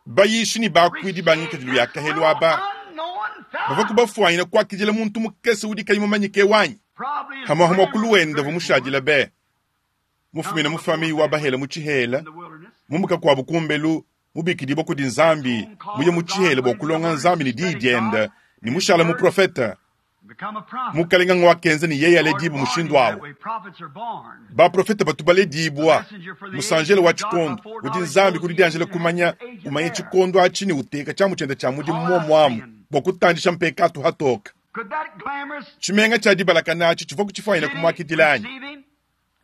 bayishi ne bakuidi ba ngikadilu ya kahelu aba, unknown bavua fellow, kubafuanyina kuakidila muntu mukese udi kayi mumanyike wanyi. probably his Hamwahamwa kuluwenda grandmother vumushadila be. Mufumina mu famille wa bahela mu tshihela, in the wilderness. mumuka kwabu kumbelu, mubikidibwa kudi Nzambi, muye mu tshihela bua kulonga Nzambi ne diyi dienda, ne mushala muprofeta. Become a prophet. Mukalenga ngwakenza ne yeye aledibu Lord mushindu born him that awu. way. Prophets are born. Baprofeta batu baledibwa musanjelo wa tshikondo udi Nzambi kudi dianjela kumanya umanye tshikondo atshi ne uteka tshiamu tshiende tshia mudimu muomuamu bua kutandisha mpekatu hatoka. Could that glamorous Tshimenga tshia dibalakana atshi tshivua kutshifuanyina city kumuakidila anyi? receive him?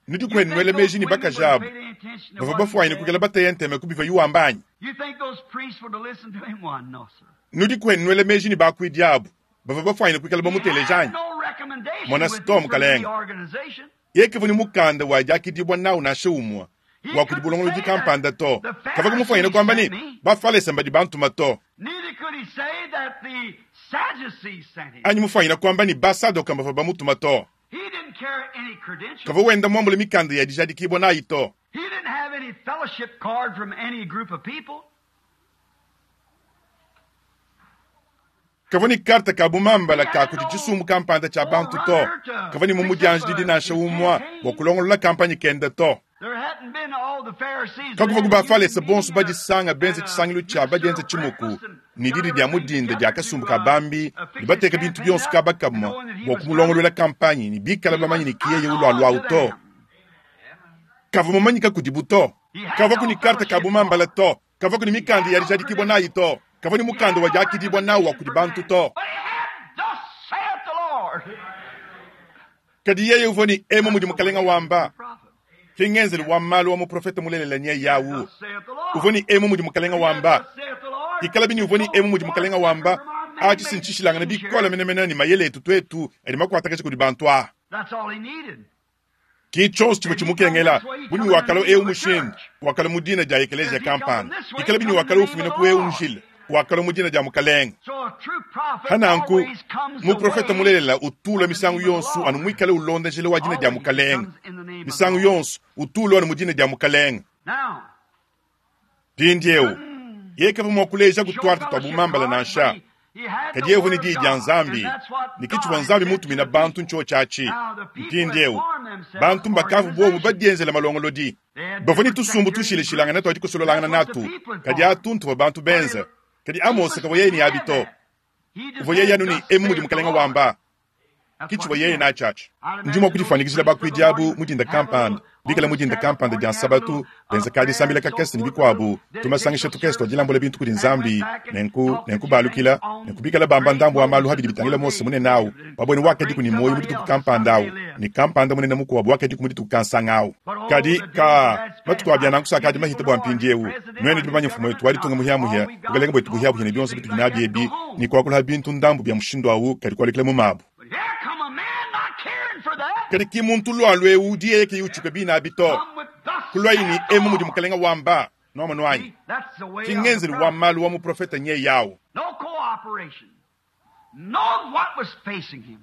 Nudi You kwenu think nwele those meji ne women would bakaji abu pay any attention to bavua what he bafuanyina said? kukela bateya nteme kubiva yuwamba anyi? You think those priests would have listened to him? Why, no, sir. Nudi kwenu nwele meji ne bakuidi abu bavua bafuanyina kuikala He bamuteleja had anyi? no recommendation Mona with him Storm from any Kalenga. organization. Yekevua ne mukanda wa diakidibwa nawu nansha umwa He wa kudi couldn't bulongolodi say kampanda that to. the Kavua kumufuanyina Pharisees kuamba ne sent me. bafalesa mbadi bantuma to. Neither could he say that the Sadducees sent him. Anyi mufuanyina kuamba ne basadoka mbavua bamutuma to. He didn't carry any credentials. Kavua wenda muambule mikanda ya dijadikibwa nayi to. He didn't have any fellowship card from any group of people. Kavua ne karta ka bumambala ka kudi tshisumbu kampanda tshia bantu to. Kavua ne mumudianji didi nansha umwa bua kulongolola kampanye kende to. There hadn't been all the Pharisees Kakuvua that ku had a bafalesa huge bonso meeting and a, badisanga benze and a tshisangilu tshia ministerial badienze tshimuku breakfast and ne got didi dia everything mudinda dia together kasumbu to ka uh, bambi uh, ne fix his bateka bintu campaign bionso up kaba and kamwa knowing that he bua was coming. kumulongoluela kampanye ne bikala He bamanyi was ne kiyeye unknown ulwaluawu to to. them. Kavua mumanyika kudibu to. He had Kavua ku no ne karta ka fellowship bumambala card. to. Kavua ku ne He mikanda had ya no dijadikibwa nayi credentials. to. Kavua ne He mukanda had wa no diakidibwa nawu wa recommendation kudi from bantu man. to. But he had, thus saith the Lord. Kadi yeye uvua ne emu That's mudi the mukalenga way of the wamba. true prophet. Ki ngenzelu wa malu wa muprofeta mulelela nye yawu. Thus saith the Uvua Lord. ne emu mudi mukalenga He had, wamba. thus saith the Lord. Ikala bini uvua ne So emu mudi far mukalenga different wamba. from our Atshi man-made sinchishilangana schemes bikola here. menemene ne mayele etu twetu adi makuatakaja kudi bantu aha. That's all he needed. Ki tshonso tshivua If he come tshimukengela this way, he buni come in the wakalo name ewu of the mushindu church. wakalo mu dina dia ekeleziya If he come from kampanda this way, he ikala bini come in the wakalo name of ufumina the ku ewu Lord. njila wakalo mu dina dia mukalenga. So a true prophet Hananku always comes the muprofeta way mulelela utula of the misangu name of the yonso anu Lord. muikale ulonda njila wa dina dia Always he mukalenga. comes in the name of the Misangu Lord. yonso utula anu mu dina dia mukalenga. Now, Mpindiewu yekava mua kuleja show kutwarta twa fellowship bumambala card, but nansha. he, he had Kadi the yevu ni word of diyi dia God, and Nzambi that's what ne God kitshivua had Nzambi sent to mutumina the bantu people. ntshio tshiatshi. Now the people had Mpindiewu formed themselves bantu mbakavu bobu organizations. badienzela malongolodi. They had Bavua ne different tusumbu sectarian tushilashilangana groups. twadi kusololangana That's what the natu. people had Kadi formed. atuntu bua bantu But benza. it, Kadi Amose Amos kavua yeye didn't ne have abi to. that. He just Uvua yeye had anu ne thus emu mudi saith the mukalenga Lord. wamba. That's what Kitshivua he yeye had. natshiatshi. I'd Ndi imagine mua those kudifuanyikijila priests of the bakuidi abu morning mudinda have a little kampanda. on Bikala the mudinda Sabbath kampanda dia morning, have a nsabatu, little uh, benza ka prayer disambila and so kakese ne forth, a little bikuabu, tumasangisha dedicational tukese service, twajilambula bintu kudi and went Nzambi, back and nenku talked to nenku James balukila, on nenku bikala bamba great ndambu wa malu Moses habidi bitangila one Mose day munene awu. lived, and Wabwene a wakadi great kuni moyo somebody muditu else kampanda awu, someday lived. ne kampanda munene mukuabu wakadi ku muditu kansanga awu. But oh, Kadi the days ka that's matuku passed abia by. nanku You sakadi people mahita bua know our new mpindiewu. president, Nwene our tudi new bamanye mfumu wetu government, walitunga now muhiamuhia, all we've got bukalenge is bwetu talk buhiabuhia ne and bionso things bitudi like nabi that. Go ebi, home. ne kuakula bintu ndambu bia mushindu awu kadi kualukila mu mabu. But here come a man not caring for that. Kadi ki muntu lualu ewu udi yeye ke utshuka bina abi to. Come with thus Kulwayi ni saith the emu mudi Lord. mukalenga wamba noma nwanyi. See, that's the way of the Ki ngenzelu wa prophet. malu wa muprofeta nye yawu. No cooperation. Know what was facing him.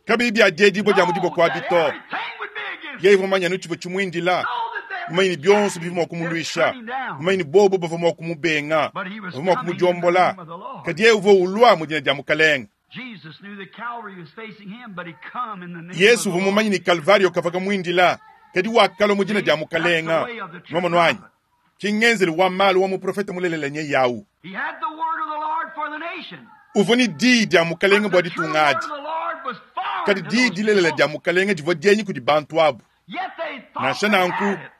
Kabi bia diedibwa dia mudibo Know kwa that bito. everything would be against Yeye him. vumanya nuchivo chimwindila. Know that they Mumanyi would bionso bivyo they'd kumulwisha. turn him down. Mumanyi bobo bavua mua kumubenga. But he was Bavua mua coming in the kumujombola. name of the Lord. Kadi yeye uvua ulua mu dina dia mukalenga. Jesus knew that Calvary was facing him, but he come in the name of Yesu the uvua Lord. mumanyi ni Kalvario kavaka mwindila. Kadi wakalo mu dina See, dia that's the mukalenga. way of the true Noma nwanyi. prophet. Ki ngenzelu wa malu wa muprofeta mulelela nye yawu. He had the word of the Lord for the nation. Uvua ni diyi dia mukalenga But bua the true ditunga word adi. of the Lord was foreign Kadi to diyi those dilelela people. dia mukalenga divua dienyi kudi bantu abu. Yet they thought Nansha they nanku had it.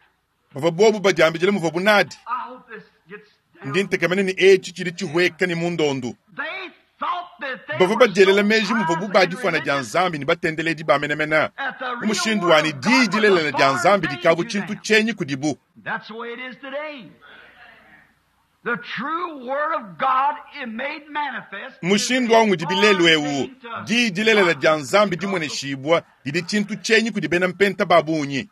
bavua bobu badiambidile muvua bunadi. I hope this gets Ndi ntekemena ne etshi tshidi tshihueka ne mundondu. Bavua badielela meji muvuabu badifwana dia Nzambi ne batendeledi ba menemene. Mu mushindu wanyi diyi dilelela dia Nzambi dikavu tshintu tshienyi kudibu. Mushindu awu ngudi bilelu ewu, diyi dilelela dia Nzambi dimueneshibua didi tshintu tshienyi kudi bena mpenta ba bungi.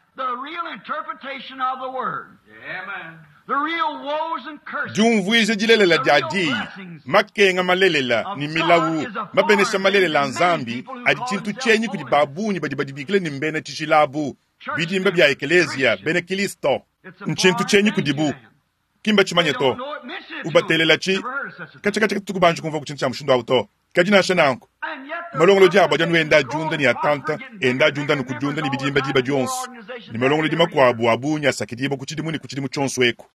Diumvuija dilelela dia diyi, makenga malelela ne milawu, mabenesha malelela a Nzambi adi tshintu tshienyi kudi ba bungi badi badibikila ne mbena tshijila abu, bidimba bia ekeleziya bena Kristo. Ntshintu tshienyi kudibu, ki mbatshimanye to. Ubatelela tshi katshia katuku banji kumvua ku tshintu tshia mushindu awu to. Kadi nansha nanku, malongolodi abo adi anu enda adiunda ne atanta, enda adiunda ne kudiunda ne bidimba diba dionso, ne malongolodi makuabu a bungi asakidibua ku tshidimu ne ku tshidimu tshionso eku.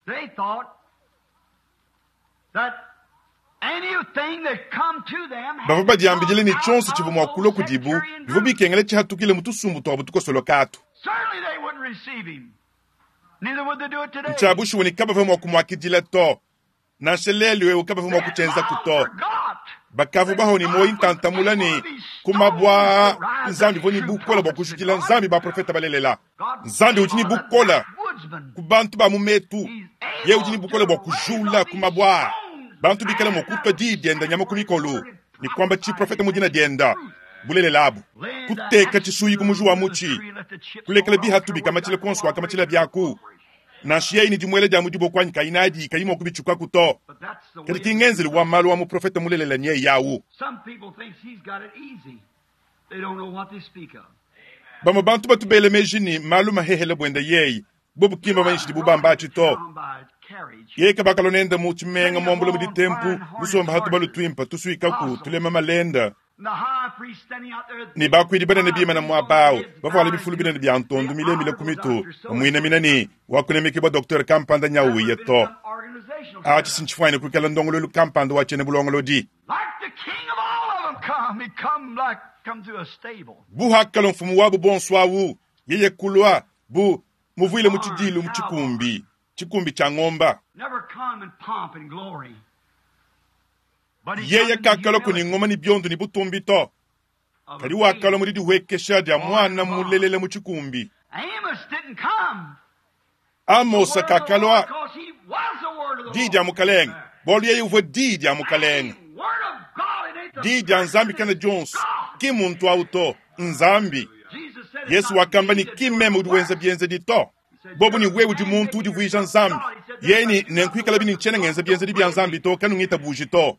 Bavua badiambidile ne tshionso tshivua mua kulua kudibu bivua bikengela tshihatukile mu tusumbu tuabu tukosoloka atu. Ntshia bushuwa ne kabavua mua kumuakidila to. Nansha lelu eu kabavua mua kutshienzaku to. Bakavua baho ne muoyo ntantamula ne ku mabua Nzambi uvua ne bukola bua kujukila Nzambi baprofeta balelela. Nzambi udi ne bukola ku bantu ba mu metu. Yeye udi ne bukola bua kujula ku mabua bantu bikala mua kutua diyi dienda nyama ku mikolo ne kuamba tshiprofeta mu dina dienda bulelela abu. Kuteka tshisuyi ku muji wa mutshi, kulekela bihatu bikamatshila kuonso wakamatshila biaku. Nansha yeye ne dimuela dia mudiboko anyi kayi nadi kayi mua kubitshukaku to. Kadi ki ngenzelu wa malu wa muprofeta mulelela nyeye yawu. Bamue bantu batu bela meji ne malu mahehele buenda yeye, bobu ki mbamanyishe dibu bambatshi to. Yeye kabakalua nenda mu tshimenga muambula mu ditempu, musomba hatu balu tuimpa tusuikaku tulema malenda. Ne bakuidi banene bimana muaba awu, bavuala bifulu binene bia ntondu milemile ku mitu, bamuinamina ne wakunemekebua docteur kampanda nyawuye to. Atshi sintshifuanyine kuikala ndongoluelu kampanda wa tshiena bulongolodi. Bu hakalua mfumu wabu bonso awu, yeye kulua bu muvuile mu tshidilu mu tshikumbi, tshikumbi tshia ngomba. Yeye kakalua ku ne ngoma ne biondo ne butumbi to, kadi wakalua mu didihuekesha dia mwana mulelela mu tshikumbi. Amosa kakalua diyi dia mukalenge, bualu yeye uvua diyi dia mukalenge. Diyi dia Nzambi kana dionso, ki muntu awu to, Nzambi. Yesu wakamba ne ki meme udi wenza bienzedi to. Bobu ne wewe udi muntu udivuija Nzambi. Yeye ne nenkuikala bini ntshiena ngenza bienzedi bia Nzambi to, kanungitabuji to.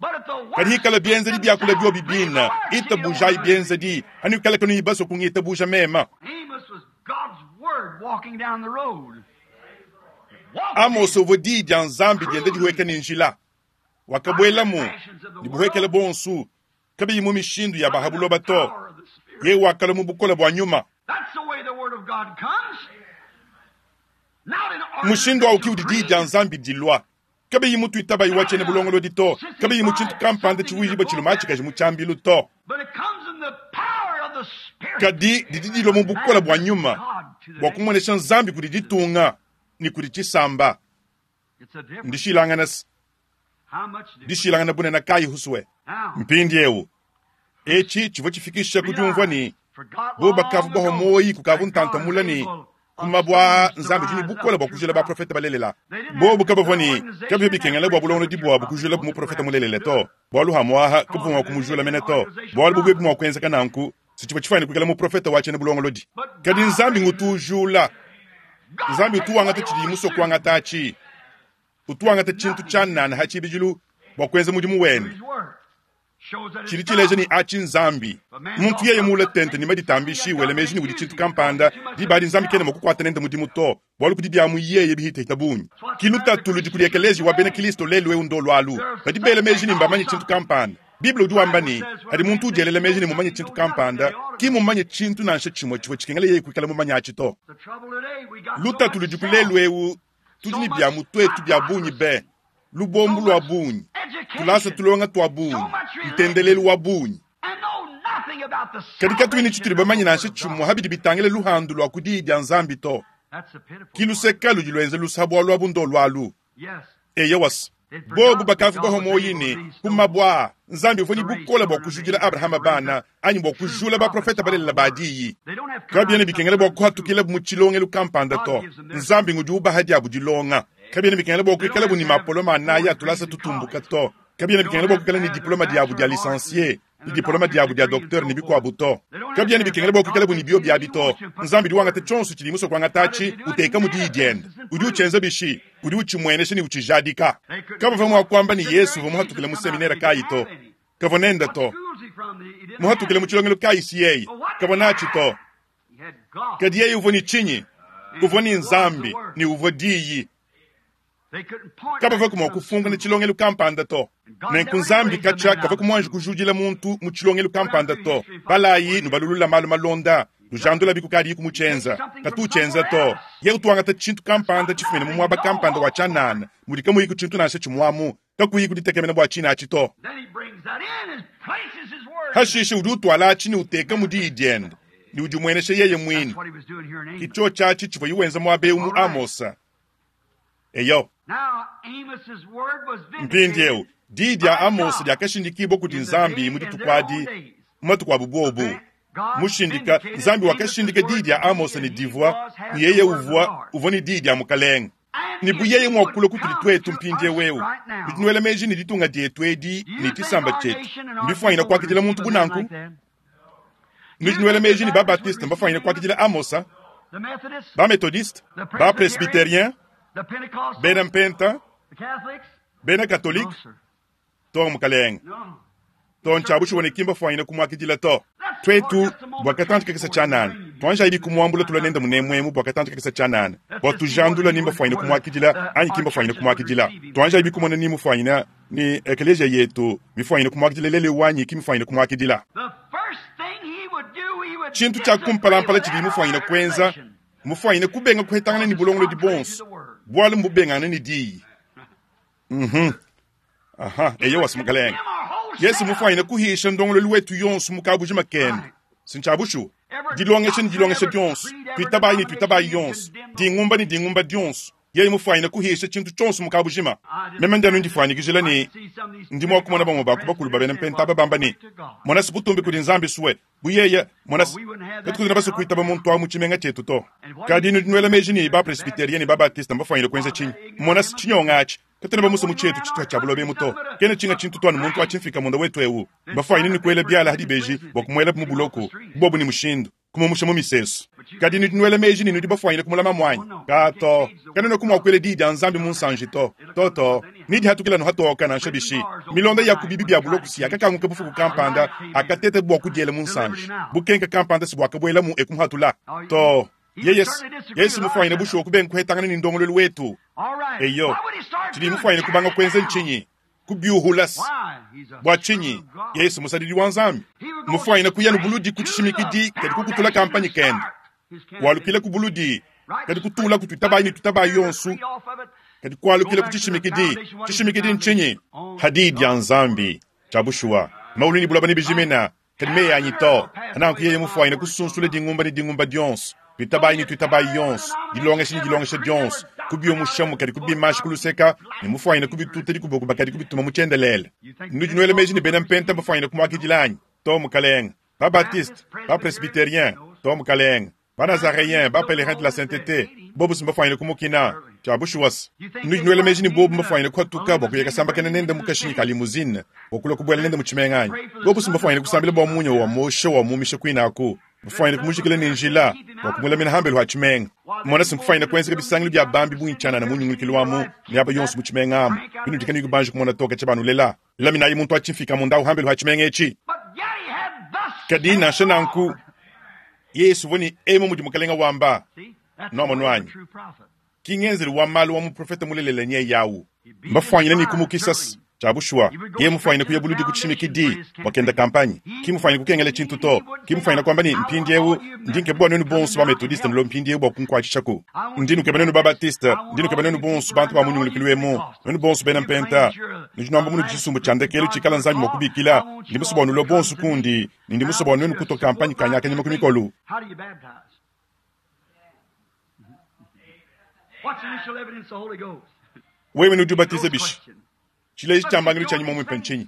Kadi hikala bienzedi biakula biobi bina, itabujayi bienzedi, anuikala kanuyi basue kungitabuja mema. Amos uvua diyi dia Nzambi dienda dihueka ne njila. Wakabuelamu ne buhuekele bonsu, kabiyi mu mishindu ya bahabuloba to. Yeye wakalua mu bukola bua nyuma. Mushindu awu ki udi diyi dia Nzambi dilua. Kabiyi mutuitabayi wa tshiena bulongolodi to, kabiyi mu tshintu kampanda tshivuijibua tshiluma tshikaji mu tshiambilu to. Kadi didi dilua mu bukola bua nyuma bua kumuonesha Nzambi kudi ditunga ne kudi tshisamba. Ndishilangana dishilangana bunene kayi huswe. Mpindiewu etshi tshivua tshifikisha ku diumvua ne bo bakavu baho moyi kukavu ntantamula ne ku mabua Nzambi udi ne bukola bua kujula baprofeta balelela. Bobu kabavua ne kabivua bikengela bua bulongolodi buabu kujula muprofeta mulelela to, bualu hamuaha kabuvua mua kumujula mene to, bualu bubi mua kuenzeka nanku si tshivua tshifuanyine kuikala muprofeta wa tshiena bulongolodi. Kadi Nzambi ngutujula. Nzambi utuwangata tshidi musue kuangata atshi. Utuwangata tshintu tshianana ha tshibidilu bua kuenza mudimu wende. Tshidi tshileja ne atshi Nzambi. Muntu yeye muule tente ne maditambishi wela meji ne udi tshintu kampanda, diba adi Nzambi kena mua kukuata nende mudimu to, bualu kudi bia mu yeye bihitahita bungi. Ki lutatu ludi kudi ekelezia wa bena Kristo lelu eu ndo lualu. Badi bela meji ne mbamanye tshintu kampanda. Bible udi wamba ne, adi muntu udielela meji ne mumanye tshintu kampanda, ki mumanye tshintu nansha tshimue tshivua tshikengela yeye kuikala mumanye atshi to. Lutatu ludi ku lelu eu, tudi ne bia mu tuetu bia bungi be, lubombu lua bungi, tulasa tulonga tua bungi, ntendelelu wa bungi. Kadi katuyi ne tshitudi bamanye nansha tshimue habidi bitangila luhandu lua ku diyi dia Nzambi to. Ki luseka ludi luenza lusa bualu abu ndo lualu. Eya wasa. Bobu bakavua bahua muoyi ne, ku mabue aa, Nzambi uvua ne bukole bua kujudila Abrahama bana anyi bua kujula baprofete balelela ba diyi. Kabiena bikengela bua kuhatukilabu mu tshilongelu kampanda to. Nzambi ngudi ubaha diabu dilonga. Kabiena bikengela bua kuikalabu ne mapoloma anayi a tulasa tutumbuka to. Kabiena bikengela bua kuikala ne diploma diabu dia licencie, ne diploma diabu dia docteur ne bikuabu to. Kabiena bikengela bua kuikalabu ne bio biabi to. Nzambi udi wangata tshionso tshidi musue kuangata atshi, uteka mu diyi diende. Udi utshienza bishi? Udi utshimuenesha ne utshijadika. Kabavua mua kuamba ne Yesu uvua muhatukile mu seminere kayi to. Kavua nende to. Muhatukile mu tshilongelu kayi si yeye. Kavua natshi to. Kadi yeye uvua ne tshinyi? Uvua ne Nzambi ne uvua diyi. Kabavua mua kufunkuna tshilongelu kampanda to. Nenku Nzambi katshia kavua kumuanji kujudila muntu mu tshilongelu kampanda to. Balayi nubalulula malu malonda, nujandula bikukadi kumutshienza. Katu utshienza to. Ye utuangata tshintu kampanda tshifumine mu muaba kampanda wa tshianana, mudi kamuyi ku tshintu nansha tshimuamu, kakuyi kuditekemena bua tshina atshi to. Hashishe udi utuala atshi ne uteka mu diyi diende, ne udi umuenesha yeye muine. Ke tshiatshi tshivua yiwenza muaba eu mu Amosa. Eyo. Mpindieu, diyi dia Amosa diakashindikibua kudi Nzambi mu dituku adi, mu matuku abu bobu. Mushindika, Nzambi wakashindika diyi dia Amosa ne divua, ne yeye uvua, uvua ne diyi dia Mukalenge. Ne bu yeye muakula kutudi tuetu mpindieu eu, nudi nuela meji ne ditunga dietu edi ne tshisamba tshietu, mbifuanyine kuakidila muntu bu nanku? Nudi nuela meji ne Babatiste mbafuanyine kuakidila Amosa, Bametodiste, Bapresbyterien, Bena Mpenta, Bena Katolike, to Mukalenge. To ntshiabushuwa ne kimba fuanyine kumuakidila to. Twetu bua katanji kakese tshianana, tuanjayi kumuambula tula nende munemuemu bua katanji kakese tshianana, bua tujandula nimba fuanyine kumuakidila anyi kimba fuanyine kumuakidila. Tuanjayi kumona ni mufuanyine ni eklesia yetu mifuanyine kumuakidila lele wanyi kimfuanyine kumuakidila. Tshintu tshia kumpalampala tshidi mufuanyine kuenza, mufuanyine kubenga kuhetangana ni bulongolodi bonso, bualu mbubengana ni diyi. Mhm. Aha, eyo wasi Mukalenge. Yesu mufuanyine kuhisha ndongololu wetu yonso mukabuji makende. Sintshabushu. Dilongesha ni dilongesha dionso, tuitabayi ni tuitabayi yonso, dingumba ni dingumba dionso. Yeye mufuanyine kuhisha tshintu tshionso mukabujima. Meme ndianu ndifuanyikijila ni ndi mua kumona bamwe baku bakulu babena mpenta babamba ni mona sibutumbi kudi Nzambi suwe buyeye mona katukudina basu kuitaba muntu wa mu tshimenga tshietu to. Kadi nudi nuela meji ni ba presbyterien ni ba baptiste mbafuanyine kuenza tshinyi? Mona tshinyonga atshi. Katena bamusa mu tshietu tshituha tshia buloba emu to. Kena tshinga tshintu tuanu muntu atshimfika munda wetu eu. Mbafuanyine ni kuela biala hadi beji bua kumuela mu buloko, bobu ni mushindu kumumusha mu misesu. Kadi nudi nuela meji ni nudi bafuanyine kumulama mwanyi. Ka to, kanena kumwakuela diyi dia Nzambi mu nsanji to. To to, nidi hatukila no hatoka nansha bishi. Milonda ya kubibi bia buloko si yakakanguka bufuku kampanda, akatete bua kudiela mu nsanji. Bukenka kampanda si bwakabuela mu ekumuhatula. To, Yesu, Yesu mufuanyine bushuwa kubenga kuhetangana ni ndongololu wetu. Eyo, tshidi mufuanyine kubanga kuenza ntshinyi? Kubiuhulas. Bua tshinyi? Yesu musadidi wa Nzambi. Mufuanyine kuya no buludi kutshishimikidi kadi kukutula kampanyi kende. Walukila ku buludi kadi kutula kututabayi ni tutabayi yonso. Kadi kualukila kutshishimikidi. Tshishimikidi ntshinyi? Hadi ya Nzambi. Tshia bushuwa. Maulu ni bulaba ni bijimina. Kadi meyi anyi to. Ananku yeye mufuanyine kusunsula dingumba ni dingumba dionso. Tuitabayi ni tuitabayi yonso. Dilongesha ni dilongesha dionso. Kubiomushamu kadi kubimashi kuluseka, ne mufuanyine kubituta dikubokuba kadi kubituma mu tshiendelele. Nudi nuela meji ni bena mpenta bafuanyine kumuakidila anyi? To Mukalenge. Ba Baptiste, ba Presbyterien, to Mukalenge. Ba Nazaréen, ba Pèlerin de la Sainteté, bobu simbafuanyine kumukina. Tshia bushuwasi. Nudi nuela meji ni bobu mbafuanyine kuhatuka bua kuyeka sambakena nende mu kashinyi ka limousine, bua kulua kubuela nende mu tshimenga anyi? Bobu simbafuanyine kusambila bua munya wa mosha wa mumisha kuinaku. Mfuanyine kumujikila ni njila bua kumulamina hambelu ha tshimenga. Mona simkufuanyine kuenzeka bisangilu bia bambi bungi tshianana mu nyungulukilu wamu, ne aba yonso mu tshimenga amu. Binudika ni kubanja kumona toka tsha banulela. Laminayi muntu atshimfika munda hambelu ha tshimenga etshi. Kadi nansha nanku, Yesu uvua ni emu mudi Mukalenga wamba. Nomo nwanyi. Kingenzelu wa malu wa muprofeta mulelela nye yawu. Mbafuanyine ni kumukisas. Tshia bushuwa. Ye mufuanyine kuya buludi kutshimikidi wakenda kampanyi. Ki mufuanyine kukengela tshintu to. Ki mufuanyine kwamba ni mpindiewu ndi nkebua nenu bonso ba Methodiste nlo mpindiewu bua kunkuatshishako. Ndi nukeba nenu ba Baptiste, ndi nukeba nenu bonso bantu ba munyungulukilu emu, nenu bonso bena mpenta. Nudi nuamba munu tshisumbu tshia ndekelu tshikala Nzambi mua kubikila. Ndi musue bua nulue bonso kundi, ne ndi musue bua nuenu kutua kampanyi kanyakanyima ku mikolu. How do you baptize? What's the initial evidence of the Holy Ghost? Wewe nudi ubatiza bishi? Tshileji tshia mbangilu tshia nyuma muimpe ntshinyi?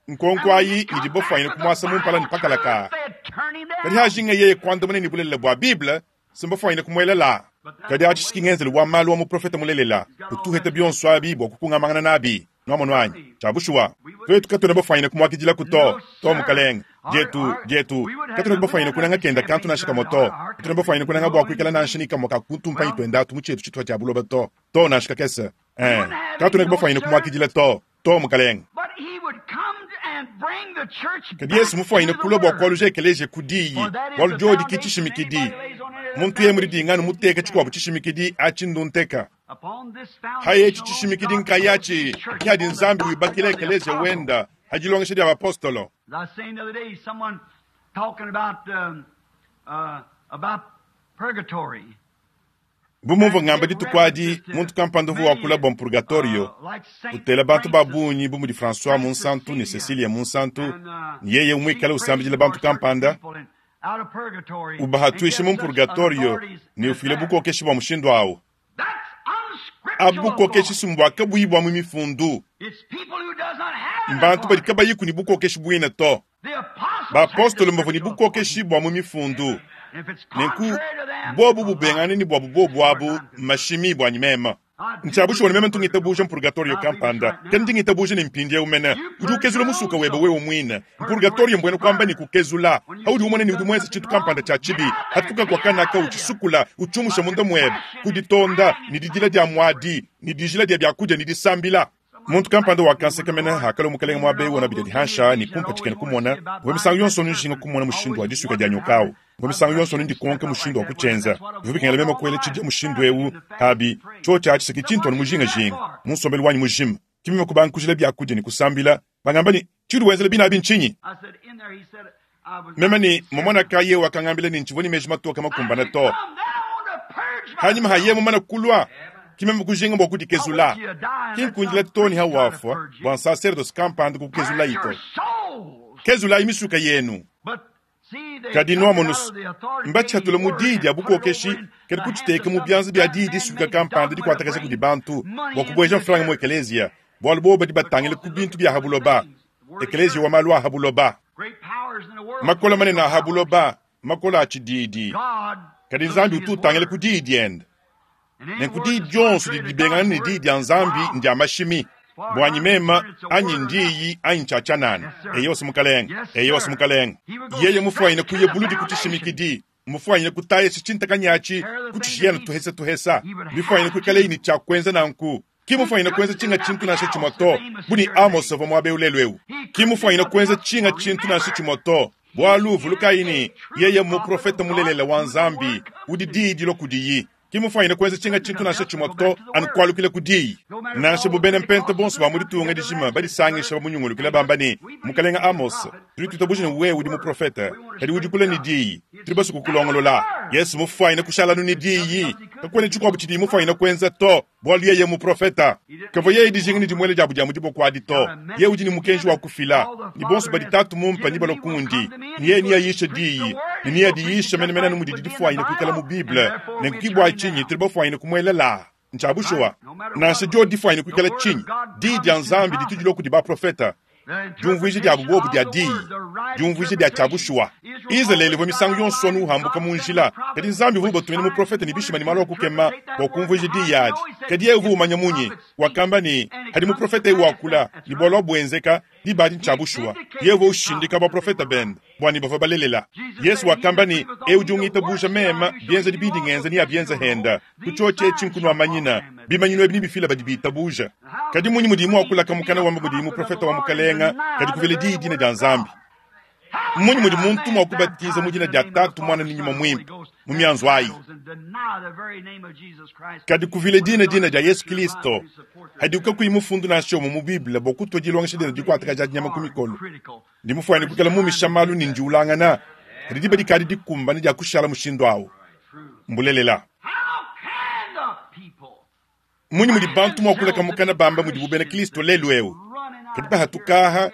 Nkonko ayi idi bafwanyine kumwasa mu mpala ne pakalaka. Kadi hajinga yeye kuandamuna ne bulelela bua Bible, simbafwanyine kumwelela. Kadi atshi ngenzelu wa malu wa muprofeta mulelela, utuheta bionso abi bua kukungamangana nabi. Nwamonu anyi? Tshia bushuwa. Twetu katwena bafwanyine kumwakidila to, to mukalenge. Dietu, dietu, katwena bafwanyine kunanga kenda kantu nansha kamwe to. Katwena bafwanyine kunanga bua kuikala nansha ni kamwe ka kutumpanyi twenda atu mu tshietu tshituha tshia buloba to. To nansha kakese. Eh, katwena bafwanyine kumwakidila to, to mukalenge. But he would come and bring the church Kadi Yesu back mufwanyine to the kulwa bua Word. kualuja ekeleziya ku diyi, bualu diodi ki tshishimikidi. Muntu yeye mudidingane muteka tshikuabu tshishimikidi atshi ndunteka. Upon this Haye etshi foundation, tshishimikidi God nkayatshi built his church ki adi upon the Nzambi doctrine wibakila of the ekeleziya apostles. wenda hadilongesha dia bapostolo. As I was saying the other day, someone talking about um, uh, about purgatory. Bu mumvua ngamba dituku adi, muntu kampanda uvua wakula bua mpurgatorio, utela bantu ba bungi bu mudi François Munsantu ne Cecilia Munsantu, ne yeye umuikale usambidila bantu kampanda, ubahatwishe mu mpurgatorio ne ufile bukokeshi bua mushindu awu. Abu bukokeshi simbua kabuyi bua mu mifundu. Mbantu badi kabayiku ne bukokeshi buine to. Bapostolo mbavua ne bukokeshi bua mu mifundu. Nenku bobu bubengane ni bwabu bobu abu mashimi bwa nyimema. Ntshabushuwa ni meme ntungitabuja mpurgatorio kampanda, kadi ndingitabuja ni mpindiewu mene. Udi ukezula musuka webe wewe mwine. Mpurgatorio mbwena kwamba ni kukezula. Haudi umone ni udi mwenze tshintu kampanda tshia tshibi. Hatuka kwa kanaka uchisukula, uchumusha munda mwebe. Kuditonda, ni didila dia mwadi, ni dijila dia byakudia, ni disambila. Muntu kampanda wakanseka mene hakala mukalenge mwabe wona bidia dihansha ni kumpa tshikene kumona. Mvua misangu yonso njinga kumona mushindu wa disuka dia nyokawu. Mvua misangu yonso ndikonka mushindu wa kutshenza. Mvua bikengela meme kuela tshidia mushindu ewu habi tsho tshia tshisaki tshintu anu mujinga jinga. Munsombelu wanyi mujima. Kimima kubanga kujila byakudia ni kusambila. Bangamba ni tshiudi wenzela bina abi ntshinyi? I said, in there, he said, I was Meme ni momona kaye wakangambila ni ntshivua ni meji matoka makumbana to. Come, then I want to purge Hanyuma myself. haye mumana kulwa. Kimeme kujinga bua kudikezula. Kinkundila toni hawafwa bua nsacerdoce kampanda kukezula Purge ito. your souls. Kezulayi misuka yenu. But see, they Kadi took it nwamonu out of the authoritative mbatshatula mu word diyi and dia put it bukokeshi over in kadi the hands kutshiteka of mu some byanza bia diyi man-made disuka kampanda dogma to dikuatakasha kudi bring bantu money bua into kubueja the mfranga mu church. ekeleziya. Bualu bobo badi batangila ku bintu bia habuloba. Ekeleziya wa malu a habuloba. Great powers in the world. Makola manene a habuloba, makola a tshididi. God Kadi looks Nzambi at utu his utangila word. ku diyi diende. And any Nenku word diyi that's dionso contrary didi to dibengana God's ne word diyi dia is Nzambi wrong. ndia mashimi. Bua nyimema anyi ndiyi anyi ntshatshanana. Yes, sir. Eyo simukalenge. Yes, Eyo sir. simukalenge. He would go Yeye mufwanyine straight to kuye the buludi foundation. kutshishimikidi. Mufwanyine kutaya tshintakanyatshi Tear the thing kutshishiyana to tuhesa tuhesa. He would Bifwanyine have kuikala to. ini tshia kuenza nanku. Ki mufwanyine kuenza tshinga tshintu nansha tshimwe to. Buni Amos avua muabe ulelu ewu. Ki mufwanyine kuenza tshinga tshintu nansha tshimwe to. Bualu vulukayi yeye muprofeta mulelela wa Nzambi udi diyi dilo kudiyi. Ki mufwanyine kuenza tshinga tshintu nansha tshimwe to anukualukile kudiyi. Nansha bubene mpenta bonso ba muditunga dijima badisangisha bamunyungulukila bamba ne mukalenga Amos tudi tuitabuja ne wewe udi muprofeta kadi udi kule ne diyi tudi basu kukulongolola. Yesu mufwanyine kushalanu ne diyi kakuena tshikuabu tshidi mufwanyine kuenza to bualu yeye muprofeta kavua yeye dijinga ne dimuele diabu dia mudiboko adi to yeye udi ne mukenji wa kufila ni bonso badi tatu mumpa ni balokundi ni yeye niyayisha diyi ni niyadiyisha menemene anu mudi didifwanyine kuikala mu Bible nenku kibua tshinyi tudi bafwanyine kumuelela ntshabushuwa nansha dio difwanyine kuikala tshinyi diyi dia Nzambi ditu dilua kudi baprofeta diumvuija dia bubobu dia diyi diumvuija dia tshabushuwa. Israeli uvua misangu yonso anu uhambuka mu njila kadi Nzambi uvua ubatumina muprofeta ne bishima ne malu a kukema bua kumvuija diyi adi. Kadi yeye uvua umanya munyi wakamba ne hadi muprofeta ewu wakula ne bualu buenzeka diba adi ntshabushuwa. Yeye uvua ushindika baprofeta bende bua ne bavua balelela. Yesu wakamba ne ewu udi ungitabuja mema bienza dibidi ngenza ni abienza henda kutshotshe etshi nkunua manyina bimanyinu ebi nibifila badi bitabuja. Kadi munyi mudi muakulaka mukana wamba mudi muprofeta wa mukalenga kadi kuvela diyi dina dia Nzambi. Munyi mudi muntu mua kubatiza mu dina dia Tatu Mwana ne Nyuma Muimpe mu mianzu ayi. Kadi kuvila dina dina dia Yesu Kristo hadi ukakuyi mufundu nansha umue mu Bible bua kutua dilongesha dina dikuataka dia dinyama ku mikolo. Ndi mufuane kuikala mumisha malu ne ndiulangana kadi diba dikadi dikumbana dia kushala mushindu awu. Mbulelela. How can the people Munyi mudi bantu mua kuleka mukana bamba mudi bubena Kristo lelu ewu. Kadi bahatukaha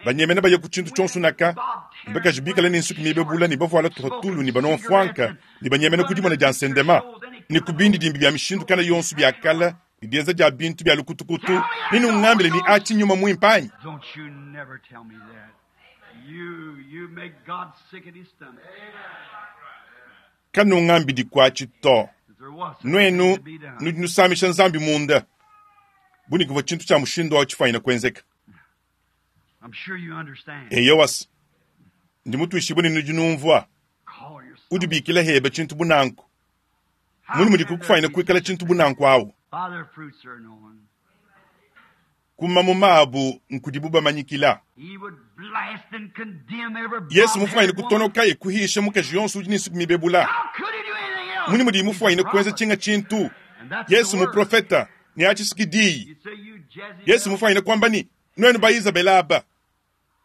banyemena baye ku tshintu tshionso naka mbakaji bikala ne nsuki mibebula ne bavuala tuhatulu ne banonfwanka ne banyemena ku dimona dia nsendema ne ku bindi dimbi bya mishindu kana yonso bya kala Ne dienza dia bintu bia lukutukutu, ne nungambile ne atshi nyuma muimpe anyi? Don't you never tell me that. You, you make God sick at his stomach. Kanungambidi kuatshi to. If there was something Nuenu to be done. nudi nusamisha Nzambi munda. Buni kuvua tshintu tshia mushindu awu tshifanyina kuenzeka. I'm sure you understand. Eyowa, ndi mutuishibue ne nudi numvua. Call yourself. Udibikila heba tshintu bunanku. How Muni mudi can there kukufanyina be kuikala such a tshintu thing? bunanku awu. By their fruits are known. Kuma maabu nkudibu bamanyikila. He would blast and condemn every Yesu mufanyina bob-headed woman. kutonoka ye kuhisha mukaji yonso udi ne nsuku mibebula. How could he do anything else? Muni mudi He's a mufanyina kuenza prophet. tshinga tshintu. And that's the Yesu word. muprofeta ne atshisikidi. You say you Jezebel. Yesu mufanyina kwamba ni nuenu ba Isabela aba.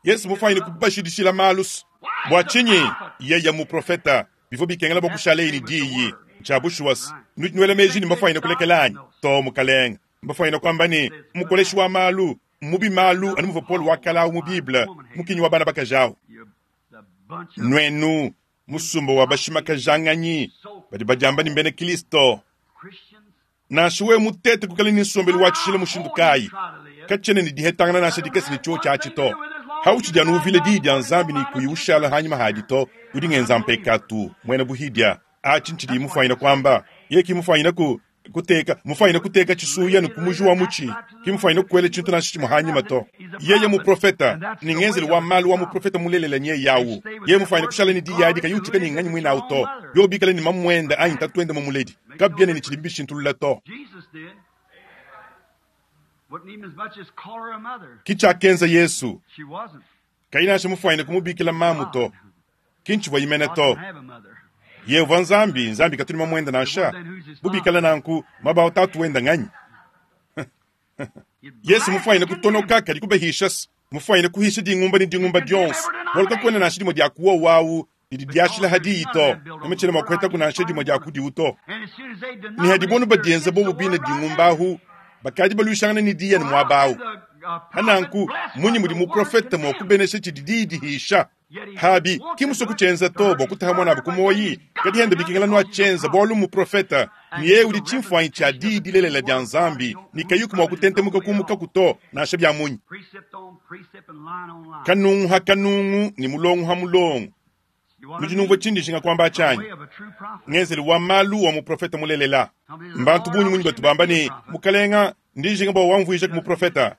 Yesu mufanyina kubashidishila malusu. Bua tshinyi yeye muprofeta bivua bikengela bua kushala ini diyi tshia bushuwasi nudi nuela meji ne mbafanyina kulekelanyi to mukalenga mbafanyina kwamba ni mukoleshi wa malu mubi malu anu muvua Paul wakala mu Bible mukinyi wa bana bakajawu You, the bunch of nuenu musumba wa bashimakajang'anyi badi badiamba ni mbena Kristo Christians. nansha wewe mutete kukala ni nsombelu wa tshishila mushindu kayi katshene ni dihetangana nansha dikese ni chuo tshiatshi to hautshidia nuvile diyi dia Nzambi ni kuyiushala hanyima hadi to udi ngenza mpekatu mwena buhidia atshi ntshidi mufanyina kwamba ye kimufanyina ku kuteka mufanyina kuteka tshisuya ni kumuji wa muchi kimufanyina kukwela tshintu nansha tshimue hanyima to yeye muprofeta ni ngenzeli wa malu wa muprofeta mulelela nye yawu ye mufanyina kushala ni diyi adi kayutshika ni nganyi mwina awu to yobikala ni mamwenda anyi tatuende mumuledi kabyene ni tshidi bishintulula to Jesus did. Wouldn't even as much as call her a mother. kichakenza Yesu She wasn't. kainasha mufanyina kumubikila mamu to kinchivwa yimene God to didn't have a mother. yehova Nzambi Nzambi katuli mamwenda nansha bubikala nanku mabawo tatu wenda nganyi You'd Yesu blast mufanyina and condemn. kutonoka kadi kubahisha mufanyina kuhisha dingumba ni dingumba dionso bwaluka kwena nansha dimwe dia kuwa wawu didi diashila hadiyi to namitshena mwakuheta kunansha dimwe dia kudiwu to And as soon as they ni hadi bonu denominated badienza their bobu against the bina word right dingumba ahu bakadi baluishangana ni diya ni mwabawu the, uh, prophet hananku blessed munyi what mudi the word muprofeta condemned. mwakubenesha tshidi didihisha habi kimuso kuchenza to bua kutaha mwana kumoyi kadi henda bikingela nwa chenza bwalu muprofeta ni yeye udi tshimfuanyi tshia diyi dilelela dia Nzambi ni kayuku mwa kutentemuka kumuka kuto nansha bya munyi Precept on precept and line on line. kanungu ha kanungu ni mulongo ha mulongo You wanna nudi numvua be tshindi nshinga kwamba the tshanyi way of a true prophet. ngenzeli wa malu wa muprofeta mulelela mbantu bunyi munyi batu bamba ni mukalenga ndi nshinga bwa wamvuisha ku muprofeta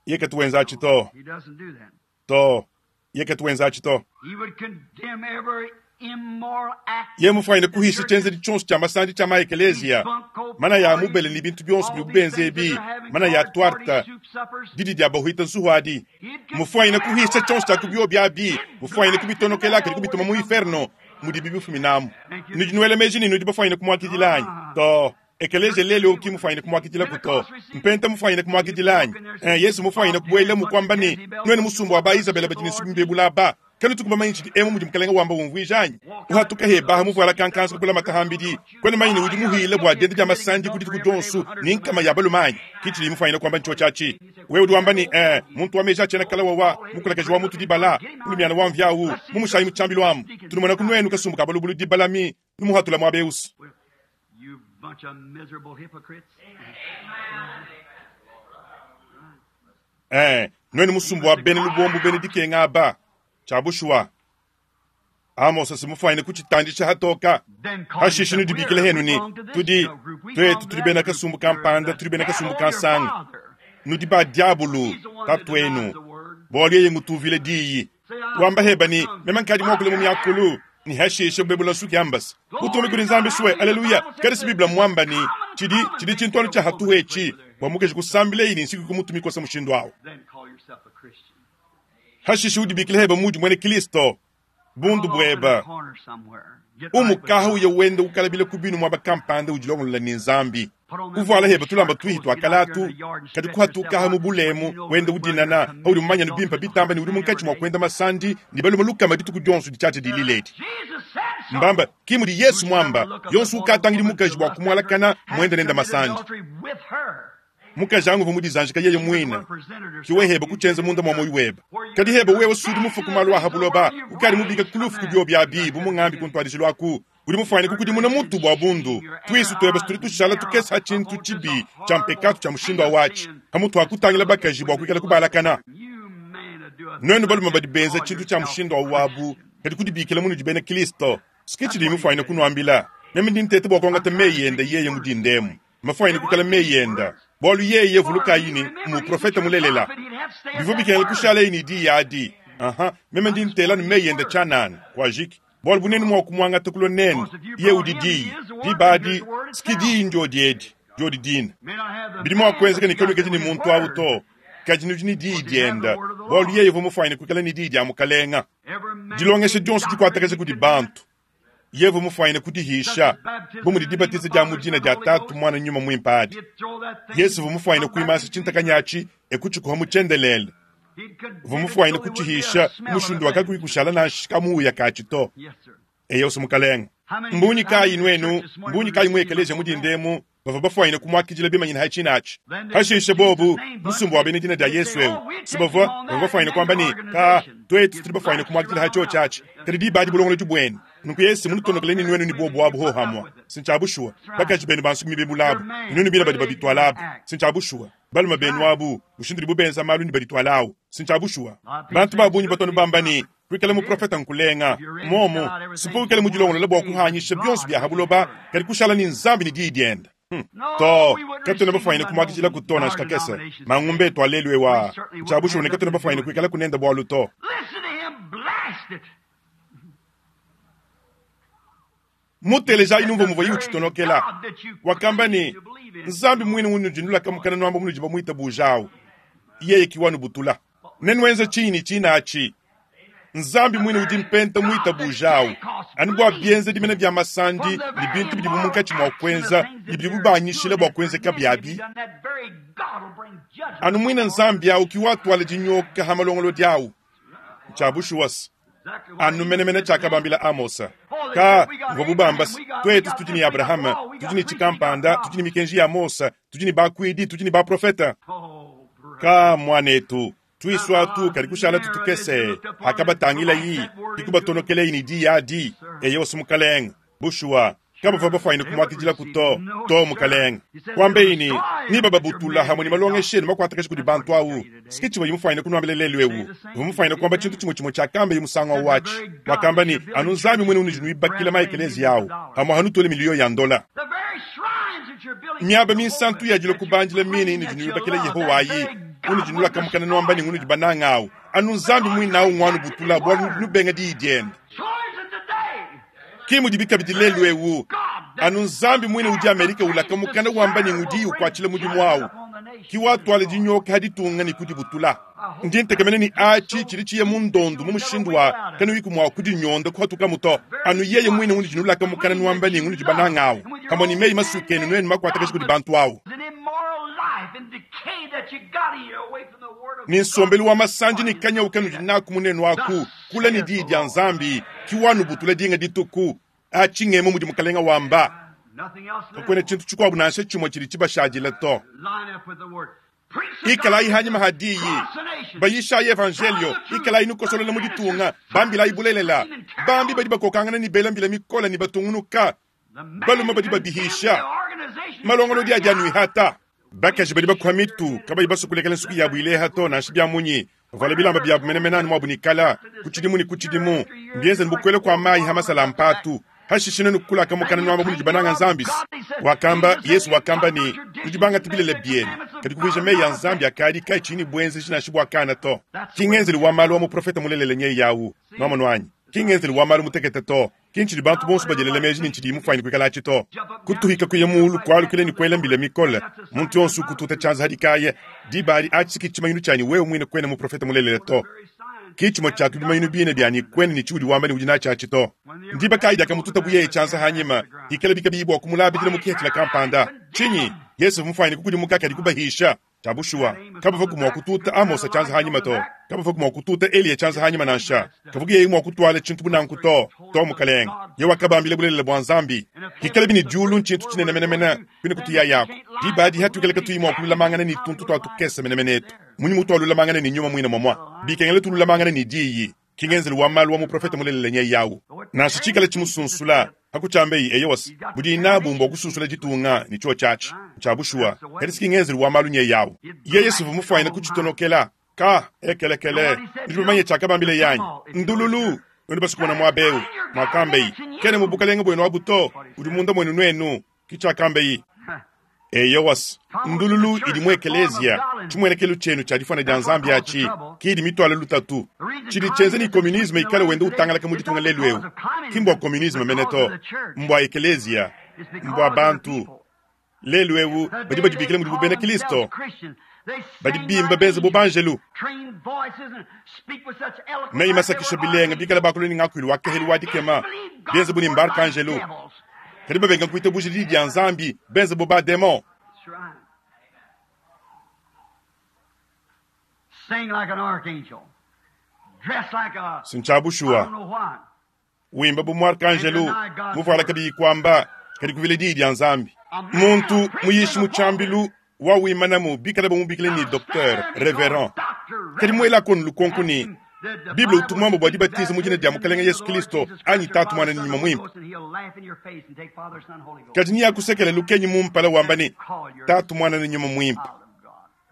ye katuwenza atshi to He doesn't do that. to ye katuwenza atshi to He would condemn every immoral act. ye mufanyine kuhisha tshenzeli tshonso tshia masandi tshia maekeleziya mana ya mubele ni bintu byonso bidi kubenza ebi mana ya twarta didi dia bahuita nsuhu adi mufanyine kuhisha tshonso tshia kubyo byabi mufanyine kubitonokela kadi kubituma mu inferno mudi bibifuminamu nudi nuela meji ni nudi bafanyine kumwakidilanyi to ekeleziya lelo ki mufanyine kumwakidila kuto mpenta mufanyine kumwakidilanyi eh, Yesu mufanyine kubuela mukwamba ni nwene musumba wa ba Isabela badi nsuku mbebula ba kanu tukumba manyi tshidi emu mudi mukalenga wamba umvuijanyi uhatuka hebaha muvuala kankansa kupula matahambidi kwene manyini udi muhile bua dienda dia masandi kudi tuku dionsu ni nkama ya balumanyi kitshidi mufanyine kwamba ntsho tshiatshi wewe udi wamba ni eh, muntu wa meji atshiena kala wawa mukulakaji wa mutu dibala mulumiana wa mvyawu mumushayi mutshambilu amu tunumona kunuenu kasumbu ka balubulu dibalami numuhatula mwa beusi You bunch of miserable hypocrites. Eh, nwenu musumbu wa bene lubombu bene dikenga aba tshia Amos simufanyine kuchitandisha hatoka Then call hashishe yourself, nudibikile "We're- henu we ni belong to this tudi group, we twetu belong to tuli that bena group. kasumbu You're kampanda the tuli bena kasumbu devil, your kansanga father. nudi ba diabulu He's the one that denies tatuenu the word. bwalo yeye ngutuvile diyi wamba heba ni mema nkadi mwakule mu myakulu ni hashishe bebula nsuki ambasi utume kuli Nzambi suwe aleluya kadi si Biblia mwamba ni tshidi tshidi tshintwalo tshia hatuhu etshi bua mukeji kusambila ini nsiku kumutumikosa mushindu awu Then call yourself a Christian. hashishe udibikile heba mudi mwene Kristo bundu Crawl off in a bweba corner somewhere. Get right with umukaha God. uye wende ukalabile kubinu mwaba kampanda udilongolola ni Nzambi uvuala heba tulamba twihi twakalatu kadi kuhatukaha mu bulemu wende udinana audi mumanyanu bimpa bitamba ni udi munkatshi mwa kuenda masandi ni baluma lukama dituku dionso ditshiatshia dililedi Jesus said so. mbamba kimudi Yesu mwamba yonso ukatangidi mukaji bua kumualakana mwende nenda masandi Adultery with her. mukaji angu vumudizanjika yeye mwina kiwe heba kuchenza munda mwa moyo weba kadi heba wewe sudi mufu kumalu aha buloba ukali mubika kulufu kubyo bya bi bumung'ambi kuntwadishilwaku Udi mufwanyine kukudimuna mutu bwa bundu. Twisu twebe tudi tushala tukesa tshintu tshibi tsha mpekatu tsha mushindu wa wachi. Hamutu akutangila bakaji bwa kuikala kubalakana. Nwenu balume badi benza tshintu tsha mushindu wa wabu kadi kudibikila munu dibena Kristo. Sikichi di mufwanyine kunwambila. Meme ndi ntete bwa kuangata meyi yenda yeye mudindemu. Mafwanyine kukala meyi yenda. Bwalu yeye vuluka yini muprofeta mulelela. Bivyo bikengela kushala yini di yadi. Aha, meme ndi ntela ni meyi yenda chanana kwajiki. Bwalu bunene mwa kumwangata kulo nene. Ye udi di. Di badi sikidi ndio diedi. Jodi dina. Bidi mwa kuenzeka ni kelu ni muntu awu to. Kaji nudi ni di dienda. Bwalu yeye vu mufwanyine kukala ni di dia mukalenga. Dilongesha dionso dikuatakasha kudi bantu. Yevu mufwanyine kudihisha. Bumu dibatiza dia mudina dia tatu mwana nyuma mwimpa adi. Yesu vu mufwanyine kuimasa chintakanyachi ekuchikuha muchendelele. Vu mufwanyine kuchihisha mushindu wakakuikushala na shikamuya kachito. Eyo sumukalenga. Mbunyi kayi nwenu, mbunyi kayi mwekeleje mudindemu, bava bafwanyine kumwakijila bimanyina hachinachi. Hashishe bobu, musumbu wa bene dina dia Yesu ewu. Sibavwa, bava bafwanyine kwamba ni, ka, twetu tuli bafwanyine kumwakijila hacho chachi. Kadi di badi bulongolo jubwenu. Nuku Yesu munutonokele nwenu ni bobu wabu ho hamwa. Sinchabushua, bakaji benu bansukumi bebulabu. Nwenu bila badi babitwalabu. Sinchabushua. Baluma benu wabu, ushindiri bubenza malu ni baditwalawu. Sinchabushua. Bantu babunyi batonu bambani, kuikala muprofeta nkulenga. Momo, sipo kuikala mudilongola bwa kuhanyisha byonso bya habuloba, kadi kushala ni nzambi ni di dienda. Hmm. To, katuna bafwanyine kumwakijila kutona shikakese. Mangumbe twalelwe wa. Chabushua ne katuna bafwanyine kuikala kunenda bwalu to. Muteleja inumvo muvo yiuchitonokela. Wakamba ni nzambi mwini unu jindula kamukana nwamba munu jiba mwita bujao. Yeye kiwanu butula. Nenwenza chini chinachi. Nzambi mwini udi mpenta mwita bujao. Anubwa bienze dimene vya masandi ni bintu bidi mumunkachi mwa kwenza ni bidi bubanyishile bwa kwenze kabyabi. Anu mwina nzambi yao kiwatu wale jinyoka hamalongolo diao. Chabushuwas. Anu menemene chakabambila Amosa. Ka ngobubambas twetu tutini Abraham, tutini chikampanda, tutini mikenji ya Mosa, tutini bakwidi, tutini ba profeta. Ka mwanetu tuiswa tu kalikushala tutukese hakabatangila yi ikubatonokele ini di ya di eyo sumukaleng bushua kaba fa bafwanyine kumwakijila kuto to mukaleng kwambe ini ni baba butula hamwe ni malongeshe ni makwatakasha kudi bantu awu sikichi wa yimufwanyine kunwambele lelu ewu vumufwanyine kwamba chintu chimwe chimwe chakambe yimusango wachi wakamba ni anu nzambi mwene unijinu ibakila maekelezi yawu hamwe hanutole miliyo ya ndola miaba minsantu yajila kubanjila mini nijinu ibakila Yehowa yi unijinula kamukana nwamba ni ngunu jibanangawu anu nzambi mwinawu ngwanu butula bwalu nubenga di dienda kimu dibika bidilelu ewu anu nzambi mwine udi Amerika ulakamukana wamba ni ngudi ukwachila mudimu wawu kiwatwale dinyoka haditunga ni kudibutula ndi ntekemene ni achi chili chiye mundondu mu mushindu wa kanu yiku mwa kudinyonda kuhatuka muto anu yeye mwine unijinula kamukana nwamba ni ngunu jibanangawu kamwe ni meyi masukenu nwenu makwatakasha kudi bantu awu ni nsombelu wa masanji ni kanya ukanu jinaku munenu waku kula ni di dia nzambi kiwanu butula dinga dituku achingemo mudi mukalenga wamba kakwena chintu chikwabu nansha chimwe chili chibashajila to ikala ihanyima hadiyi bayisha evangelio ikala inukosolola muditunga bambila ibulelela bambi badi bakokangana ni bela mbila mikola ni batungunuka baluma badi babihisha malongolo dia dia bakaji badi bakuha mitu kabayi basukulekela nsuku yabu ileha to nansha bya munyi vala bilamba byabu menemene anu mwabu nikala kutshidimu ni kutshidimu mbienze nibukwele kwa mayi hamasala mpatu hashishine nukulaka mukana nwamba munu jibananga nzambisi wakamba Yesu wakamba ni nujibanga tibilele bienu kadi kuvuja meyi ya nzambi akadi kai chini bwenze chinashi bwakana to kingenzeli wa malu wa muprofeta mulelele nye yawu nwama nwanyi kingenzeli wa malu mutekete to kinchili bantu bonso bajelele meji ni nchidi mufwanyine kuikala chito kutuhika kuye mulu kwalukile ni kwela mbile mikole muntu yonso kututa chanza hadikaye dibali achiki chimayinu chani wewe mwine kwene muprofeta mulelele to kichimo chatu bimayinu bine byani kwene ni chiudi wamba ni ujina chachi to ndiba kaida kamututa buye chanza hanyima ikele bikabibwa kumulabidile mukihechila kampanda chinyi Yesu mufwanyine kukudi mukaka dikubahisha Chabushua kabava kumwa kututa Amosa chanza hanyima to kabava kumwa kututa Eliya chanza hanyima nansha kavuga yeye mwa kutwala chintu bunanku to to mukalenga yewa kabambile bulelele bwa nzambi kikale bini julu nchintu chinene menemene kwine kutiya yako dibadi hatukeleka tuyimwa kululamangana ni tuntu twatukesa menemenetu munyi mutu alulamangana ni nyuma mwina mwamwa bikengele tululamangana ni diyi kingenzeli wa malu wa muprofeta mulelele nye yawu nansha chikale chimusunsula Hakutshambeyi eyosi budi nabu mbwa kususula ditunga ni chuo chachi cha bushuwa kadi sikingenzeli wa malu nye yawo yeye sivu mufwaina kuchitonokela ka ekelekele ndibamanye chakabambile yanyi ndululu wenu basikumona mwabeu mwakambeyi kene mubukalenga bwenu abuto udi munda mwenu nwenu kichakambeyi eyowas ndululu idi mu ekelezia chimwenekelu chenu cha difwana dia nzambi achi kidi mitwalo lutatu chidi chenze ni komunisme ikale wende utangalaka mu ditunga lelu eu kimbwa komunisme meneto mbwa ekelezia mbwa bantu lelu eu badi badibikile mudi bubena kristo badi bimba benze bubanjelu meyi masakisha bilenga bikala bakuluni ngakwilu wakehelu wadikema benze buni mbarkanjelu kadi babenga kuita buji lidi dia nzambi benze bo ba demon Sing like an archangel. Dress like a sinchabushuwa I don't know what. wimba bu muarkanjelu muvuala kabiyi kwamba kadi kuvile diyi dia nzambi muntu muyishi mutshambilu wawimanamu bikala bamubikile ni docteur reverend kadi muela konu lukonko ni Bible utumwambo bwa dibatiza mu dina dia mukalenga Yesu Kristo anyi tatu mwana ni nyuma mwimpe kadi ni yakusekela lukenyi mumpala wamba ni tatu mwana ni nyuma mwimpe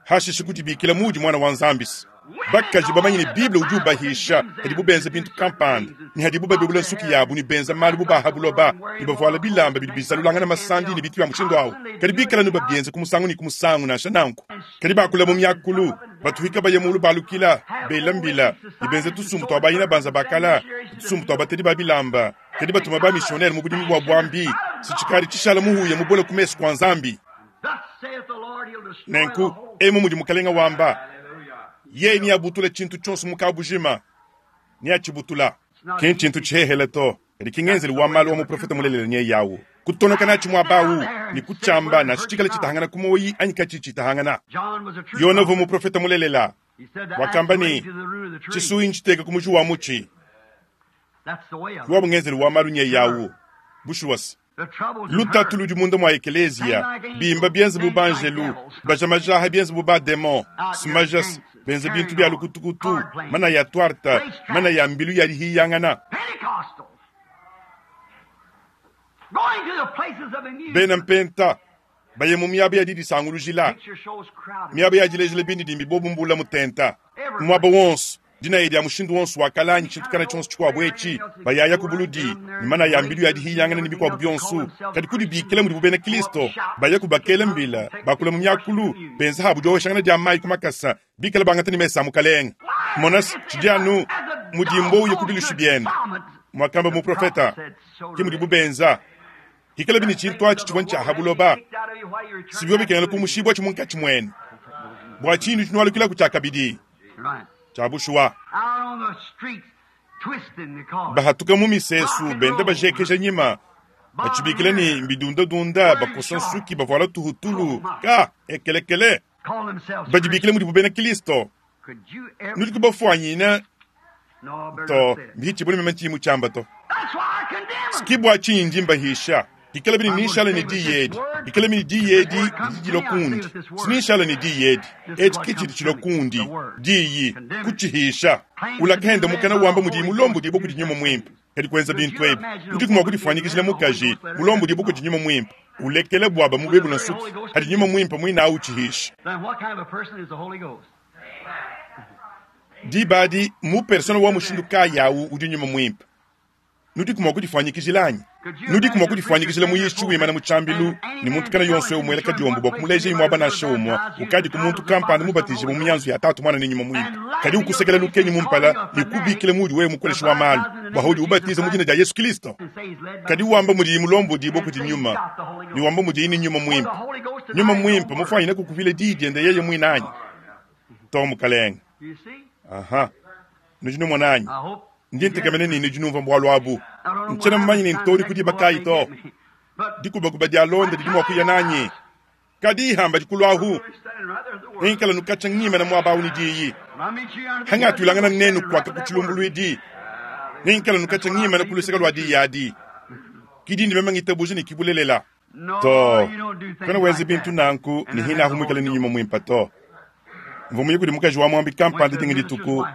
hashishe kudibikila mudi mwana wa nzambisi bakaji bamanyi ni bible udi ubahisha hadi bubenza bintu kampanda ni hadi bubabebula nsuki yabu ni benza malu bubaha buloba ni bavuala bilamba bidi bizalulangana masandi ni bitu bya mushindu awu kadi bikala nu babienze kumusangu ni kumusangu nansha nanku kadi bakula mu myakulu batuhika baye mulu balukila bela mbila ni benza tusumbu twa bayina banza bakala tusumbu twa batedi ba bilamba kadi batuma ba missionnaire mu budimi bwa bwambi sichikali chishala muhuya mubole kumesu kwa nzambi Thus saith the Lord, he'll destroy the nenku whole emu mudi mukalenga wamba ye ni abutula chintu chonso mukabujima ni achibutula kin chintu chihehele to kadi kingenzeli wa malu wa muprofeta mulelele nye yawu kutonoka nachi mwabawu ni kuchamba na chichikala chitahangana kumoyi anyi kachi chitahangana John was a true yona vu prophet. muprofeta mulelela He said the wakamba axe ni laid to the root of the tree. chisuyi nchiteka kumuji wa muchi That's the way of it. kiwa bungenzeli wa malu nye yawu bushuwasi The troubles in lutatu her. ludi munda mwa ekelezia bimba bienze bu banjelu baja majaha bienze bu bademon simajas benze bintu bya lukutukutu mana ya twarta mana ya mbilu ya lihiyangana Pentecostals. Going to the places of amusement. bena mpenta baye mu miaba ya didisangulujila Picture shows crowded. miaba ya dilejela bindi dimbi bobu mbula mutenta mwaba wonso dina yedi ya mushindu wonso wakalanyi chintu kana chonso chikwabu echi bayaya ku buludi ni mana ya mbilu ya dihiyangana ni bikwabu byonso kadi kudibikila mudi bubena kristo baya kubakela mbila bakula mu myakulu benza habu dioshangana dia mayi kumakasa bikala bangata ni mesa mukalenga monasi chidianu mudimbo uye kubilushu byenu mwakamba muprofeta ki mudi bubenza hikala bini chintu achi chibwa nchaha buloba sibyo bikengela kumushibwa chimunkachi mwene bwa chindu chinwalukila kuchakabidi Right. chabushuwa Out on the streets, twisting the car. bahatuka mu misesu bende bajekeja nyima bachibikila ni mbidundadunda bakosa nsuki bavuala tuhutulu ka ekelekele Call themselves badibikile mudi bubena kristo Could you ever? nudi kubafwanyina No, I better to not say it. mbichibuli meme nchimu chamba to That's why I condemn 'em. kibwa chinji mbahisha hikala bini nishala ni diyedi hikala bini diyedi didi kundi sinishala ni diyedi eci kichili chilo kundi diyi kuchihisha ulakenda mukana wamba mudi mulombo dibo kudi nyuma mwimpe kadi kwenza bintu ebi udi kumwa kudifanyikishila mukaji mulombo dibo kudi nyuma mwimpe ulekele bwaba mubebu na nsuki hadi nyuma mwimpe mwina auchihisha Then what kind of a person is the Holy Ghost? dibadi mu persona wa mushindu kayawu udi nyuma mwimpe nudi kumwa kudifanyikishilanyi nudi kumwa kudifanyikishila muyishi wimana mutshambilu ni muntu kana yonso umwela kadiombo bwa kumuleja imwe aba nashe umwa ukadi ku muntu kampanda mubatije mu myanzu ya tatu mwana ni nyuma mwimpe kadi ukusekela lukenyi mumpala ni kubikile mudi wewe mukoleshi wa malu bwa udi ubatiza mu dina dia Yesu Kristo And say he's led by kadi wamba mudi mulombo dibo kuti nyuma ni wamba mudi ini nyuma mwimpe The Holy Ghost nyuma denies mwimpe no word. mufwanyine kukuvile didi ende yeye mwinanyi to mukalenga You see? aha nujinu mwananyi I hope. ndi ntekamene nini junumva mbwalu abu nchena mmanyi ni ntori kudi bakayi to dikubakuba dia londa didi mua kuya nanyi kadi ihamba dikulu ahu ninkala nukacha ngima na mwaba ni diyi hanga tulangana nenu kwaka kuchilumbulwidi ninkala nukacha ngima na kuluseka lwa diyi adi kidi ndi mema ngitabuja ni kibulelela to kana wenze bintu nanku ni hina ahumwikala ni nyuma mwimpa to mvumuye kudi mukaji wa mwambi kampanda dinga dituku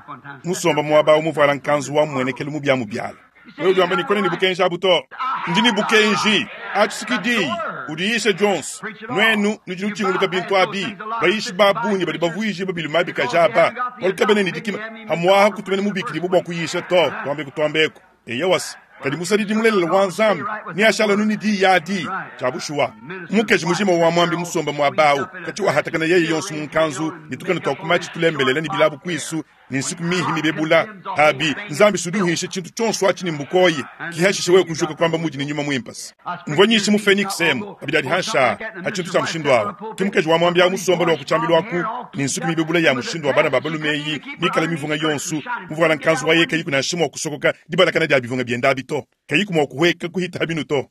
musomba mwaba umuvala nkanzu wa mwenekele mu bya mu byala wewe udi wamba ni kone ni bukenja abu to Ndi ne bukenji. Atshi diyi udiyisha Jones. Nuenu nudi nutshinguluka bintu abi. Bayishi ba bungi badi bavuije babiluma bikajaba. Walukabene ne dikima hamwaha kutumena mubikidi bwa kuyisha to. Twambe kutwambeko. Eya wasi. Kadi musadidi mulelele wa Nzambi ni ashala nuni di yadi chabushuwa mukeji mujima wa mwambi musomba mwa bawu kati wahatakana yeye yonso munkanzu nitukana twakumachi tulembelele ni bilabu kwisu ni nsiku mihi mibebula habi Nzambi suduhishe chintu chonso achi ni mbukoyi kihashishe wewe kujuka kwamba muji ni nyuma mwimpasi mvonyishe mu Phoenix emu abidadi hansha hachintu cha mushindo awo kimukeji wa mwambi awu musomba lwa kuchambilwa ku ni nsiku mibebula ya mushindo wa bana babalumeyi nikala mivunga yonsu mvuala nkanzu wa yeka yiku na shimo kusokoka dibalakana dia bivunga byenda bito kayiku mwa kuhweka kuhita binu to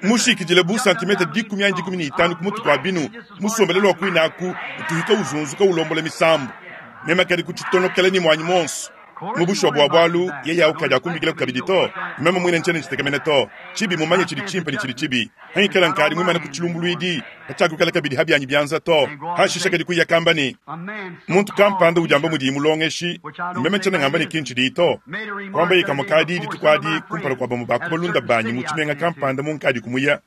mushikijile bu santimetre dikumi anji dikumi ni itanu kumutu kwa binu musombelelwa kwinaku tuhika uzunzuka ulombola misambu mema kadi kuchitonokela ni mwanyi monso mubushwa bwa bwalu yeye aukaja kumbikila kukabidi to mema mwine nchene chitekamene to chibi mumanye chili chimpa ni chili chibi hangikela nkali mwimana kuchilumbulwidi kachakukala kabidi habyanyi byanza to hashisha kadi kuya kambani muntu kampanda ujamba mudi mulongeshi mema nchene ngamba ni kinchi dito kwamba ikamukadi ditukwadi kumpala kwa bamu bakubalunda banyi muchimenga kampanda munkadi kumuya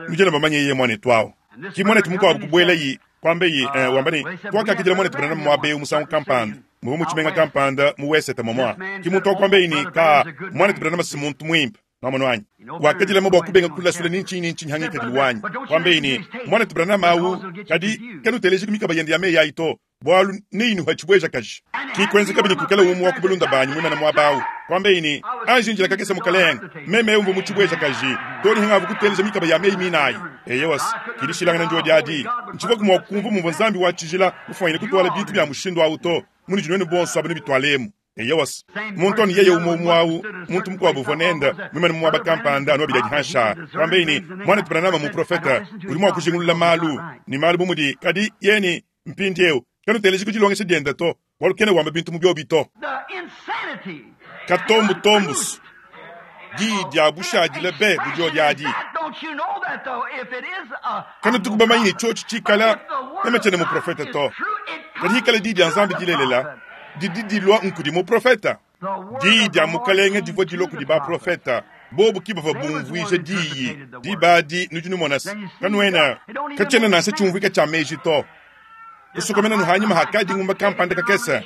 mujena bamanye yeye mwane twao kimwana tumukwa kubwela yi kwambe yi eh, wambani twakakidila mwane tubana mwabe umusangu kampanda mubu muchimenga kampanda muweseta momwa kimuntu kwambe ini ka mwana tubana masimuntu mwimpa namono wanyi wakadila mabwa kubenga kula sula ninchi ninchi hangi kadili wanyi kwambe ini mwana tubana mawu kadi kanuteleje kumika bayende ya meya ito bwalu ninu hachibweja kaji kikwenze kabili kukala umu wakubulunda banyi mwimana mwabawu kwambe ini anjinjila kakesa mukalenga meme umvu muchibweja kaji toli hangavu kuteleja mikaba ya meyi minayi eyewas kilishilangana njo dyadi nchivwa kumwa kumvu mumva nzambi wachijila mufwanyile kutwala bintu bya mushindo awu to muni jinwene bonso abene bitwalemu eyewas muntu oni yeye umu mwawu muntu mukwabu vonenda mwimana mwaba kampanda ano bidadi hansha kwambe ini mwana tupananama mu profeta uli mwa kujingulula malu ni malu bumudi kadi yeni mpindi eu kanuteleje kuchilongesha dyenda to walukene wamba bintu mu byobi to katombu tombus di dia bushadile be budyo dyadi kana tukubamanyi chochi chikala nemechene mu profeta to kadi hikala di dia nzambi dilelela didi dilwa nkudi mu profeta di dia mukalenge divwa dilwa kudi ba profeta bobu kibava bumvuije diyi dibadi nudi numonasi kanuena kachena nanse chumvuika cha meji to kusokomena nuhanyuma hakadi ngumba kampanda kakesa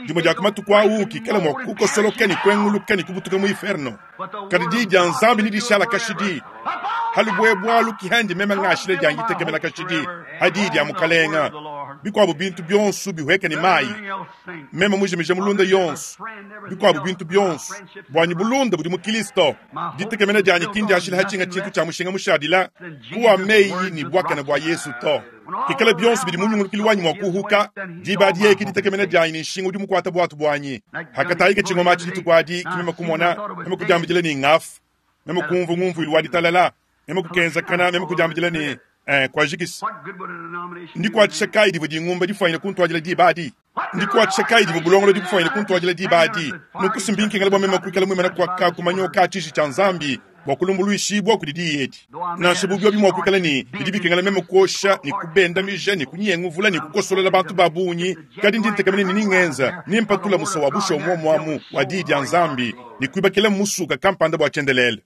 dimo dia kumatuku awu kikala mwa kukosoloka ni kwenguluka ni kubutuka mu inferno kadi di dia nzambi ni dishala kashidi halubwebwalu kihandi mema ngashile dia ngitekemela kashidi hadi dia mukalenga bikwabu bintu byonso bihweka ni mayi mema mujimije mulunda yonso bikwabu bintu byonso bwanyi bulunda budi mu Kristo ditekemena dianyi kindi ashila hachinga chintu cha mushinga mushadila kuwa meyi ni bwakana bwa Yesu to kikala byonso bidi munyungulukili wanyi mwa kuhuka diba diye kiditekemena dianyi ni nshinga udi mukwata bwatu bwanyi hakatayika chingoma chitukwadi kimema kumona mema kujambijila ni ngafu mema kumvu ngumvu ilwa ditalala mema kukenza kana mema kujambijila ni eh, kwa jikisi ndikwatisha kai divo dingumba difwanyile kuntwajila dibadi ndikwatisha kai divo bulongolo dikufwanyile kuntwajila dibadi nukusimbinkingala bwa mema kuikala mwimana kwaka kumanyoka chishi cha nzambi bwa kulumbuluishibwa kudi diyeti nansha bubyo bimwa kuikala ni bidi bikengela meme kuosha ni kubendamija ni kunyenguvula ni kukosolola bantu babunyi kadi ndi ntekamene ni ningenza nimpatula musa wa busha umwomwamu wa didi ya nzambi ni kuibakela musuka kampanda bwa chendelele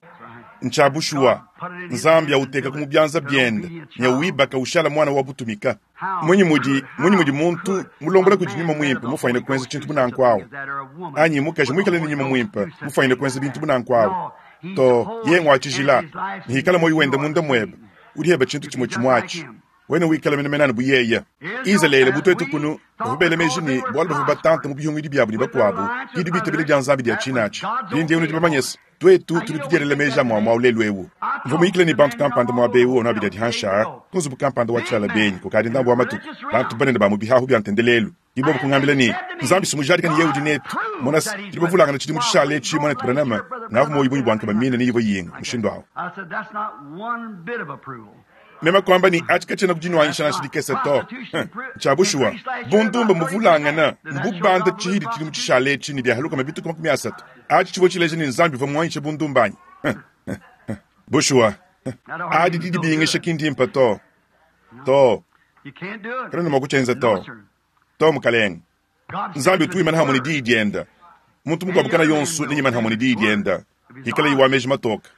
nchabushuwa nzambi auteka kumubyanza byende nyawibaka ushala mwana wa butumika mwenye mudi mwenye mudi muntu mulombola kudi nyuma mwimpe mufanyile kwenza chintu bunankwawo anyi mukaji mwikale ni nyuma mwimpe mufanyile kwenza bintu bunankwawo to ye ngwachijila nihikala moyo wenda munda mwebe uliheba chintu chimwe chimwachi wene wikala menemenani buyeya Israele butwetu kunu bavubele meji ni bwalu bavu batanta mu bihungidi byabu ni bakwabu kidi bitabile bya nzambi dia chinachi bindi yenu dibamanyesa twetu tuli tudyerele meji amwamwa ulelu ewu mvumuyikile ni bantu kampanda mwa bewu ono abidi adihansha kunzubu kampanda wa tshala benyi kukadi ndambu wa matuku bantu banene ba mu bihahu bya ntendelelu ibo kungambila ni nzambi simujadika ni yehudi netu mona tili bavulangana chidi muchishale echi mwana tubranama navu moyi bunyi bwanke bamina ni ivo yinga mushindo awo mema kwamba ni achi kachena kujinwanyisha na shidikesa to chabushuwa bundumba muvulangana mbubanda chihidi chili muchishale echi ni byahaluka mabituku makumi asatu achi chivo chileje ni nzambi vamwanyisha bundumbanyi bushuwa adi didi bingisha kindimpa to to kana noma kuchenza to to mukalenga nzambi utuimana hamwe ni dii dyenda muntu mukwabukana yonso ninyimana hamwe ni dii dyenda Ikalayi wa meji matoke.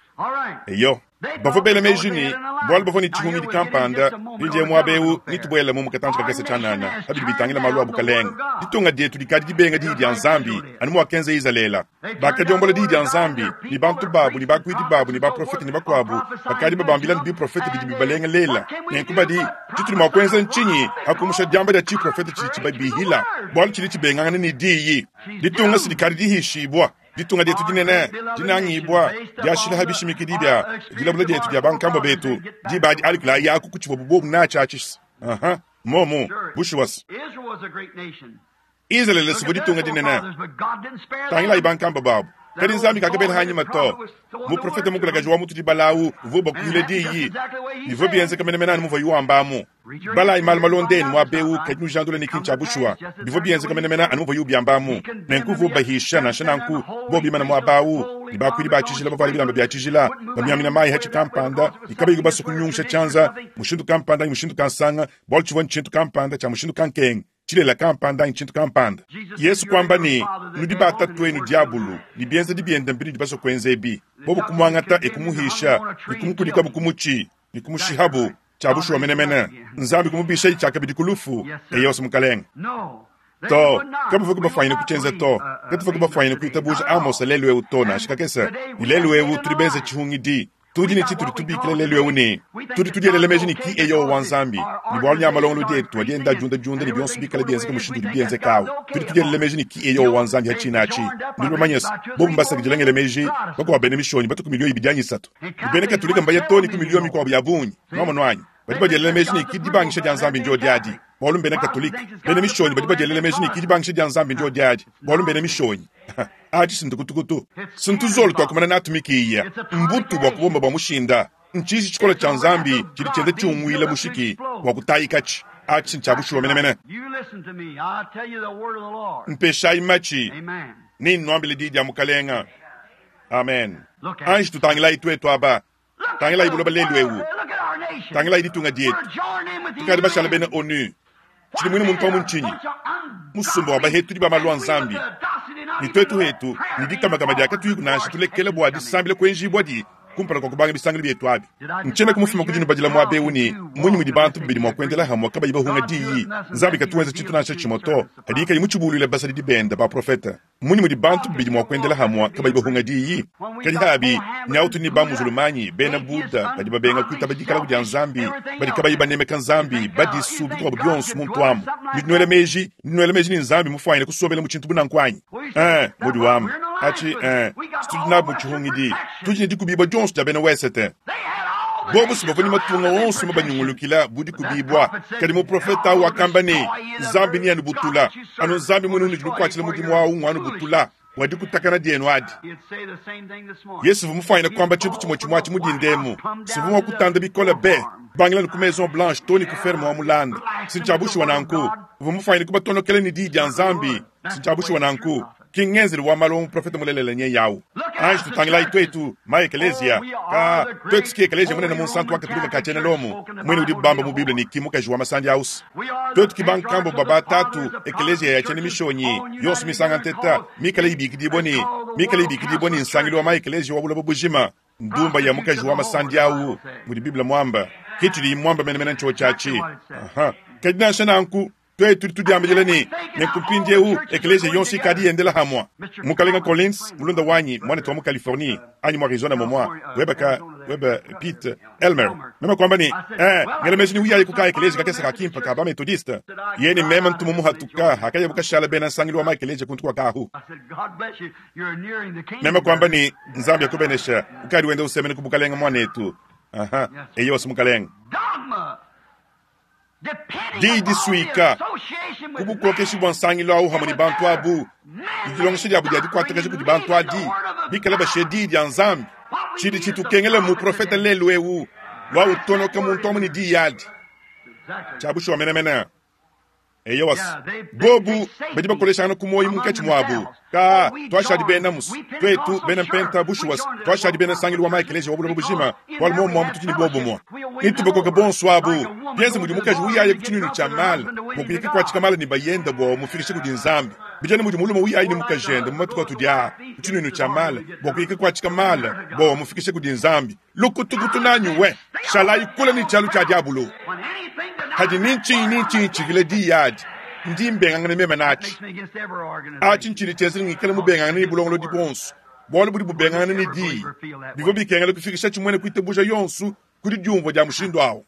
Eyo. Bavua bela meji ne, bualu bavua ne tshihungidi kampanda, mpindieu muaba eu netubuelemu mu katantshi kakese tshianana pa bidi bitangila malu a Bukalenge. Ditunga dietu dikadi dibenga diyi dia Nzambi, anu muakenza Izalele. Bakadiombola diyi dia Nzambi, ne bantu babu, ne bakuidi babu, ne baprofete ne bakuabu, bakadi babambila ne biprofete bidi bibalengelela. Nenku badi, tshitudi mua kuenza ntshinyi pa kumusha diamba dia tshiprofete tshidi tshibabihila, bualu tshidi tshibengangana ne diyi? Ditunga si dikadi dihishibua. Ditunga dietu dinene, dinangibua, diashila bishimikidi bia dilabula dietu dia bankambua betu, diba adi alikulayi aku ku tshivua bobu natshi atshi. Aha, momu, bushuwa. Izalele sivua ditunga dinene. Tangilayi bankambua babu. Kadi Nzambi kakabela hanyima to. Muprofete mukulakaji wa mutu dibalawu uvua bakuile diyi. Bivua bienzeka menemene anu muvua yuambamu. Balayi malu malondeni muaba eu kadi nujandula ne kintu tshia bushuwa. Bivua bienzeka menemene anu muvua yubiambamu. Nenku uvua ubahisha nansha nanku bo bimana muaba au ne bakuidi ba tshijila bavuala bilamba bia tshijila bamiamina mayi hatshi kampanda ne kabayi basue kunyungusha tshianza mushindu kampanda anyi mushindu kansanga bualu tshivua ntshintu kampanda tshia mushindu kankenga tshilela kampanda anyi tshintu kampanda. Yesu kuamba ne, nudi ba tatuenu diabulu ne bienzedi biende mbinudi basue kuenza ebi. Bobu kumuangata e kumuhisha ne kumukulikabu ku mutshi ne kumushihabu tshia bushuwa menemene. Nzambi kumubisha tshiakabidi ku lufu. Eyo mukalenge. To, kabavua kubafuanyine kutshienza to. Katuvua kubafuanyine kuitabuja Amos lelu eu to nansha kakese. Ne lelu eu tudi benze tshihungidi. Tudi ne tshitudi tubikila lelu eu ne tudi tudielela meji ne ki eyo wa Nzambi ne bualu nya malongolo dietu adi enda diunda diunda ne bionso bikala bienzeka mushindu udi bienzekawu. Tudi tudielela meji ne ki eyo wa Nzambi hatshina atshi. Nudi bamanye se, bobu mbasakidilangele meji bakuabu bena mishonyi batu ku miliyo ibidi anyi isatu. Ne bena Katolika mbaya too ne ku miliyo mikuabu ya bungi. Nwamonu anyi? Badi badielela meji ne ki dibangisha dia Nzambi ndio diadi. Bualu mbena Katolika. Bena mishonyi badi badielela meji ne ki dibangisha dia Nzambi ndio diadi. Bualu mbena mishonyi. Atshi sintukutukutu. Sintuzolo twakumana natumikiya. Mbutu bwa kubomba bwa mushinda. Nchizi tshikola tshia Nzambi tshidi tshienda tshiunguila mushiki bwa kutayikatshi. Atshi ntshia bushuwa menemene. Mpeshayi matshi. Ni nwambile diyi dia mukalenga. Amen. Anji tutangilayi twetu aba. Tangilayi buloba lelu eu. Tangilayi ditunga dietu. Tukadi bashala bena ONU. Tshidi mwine muntu wa munchinyi. Musumba wa bahetu di ba malu a Nzambi. Ne twetu hetu ne dikamakama dia katuyi nansha tulekele bua disambila kuenjibua di kumpala kua kubanga bisangilo bietu abi. Ntshiena kumufuma kudi nubadila muaba eu ne munyi mudi bantu babidi mua kuendela hamwe kabayi bahunga diyi. Nzambi katuenza tshintu nansha tshimue to. Hadi kayi mutshibuluile basadidi bende baprofete. Munyi mudi bantu babidi mua kuendela hamwe kabayi bahunga diyi. Kadi habi nyautu ni ba muzulumanyi bena Buddha badi babenga kuitaba dikala dia Nzambi badi kabayi banemeka Nzambi badisu bikuabu bionso muntu amu. Nitunuela meji, nitunuela meji ni Nzambi mufuanyine kusombela mu tshintu bunanku anyi. Eh, mudi wamu. Atshi eh, tudi nabu mu tshihungidi. Tudi ne dikubibua dionso dia bena Wesete. Bobu si bavua ne matunga onso mabanyungulukila budi kubibua. Kadi muprofeta au wakamba ne, Nzambi ni anubutula. Anu Nzambi mwene unudi nukuatshila mudimu au ng'wanubutula. Wadikutakana dienu adi. Yesu uvua mufuanyine kuamba tshintu tshimue tshimue atshi mudindemu. Sivua mua kutanda bikole be. Bangila ku Maison Blanche to ne ku ferme wa mulanda. Sintshia bushuwa nanku. Uvua mufuanyine kubatonokela ne diyi dia Nzambi. Sintshia bushuwa nanku. Ki ngenzeli wa malu wa muprofete mulelele nye yawu. Anji tutangilayi twetu ma ekeleziya. Ka twetu siki ekeleziya munene munsantu wa Katolika ka tshiena Lomo. Mwene udi bamba mu Bible ne ki mukaji wa masandi ausi. Twetu ki bankambo baba tatu ekeleziya ya tshiena mishonyi yonso misanga nteta mikale ibikidibwa ne mikale ibikidibwa ne nsangilu wa ma ekeleziya wa buloba bujima. Ndumba ya mukaji wa masandi awu mudi Bible mwamba. Kitshidi mwamba menemene ntsho tshiatshi. Aha. Kadi nansha nanku twetu tudiambile ne nenku mpindieu ekeleziya yonso ikadi yendela hamwa. Mukalenga Collins mulunda wanyi mwanetu wa mu Californie anyi mu Arizona momwa webaka weba Pete Elmer mema kwamba ni eh ngela meji ni uyaye kuka ekeleziya kakese ka kimpa ka ba methodiste yene mema ntumu muhatuka hakaya bukashala bena nsangilu wa ma ekeleziya kuntu kwa kahu. Mema kwamba ni Nzambi akubenesha ukadi wenda usemene kubukalenga mwanetu. Aha, eyo mukalenga. Diyi disuika kubukokeshi bua nsangilu au hamwe ne bantu abu dilongesha diabu dia dikuatakaja kudi bantu adi bikala bashe diyi dia Nzambi. Tshidi tshitukengela muprofete lelu eu wa utonoka muntu amu ne diyi adi. Tshia bushuwa menemene. Eyo wasi. Bobu badi bakoleshangana ku moyo munkatshi muabu. Ka twashadi bena musu. Twetu bena mpenta bushuwa twashadi bena nsangilu wa ma ekeleziya wa buloba bujima. Bualu momu mwa mutu ni bobu mwa. Nitubakoka bonso abu. Bienze mudi mukaji uyaye ku tshinunu tshia mala. Mukuyika kuatshika mala ne bayenda bua mufikishe kudi Nzambi. Bijana mudi mulume uyayi ne mukajende mu matuku atudi aa ku tshinuinu tshia mala bua kuyika kuatshika mala bua bamufikishe kudi Nzambi. Lukutukutu nanyi we, shalayi kule ne tshialu tshia diabulu. Hadi ni ntshinyi ni ntshinyi tshivile diyi adi, ndi mbengangana meme natshi. Atshi ntshidi tshienza ngikale mubengangane ne bulongolodi buonso, bualu budi bubengangana ne diyi. Bivua bikengela kufikisha tshimuene kuitabuja yonso kudi diumvua dia mushindu awu.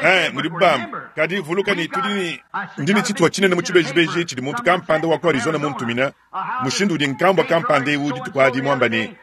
Eh, mudi bamba kadi vuluka ne tudi ne ndi ne tshituha tshinene mu tshibejibeji tshidi muntu kampanda wa ku Arizona muntumina mushindu udi nkambua kampanda ewu dituku adi muamba ne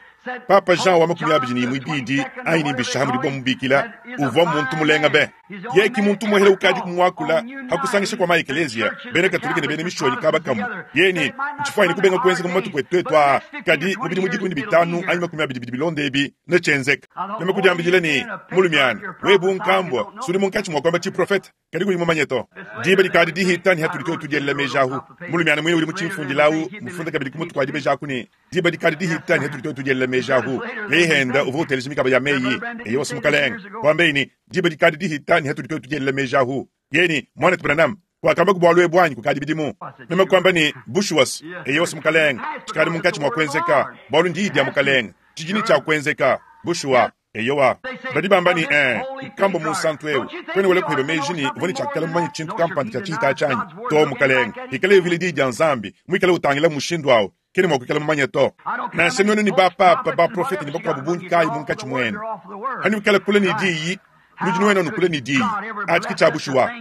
Papa Jean wa makumi abidi ne imue ibidi anyi ne mbishaha mudibo mubikila uvua muntu mulenga be ye ki muntu muhele ukadi kumuakula hakusangisha kwa maekeleziya bena katolika ne bena mishonyi kaba kamwe ye ne ntshifwanyine kubenga kuenzeka mu matuku etu etu aa kadi mu bidimu dikumi ne bitanu anyi makumi abidi bidi bilonda ebi netshienzeka. Meme kudiambidila ne mulumiana webu nkambua sudi munkatshi mua kuamba tshiprofete kadi kuyi mumanye to diba dikadi dihita ne hatudi twetu tudielela meji ahu. Mulumiana muine udi mu tshimfundilawu mufunda kabidi ku mutu kua dibeji aku ne diba dikadi dihita ne hatudi twetu tudielela meji ahu. Yeye henda uvua uteleja mikaba ya meyi eye wasi mukalenge wambeyi ne diba dikadi dihita ne hatudi twetu tudielela meji ahu. Yeye ne mwanetu Branham wakamba ku bualu ebu anyi kukadi bidimu. Meme kuamba ne bushuwas eye wasi mukalenge tshikadi munkatshi mua kuenzeka bualu ndiyi dia mukalenge tshidi tshia kuenzeka bushuwa. Eyowa badi bamba ne eh nkamba munsantu ewu kwene wele kuheba meji ne uvua ne tshiakala mumanye tshintu kampanda tshia tshihita tshanyi to mukalenge ikale uvile diyi dia Nzambi muikale utangila mushindu awu kene mua kuikala mumanye to. Nansha nuenu ne bapapa baprofete ne bakuabu bungi kayi munkatshi muenu hani wikala kule ne diyi nudi nuenu nukule ne diyi atshi ki tshia bushuwa.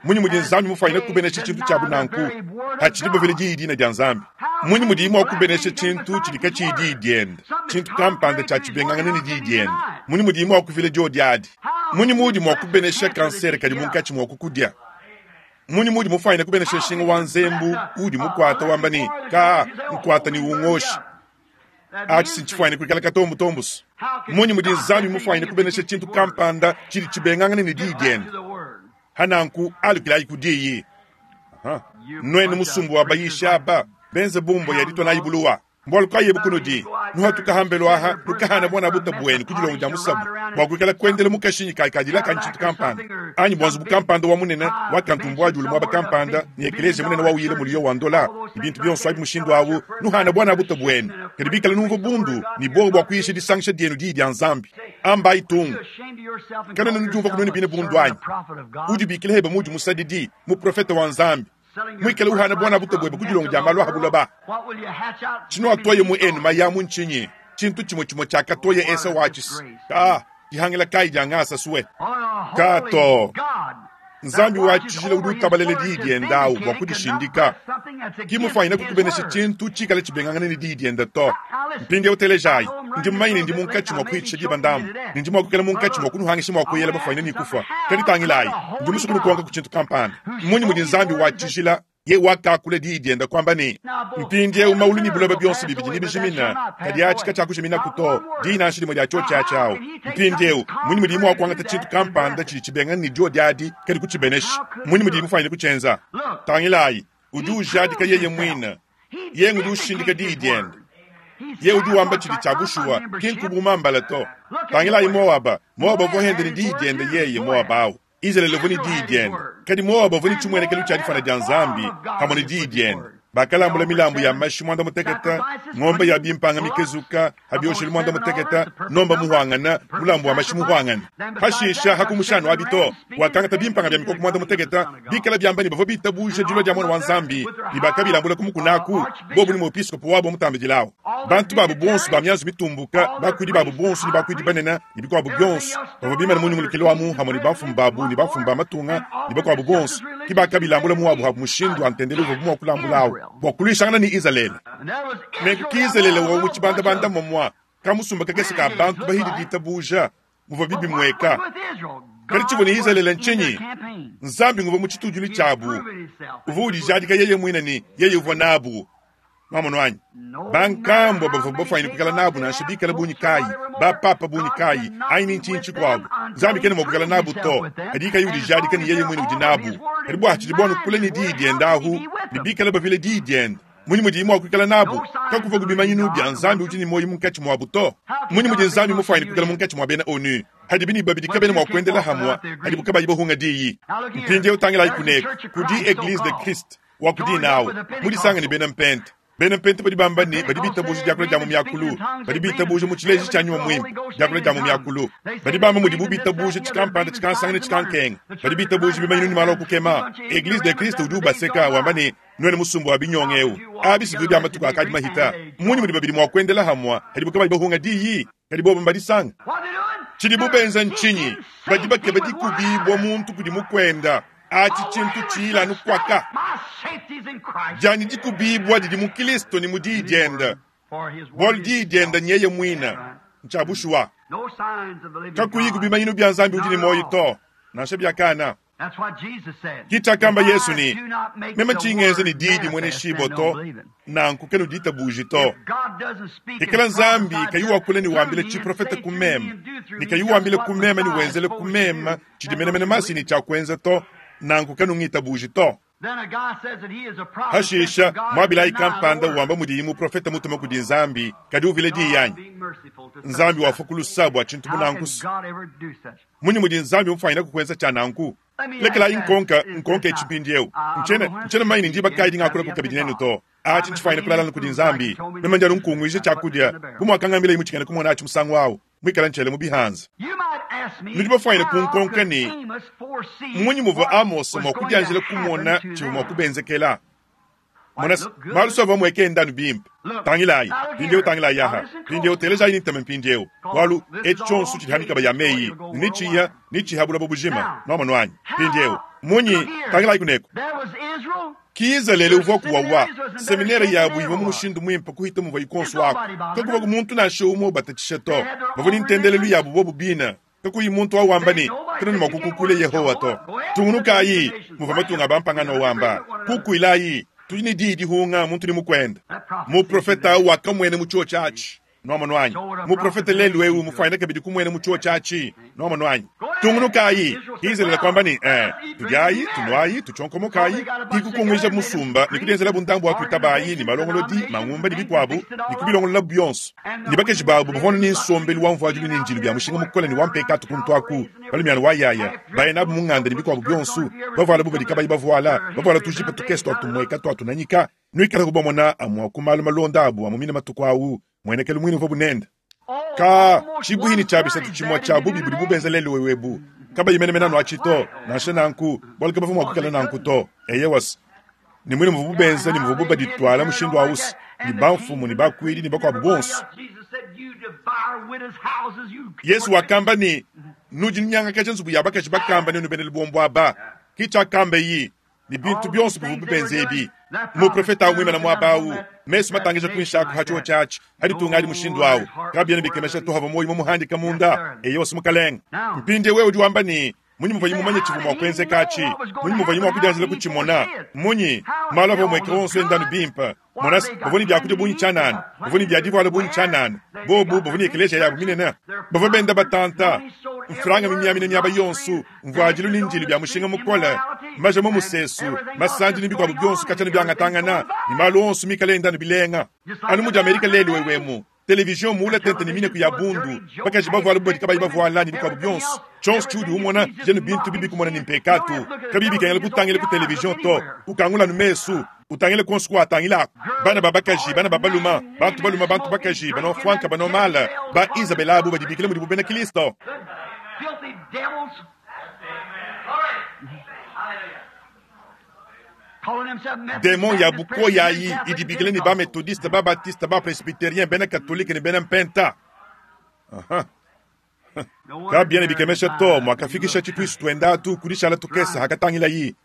Munyi mudi Nzambi mufanyine kubenesha tshintu tshia bunanku hatshidi bavile diyi dina dia Nzambi. Munyi mudi mua kubenesha tshintu tshidi katshiyi diyi diende tshintu kampanda tshia tshibengangana ne diyi diende. Munyi mudi mua kuvila diodi adi. Munyi mudi mua kubenesha kansere kadi munkatshi mua kukudia. Munyi mudi mufanyine kubenesha nshinga wa nzembu udi mukwata wamba ne ka nkwata ni ungoshi atshi sintshifuanyine kuikala katombutombusu. Munyi mudi Nzambi mufanyine kubenesha tshintu kampanda tshidi tshibengangane ne diyi diende hananku alukilayi ku diyi. Nuenu musumbu wa bayisha aba benze bumbo ya ditwa nayi buluwa mbwalu kayi bukunudi nuhatuka hambelo aha nukahana bwana buta bwenu kudilongo dia musabu bwa kuikala kuendela mukashinyi kai kadila kanyi tshintu kampanda anyi bwanzu bukampanda wa munene wa kantumbwa julu mwaba kampanda ni eklezia munene wa uyile muliyo wa ndola ibintu byonso abi mushindu awu nuhana bwana buta bwenu kadi bikala numva bundu ni bwo bwa kuyisha disangisha dienu diyi dia Nzambi amba itungu kana nujumva kunoni bine bundu anyi udi bikile heba mudi musadidi mu profeta wa Nzambi mwikale uhana bwana buta bwebe kudilongo dia malu ahabuloba chino atoye mu enu mayamu nchinyi chintu chimwe chimwe chakatoye esa wachisi ka dihangila kai dia ngasa suwe kato Nzambi wachijila udi utabalele diyi diendawu bua kudishindika kimufanyine kukubenesha tshintu tshikale tshibengangane ne diyi diende to. Mpindieu utelejayi ndi mumanyine ndi munkatshi mua kuhitshisha diba ndambu ne ndi mua kukela munkatshi mua kunuhangisha mua kuyela bafanyine ne kufa kadi tangilayi ndi musue kunukonka ku tshintu kampanda. Munyi mudi Nzambi wachijila ye wakakula diyi diende kwamba ne mpindieu maulu ne buloba bionso bibidi ne bijimina kadi atshi katshiakujimina to diyi nansha dimue dia tshiotshi atshiawu. Mpindieu munyi mudi mua kuangata tshintu kampanda tshidi tshibengana ne diodi adi kadi kutshibenesha. Munyi mudi mufanyine kutshienza. Tangilayi udi ujadika yeye muine ye udi ushindika diyi diende ye udi wamba tshidi tshia bushuwa ki nkubumambala to. Tangilayi Moaba Moaba uvua hende ne diyi diende yeye Moaba awu Israele uvua ne diyi diende kadi Moaba uvua ne tshimuenekelo tshia difana dia Nzambi pamue ne diyi diende. Bakalambula milambu ya mashi mwanda muteketa ng'ombe ya bimpanga mikezuka habiosheli mwanda muteketa nomba muhwangana mulambu wa mashi muhwangana hashisha hakumushanu abito wakangata bimpanga bya mikoko mwanda muteketa bikala byamba ne bavua bitabuje dilua dia mwana wa Nzambi ne bakabilambula ku mukunaku bobu ni muepiskopo wabo mutambidilawo bantu babu bonso ba mianzu mitumbuka bakuidi babu bonso ne bakuidi banene ne bikuabu byonso bavua bimana munyungulukilo wamu hamwe ne bamfumu babu ne bamfumu ba matunga ne bakuabu bonso ki bakabilambula muwabu habu mushindu wa ntendelo uvua mua kulambulawo bua kulwishangana ni Israele. Nenku ki Israele wa mu tshibandabanda momwa kamusumba kakese ka bantu bahidi ditabuja muvua bibi mweka kadi tshivua ne Israele ntshinyi Nzambi nguvua mu tshitudilu tshiabu uvua udijadika yeye muine ne yeye uvua nabu mamono anyi bankambua bavua bafanyine kuikala nabu nansha bikala bunyi kayi bapapa bunyi kayi anyi ni ntshinyi tshikuabu Nzambi kene mua kuikala nabu to kadi kayi udijadika ne yeye muine udi nabu kadi bua tshidi buanu kule ne diyi diende ahu ne bikala bavile diyi diende munyi mudi mua kuikala nabu kakuva kubimanyinu bya Nzambi udi ne moyo munkatshi muabu to. Munyi mudi Nzambi mufanyine kuikala munkatshi mua bena onu hadi bini babidi kabene mua kuendela hamwa hadi bukabayi bahunga diyi. Mpindieu tangilayi kuneko kudi Eglise de Christ Wa ku dina awu, mudisanga ne bena Mpenta. Bena Mpenta badi bamba ne badi bitabuja diakula dia mu miakulu, badi bitabuja mu tshileji tshia Nyuma Muimpe, diakula dia mu miakulu. Badi bamba mudibu bitabuja tshikampanda tshikansanga ne tshikankenga, badi bitabuja bimanyinu ne malu a kukema. Eglise de Christ udi ubaseka wamba ne, nuena musumba wa binyonga eu, abi si bia matuku akadi mahita. Mmunyi mudi babidi mua kuendela hamua hadibu kabayi bahunga diyi, kadi bobo mbadisanga? Tshidibu benza ntshinyi? Badi bakeba dikubibua muntu kudi mukwenda. Achi tshintu tshiyila anu kwaka. Dianyi dikubibua didi mu Kristo ne mu diyi dienda. Bualu diyi dienda nyeye muina. Ntsha bushuwa. Kakuyi ku bimanyinu bia Nzambi udi ne muoyo to, nansha bia kana. Ki tshiakamba Yesu ne, meme tshingenza ne diyi dimue ne shibo to, nanku kenu ditabuji to. Ikala Nzambi kayi wakula ne wambila tshiprofete ku meme, ne kayi wambila ku meme ne wenzela ku meme tshidi menemene masi ne tshia kuenza to, nanku kenu ngitabuji to. Hashisha mwabilayi kampanda wamba mudiyi muprofete mutume kudi Nzambi, kadi uvile diyi yanyi. Nzambi wafa ku lusa bua tshintu bunankusu. Munyi mudi Nzambi mufanyina kukuenza tshia nanku? Lekelayi nkonka nkonka etshi mpindiewu. Ntshiena ntshiena mmanyi ne ndiba kayi dingakula ku kabidi nenu to. Atshi ntshifanyina kulalana kudi Nzambi. Meme ndi anu nkunguija tshiakudia, bu muakangambila imwe tshikena kumona atshi musangu awu, muikala ntshiele mu bihanza. Nudi bafanyina kunkonka ne, munyi muvua Amos mua kudianjila kumona tshivua mua kubenzekela? Mona, malu so avua mueke endanu bimpe. Tangilayi, mpindiewu tangilayi aha. Mpindiewu telejayi ntame mpindiewu. Bualu etshi tshionso tshidi hamikaba ya meyi, ne nitshiya, nitshiha bulaba bujima, nuamonu anyi. Mpindiewu, munyi tangilayi kuneko. Ki Izalele uvua kuwawa, seminere yabu ivua mu mushindu muimpe kuhita muvua ikonso wako. Kakuva ku muntu nansha umwe ubatatshisha to. Bavua ne ntendelelu yabu bobu bina. Kakuyi muntu wawamba ne, kena ne mua kukukula Yehowa to. Tungunukayi, muvua matunga bampangano wamba. Kukuilayi, tudi ne diyi dihunga muntu ne mukwenda. Muprofeta awu wakamuena mu chuo tshiatshi. Nuamonu anyi? Muprofeta lelu eu mufanyina kabidi kumuena mu chuo tshiatshi. Nuamonu anyi? Tungunukayi, Izalele kwamba ne, eh, tudiayi, tunuayi, tuchonkomokayi, ikukunguija musumba, ne kudienzela bundambu wa kuitabayi, ne malongolodi, mangumba ne bikuabu, ne kubilongolola bionso. Ne bakaji babu bavua ne nsombelu wa mvuadilu ne njilu bia mushinga mukole ne wa mpekatu kuntu aku, balumiana wa yaya, baye nabu mu nganda ne bikuabu bionso, bavuala bubadi kabayi bavuala, bavuala tujipa tukese tua tumueka tua tunanyika, nuikala kubamona amua ku malu malonda abu amu mine matuku awu, muenekelu muine uvua bunenda. Ka tshibuhini tshia bisatu tshimue tshia bubi budi bubenza lelu wewebu. Kabayi menemene anu atshi to, nansha nanku, bualu kabavua mua kuikala nanku to. Eyewas, ne muine muvua bubenza ne muvua bubaditwala mushindu awusi, ne bamfumu ne bakuidi ne bakuabu bonso. Yesu wakamba ne, nudi nyangakaja nzubu ya bakaji bakamba ne nubena lubombo aba. Ki tshiakamba yi, ne bintu bionso bivua bubenza ebi. Muprofeta awu muimana muaba awu, mesu matangisha kuinshi aku ha chuo tshiatshi, haditunga adi mushindu awu. Kabiena bikemesha to hava muoyo mumuhandika munda, eyewas mukalenga. Mpindiewu wewe udi wamba ne, munyi muvua mumanye tshivua mua kuenzeka atshi? Munyi muvua mua kudianjila kutshimona? Munyi malu avua mueke wonso endanu bimpe? Mona, bavua ne biakudia bungi tshianana, bavua ne bia divuala bungi tshianana, bobu bavua ne ekeleziya yabu minene, bavua benda batanta, mfranga mimiamina miaba yonso, mvuadilu ne ndilu bia mushinga mukole, maja mu musesu, masandi ne bikuabu bionso katshiena biangatangana, ne malu onso mikale endanu bilenga. Anu mudi Amerika lelu wewemu, television muula tente ne mineku ya bundu, bakaji bavuala bubadi kabayi bavuala ne bikuabu bionso. Tshionso tshiudi umona, jenu bintu bibi kumona ne mpekatu. Kabiyi bikengela kutangila ku television to, ukangula nu mesu, utangile konso kwa atangila. Bana ba bakaji, bana ba baluma, bantu baluma, bantu bakaji, bano franka, bano mala, ba Isabella abu badibikila mudibu bena Kristo. Demon ya bukoya yi idibikila ne ba methodiste, ba baptiste, ba presbytérien, bena catholique ne bena mpenta. Aha. Kabiena bikemesha to mwakafikisha tshituisu tuenda tu kudishala tukesa hakatangila yi.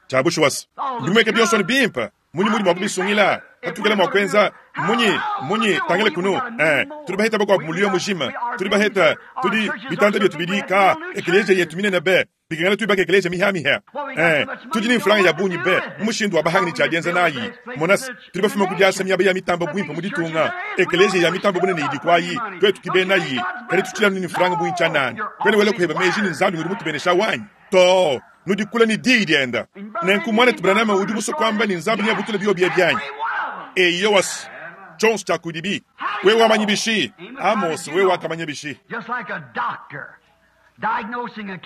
Tshiabushuwasa. Ndimweke bionso ne bimpe. Munyi mudi mua kubisungila. Hatukela mua kuenza. Munyi, munyi, tangile kunu. Eh, tudi baheta bakwabu mulio mujima. Tudi baheta, tudi bitanda bietu bidika. Ekeleziya yetu minene be. Bikengela tuibaka ekeleziya mihamiha. Eh, tudi ne mfulanga ya bungi be. Mushindu wa bahangi ne tshiadienza nayi. Monas, tudi bafuma kudiasa miaba ya mitamba bwimpe mu ditunga. Ekeleziya ya mitamba bunene idi kwayi. Twetu kibenayi. Kadi tutshila ne mfulanga bungi tshianana. Kwene wele kuheba meji ne Nzambi ngudi mutubenesha wanyi. To, nudikula ne diyi dienda. Nenku mwanetu Branham udi musue kuamba ne Nzambi neabutule bio bia byanyi. Eyowas, tshionso tshia kudibi. Wewe wamanyi bishi? Amos, wewe wakamanya bishi?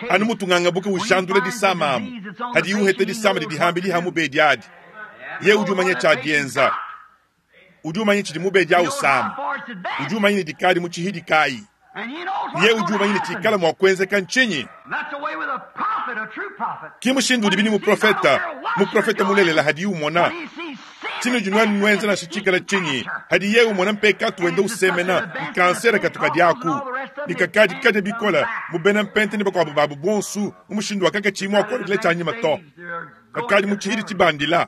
Anu mutunganga buke ushandula disama amu. Hadi uhete disama didi hambi diha mubedi adi. Ye udi umanya tshia dienza. Udi umanya tshidi mubedi awu sama. Udi umanya ne dikadi mu tshihidi kayi. Ye udi umanya ne tshikala mua kuenzeka ntshinyi. Ki mushindu udi bini muprofeta, muprofeta mulelela hadi umona. Tshinu junwani nwenza na shitshikala tshinyi. Hadi ye umona mpekatu wenda usemena, nkansere katuka diaku. Nikakadi kade bikola, mubena mpente ne bakuabu babu bonsu, umushindu wakaka tshimu akolekele tshanyima to. Kakadi mu tshihidi tshibandila.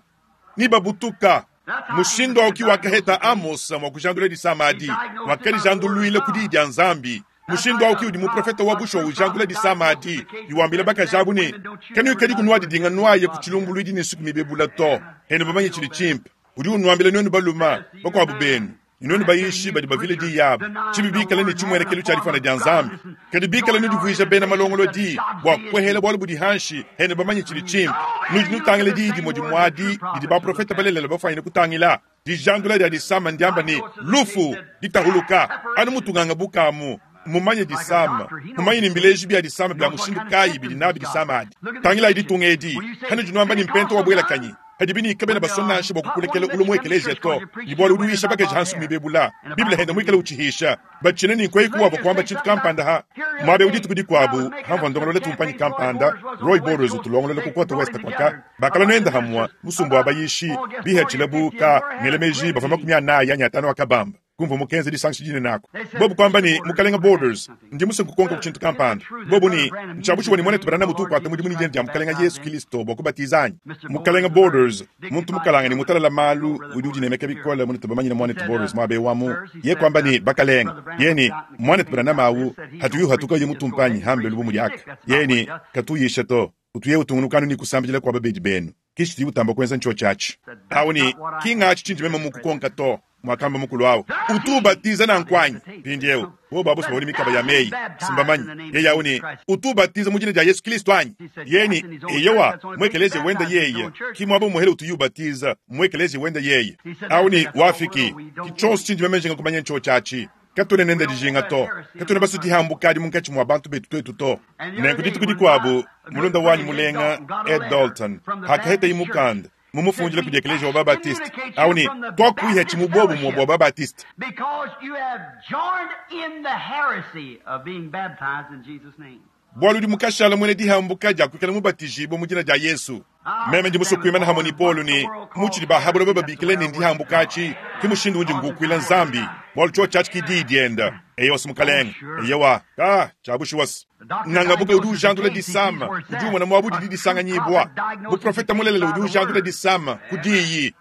Ni babutuka. Mushindu auki wakaheta Amos mwa kujandula disamadi, wakadijanduluile kudi dia Nzambi. Mushindu auki udi muprofeta wa busho ujandula disamadi, yuambila bakajabu ne kanu kadi kunwa didinga nwaye ku chilumbuluidi ne suku mibebula to. Hene bamanye chili chimpe. Udi unwambila nwenu baluma bakuabu benu. Inoni bayishi badi bavile di yabu. Chibi bikala ne chimwenekelo cha difana dia Nzambi. Kadi bikala ne divuija bena malongolo di bwa kwehela bwalu budi hanshi hene bamanye chili chimpe. Nudi nutangile di di modi mwadi didi ba profeta balelela bafanyine kutangila. Dijandula dia disama ndiamba ni lufu ditahuluka anu mutunganga bukamu. Mumanye disama, mumanye ni mbileji bya disama bya mushindu kayi bidi nabi disama adi. Tangila idi tungedi, hanu junwamba ni mpento wa bwela kanyi. Hadi bini kabena basona shibo kukulekele ulumwe ekelezia to. Ni bwalo uduisha baka jahansu mibebula. Biblia henda mwikele uchihisha. Bachine ni nkwe kuwa kwamba chitu kampanda ha. Mwabe uditu kudi kwabu, hamva ndongolole tumpanyi kampanda, Roy Borders utulongolole kukwata West kwaka. Bakala nwenda hamwa, musumbu abayishi, biha chilabu ka ngelemeji bafama kumya na ya nyatano akabamba. Kumva mukenze disanshi jine nako. Bobu kwamba ni mukalenga Borders, ndi musu kukonka kuchintu kampanda. Bobu ni nchabushi wani mwane tubarana mutu kwa tamu dimuni jende ya mukalenga Yesu Kristo bwa kubatizanyi. Mukalenga Borders, muntu mukalanga ni mutalala malu udi udi nemeka bikola mune tubamanyi na mwane tu Borders mwabe wamu. Ye kwamba ni bakalenga. Ye ni mwane tubarana mawu hatuyu hatuka ye mutumpanyi hambe lubu muliaka. Ye ni katuyisha to. Utuye utungunukanu ni kusambijila kwa babedi benu. Kishi utamba kwenza ncho chachi. Awo ni kinga achi mema mukukonka to. Mwakamba mukulu awo. Utubatiza na nkwanyi. Pindiewu. Wo babu sibawoni mikaba ya meyi. Simbamanyi. Ye yawo ni utubatiza mu jina lya Yesu Kristo anyi. Yeni eyowa mwekeleze wenda yeye. Kimwabo muhele utuyubatiza mwekeleze wenda yeye. Awo ni wafiki. Kichonso chinji meme jinga kumanya ncho chachi. Katune nenda dijinga to. Katune basu dihambuka di munkachi mwa bantu betu twetu to. Nenku dituku dikuabu mulunda wanyi mulenga Ed Dalton. Hakaheta imukanda. Mumufunjile kudi ekelezia wa Baptist. Awo ni twakuiha chimubobu mwa wa Baptist. Because you have joined in the heresy of being baptized in Jesus' name. Bwalu di mukashala mwene dihambuka ja kwikala mubatijibwa mu jina ja Yesu. Meme ndi musu kuimana hamwe ni Paulo ni muchili bahabula bababikile ni ndihambukachi kimushindu unji ngukwila Nzambi. Bwalu cho chachi kidi dienda. Eyo simukalenga. Eyewa. Ka chabushi wasi. Ngangabuka udi ujandula disama. Udi umona mwabudi di disanganyibwa. Buprofeta mulelele udi ujandula disama kudiyi.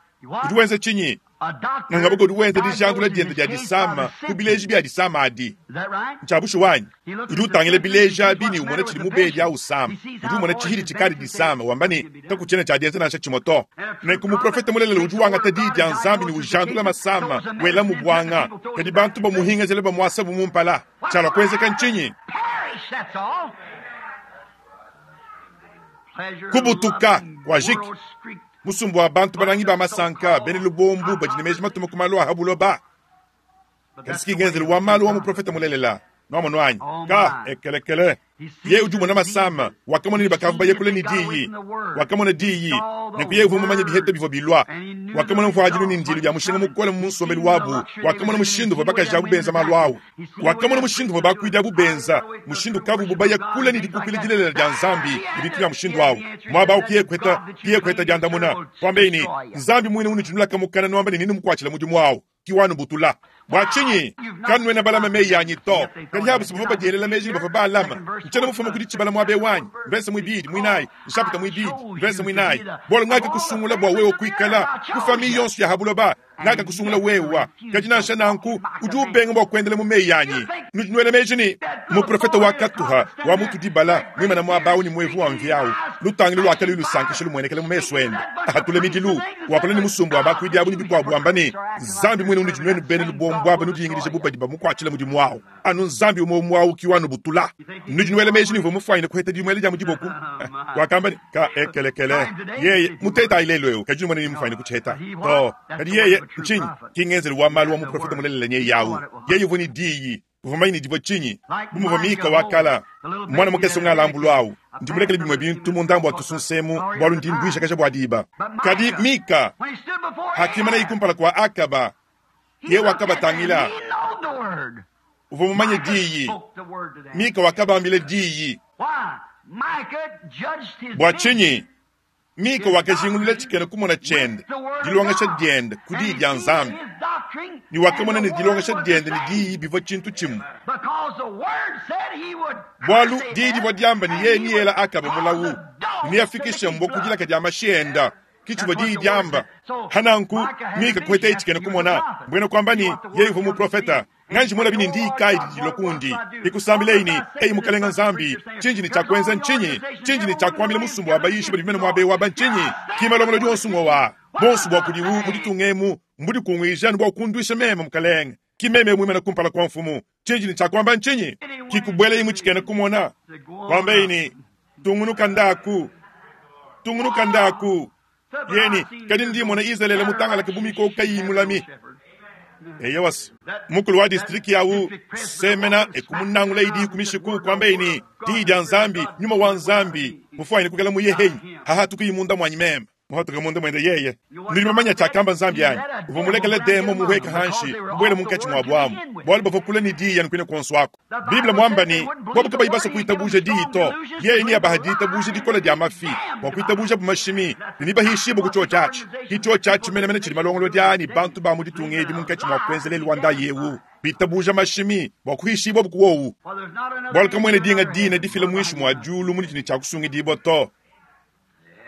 Udi wenza chinyi. Ngangabuka udi wenza dijandula dienda dia disama kubileji bya disama adi. Nchabushi wanyi. Udi utangile bileja bini umona chili mubedi au sama. Udi umona chihidi chikari disama wambani takuchena cha dienza nansha chimoto. Nenku muprofeta mulelele udi wangata di dia Nzambi ni ujandula masama wela mubwanga. Kadi bantu bamuhinga zele bamwasa bumumpala. Chalwa kwenzeka nchinyi. Kubutuka kwa jiki. Musumbu wa bantu banangi ba masanka bene lubombu bajinemeji matuma kumalwa habuloba. Kasiki ngenzelu wa malu wa muprofeta mulelela. Nwamo nwanyi. Ka ekelekele. Ye udi umona masama wakamona ni bakavu bayekule ni diyi. Wakamona diyi. Nekuye uvu mumanye bihete bivyo bilwa. Wakamona mfwajilu ni ndilu ya mushinga mukole mu nsomelu wabu. Wakamona mushindu vwa bakajabu benza malu awu. Wakamona mushindu vwa bakwida bubenza. Mushindu kavu bubaya kule ni dikukile dilelela dia Nzambi. Ibitu ya mushindu awu. Mwaba ukiye kweta, kiye kweta diandamuna. Kwambeni, Nzambi mwine unijunula kamukana nwamba ni nini mkwachila mudimu wawu. Kiwanu butula. Bwachinyi, kanwe na balama meyi yanyi to. Kali habu sibufa badielela meji bafa balama. Nchana mufuma kudi chibala mwabe wanyi. Mvese mwibidi, mwinai. Nshapita mwibidi, mvese mwinai. Bwalo ngaka kusungula bwa wewe kuikala. Kufami yonsu ya habuloba. Ngaka kusungula wewa. Kajina nsha nanku, udi ubenga bwa kuendele mu meyi yanyi. Nujinwele meji ni, muprofeta wa katuha, wa mutu dibala, mwima na mwabawu ni mwevu wa mvyao. Lutangili lwakali lusankisha lumwenekele mu meso ende. Ahatule midilu, wakula ni musumbu wa bakwidi abu ni bikwabu ambani. Nzambi mwene unujinwenu bene lubombu aba nudiyingilije bubadi bamukwachila mudimu wawo. Anu Nzambi umwe mwawu kiwanu butula. Nujinwele meji ni mufwanyine kuheta dimwele ja mudiboku. Wakamba ni ka ekelekele. Yeye muteta ilelo kajinu mwene ni mufwanyine kucheta. To, kadi yeye nchinyi kingenzelu wa malu wa muprofeta mulelele nye yawu. Yeye vuni diyi. Uvua mumanye ne divua tshinyi? Bu muvua Mika wa kala, mwana mukese ungalambulu awu, ndi mulekele bimue bintu mu ndambu wa tusunsemu, bualu ndi nduishakaja bua diba. Kadi Mika hakimana kumpala kua Akaba, ye wakabatangila. Uvua mumanye diyi. Mika wakabambila diyi. Bua tshinyi? Mika wakajingulula tshikena kumona tshiende, dilongesha diende ku diyi dia Nzambi, ne wakamona ne dilongesha diende ne diyi bivua tshintu tshimue. Bualu diyi divua diamba ne yeye niyela Akaba mulawu, ne neafikishe mbwa ku dilaka dia mashi enda. Ke tshivua diyi diamba. Hananku Mika kuheta tshikena kumona, mbuena kuamba ne yeye uvua muprofeta. Nganji mona bini ndi kai didi kundi ikusambilei ni ei mukalenga Nzambi chinji ni cha kwenza nchinyi chinji ni cha kwambila musumbu wa bayishi bali mena mwabe wa banchinyi kimalomolo dionso ngowa bonso bwa kudiwu muditungemu mbudi kungwija bwa kundwisha meme mukalenga kimeme mwimena kumpala kwa mfumu chinji ni cha kwamba nchinyi kikubwela imu chikena kumona kwamba ini tungunuka ndaku tungunuka ndaku yeni kadi ndi mona Israele mutangala kibumiko kayimulami. Eyewas mukulu wa district yawu semena ekumunangula idi kumishiku kwamba ini diyi dia Nzambi nyuma wa Nzambi mufuaine kukala muyehenyi haha tukuyimunda mwanyi meme muhatuka munda mwende yeye nuli mamanya chakamba Nzambi yanyi uvua mulekele demo muhweka hanshi mbwele munkatshi mwa bwamu bwalu bavua kula ni diyi yanu kwine konso wako Biblia mwamba ni bobu kabayi basa kuitabuja diyi to yeye ni abaha diitabuja dikola dia mafi bwa kuitabuja bumashimi nibahishibu kucho chachi kicho chachi menemene chili malongolo dyani bantu ba muditunga edi munkatshi mwa kuenzelela wanda yewu bitabuja mashimi bwa kuhishibwa bukuwowu bwalu kamwene dinga dina difila mwishi mwa julu munitini cha kusungidibwa to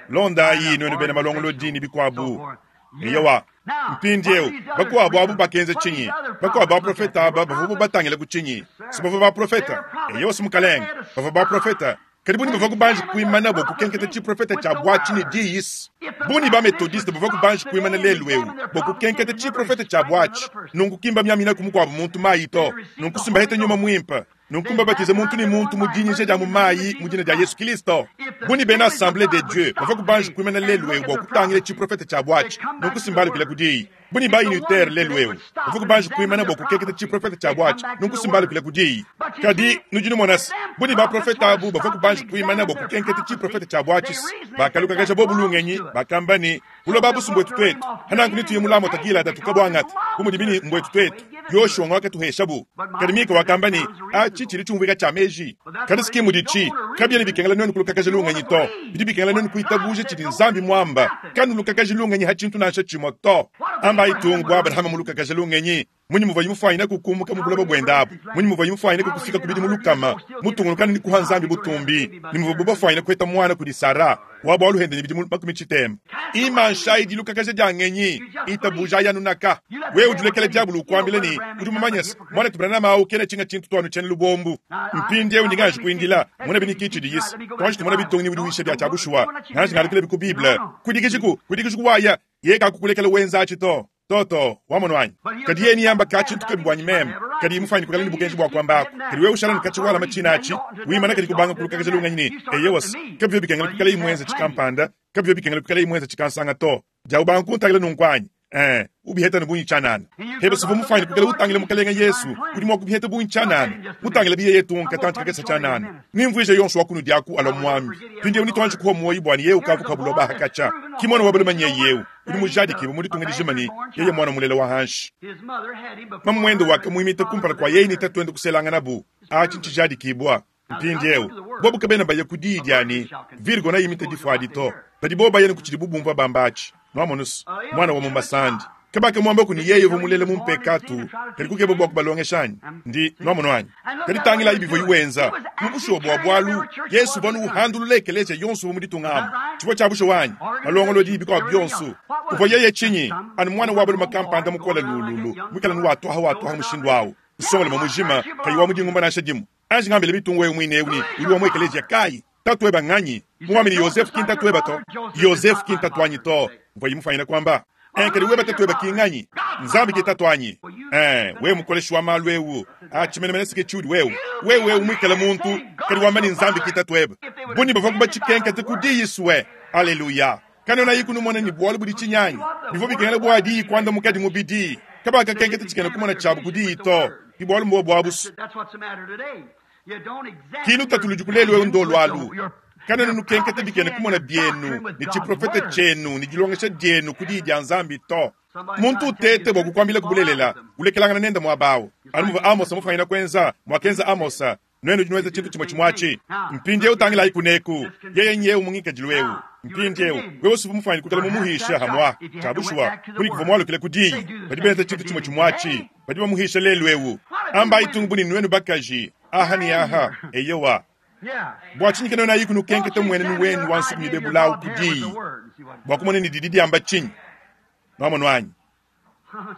londa yi nwenu bena malongolo dini bikwabu eyowa mpindiewu bakuabu abu bakenze chinyi bakuabu baprofeta aba bavua batangila ku chinyi si bavua baprofeta eyowa si mukalenga bavua baprofeta kadi buni bavua kubanji kuimana bo kukenketa chiprofeta cha bwachi ni diisi buni ba metodiste bavua kubanji kuimana lelu ewu bo kukenketa chiprofeta cha bwachi nunku kimba myamina kumukuabu muntu mayi to nunku simbaheta nyuma mwimpa nunku batize muntu ni muntu mudinyisha dia mumayi mudina dia Yesu Kristo buni bena assemblée de Dieu bavua kubanji kuimana lelu ewu bo kutangila chiprofeta cha bwachi nunku simbalukila kudiyi buni ba unitaire lelu ewu bavua kubanji kuimana bo kukeketa chiprofeta cha bwachi nunku simbalukila kudiyi kadi nudinu monasi buni ba profeta abu bavua kubanji kuimana bo kukenketa chiprofeta cha bwachi bakalukakaja bo bulungenyi bakamba ni buloba busumbwetu twetu hananku nituye mulamo tagila datukabwangata kumudibini mbwetu twetu Yoshua ngwakatuheshabu kadi Mika wakamba ni achi chili chumvika cha meji kadi sikimu dichi kabya bikengela nwenu kulukakaja lungenyi to bidi bikengela nwenu kuitabuje chili Nzambi mwamba kanu lukakaja lungenyi hachintu nasha chimwa to amba itungu bwa Abrahama mulukakaja lungenyi munyi muva yimufaina kukumuka mubulaba bwendabu munyi muva yimufaina kukufika kubidi mulukama mutungulukana ni kuha Nzambi butumbi ni muva bubafaina kweta mwana kudi Sara wabo aluhende ni bidi makumi chitema imanshaidi lukakaja dyangenyi itabuja yanunaka wewe ujulekele diabulu ukwambile ni udi mumanyasa mwana tubranama au kene chinga chintu twanu chene lubombu mpindi ewu ndingaji kuindila muna bini kichi diyisi twanji tumona bitongi udi wisha bya chabushuwa ngaji ngalukile biku Bible kudikijiku kudikijiku waya yeka kukulekele wenza chito toto wamono wanyi kadi yeni yamba kachintu kabibwanyi meme kadi imufanye kukala ni bukenji bwa kwambako kadi wewe ushala nikachi wala machinachi wimana kadi kubanga kulukakaja lunganyi ni eyewas kabyo bikengela kukala imwenza chikampanda kabyo bikengela kukala imwenza chikansanga to jawubanga kuntangila nunkwanyi eh ubiheta nubunyi chanana hebe sivu mufanye kukala utangile mukalenga Yesu kudi mwa kubiheta bunyi chanana mutangile biye yetu nkatanti kakesa chanana nimvuje yonso wakunu dyaku alo mwami pindi unitwanje kuho moyi bwani yewu kavu kabuloba hakacha kimwana wabalo manye yewu udi mujadiki bumudi jimani yeye mwana mulela wa hanshi mamwendo wakamwimita kumpala kwa yeye nitatwende kuselanga nabu achi nchijadikibwa mpindi ewu bobu kabena baye kudiidyani virgo na yimita difwadi to badi bo bayene kuchili bubumva bambachi nwamonusu mwana wa mumbasandi kabaka mwamba kuni yeye vumulele mumpekatu kali kukeba bwa kubalongeshanyi ndi nwamono kali tangila ibivo iwenza mukushuwa bwa bwalu Yesu vanu uhandulula ekelesia yonso vumuditungamo chifo cha busho wanyi malongolo dibi kwa byonso uvo yeye chinyi anu mwana wabulu makampanda mukola lululu mwikala nuwatwaha watwaha mushindu awu usongole mamujima kayi wa mudingumba nasha dimu anji ngambele bitungu wewe mwine uni uli wa mwekelesia kayi tatueba nganyi muwamini Yosefu kintatueba to Yosefu kintatwanyi to mvo yimufanyira kwamba enkeli weba tatueba kinganyi Nzambi kitatwanyi eh wewe mukoleshi wa malu ewu achimenemene sike chudi wewe wewe umwikala muntu kali wamani Nzambi kitatweba buni bava kuba chikenka tekudiyiswe haleluya kanona yiku numona ni bwalu budi chinyanyi bivo bikengela bwadi kwanda mukadi mubidi kabaka kenkete chikena kumona chabu kudiyi to Ki bualu mbobu abu. Ki lutatu ludi ku lelu eu ndolu alu. Kanuena nukenketa bikena kumona bienu ne tshiprofete tshienu ne dilongesha dienu ku diyi dia Nzambi to. Muntu utete bua kukuambila ku bulelela, ulekelangana nende muaba awu. Anu muvua Amosa mufangila kuenza, muakenza Amosa, nuenu nudi nuenza tshintu tshimue tshimue atshi. Mpindieu tangilayi kuneku, yeye nyewu mu ngikadilu eu. Mpindieu, wewe usuvua mufangile kuikala mumuhisha hamua, tshia bushuwa, kuni kuvua mualukile ku diyi. Badi benza tshintu tshimue tshimue atshi, badi bamuhisha lelu eu. Ambayi tungu bu ne nuenu bakaji, aha ne aha, eyowa. Bua tshinyi kanuena ayi kunukenketa mmuenenu wenu wa nsuki mibebula ku diyi, bua kumona ne didi diamba tshinyi? Nwamonu anyi?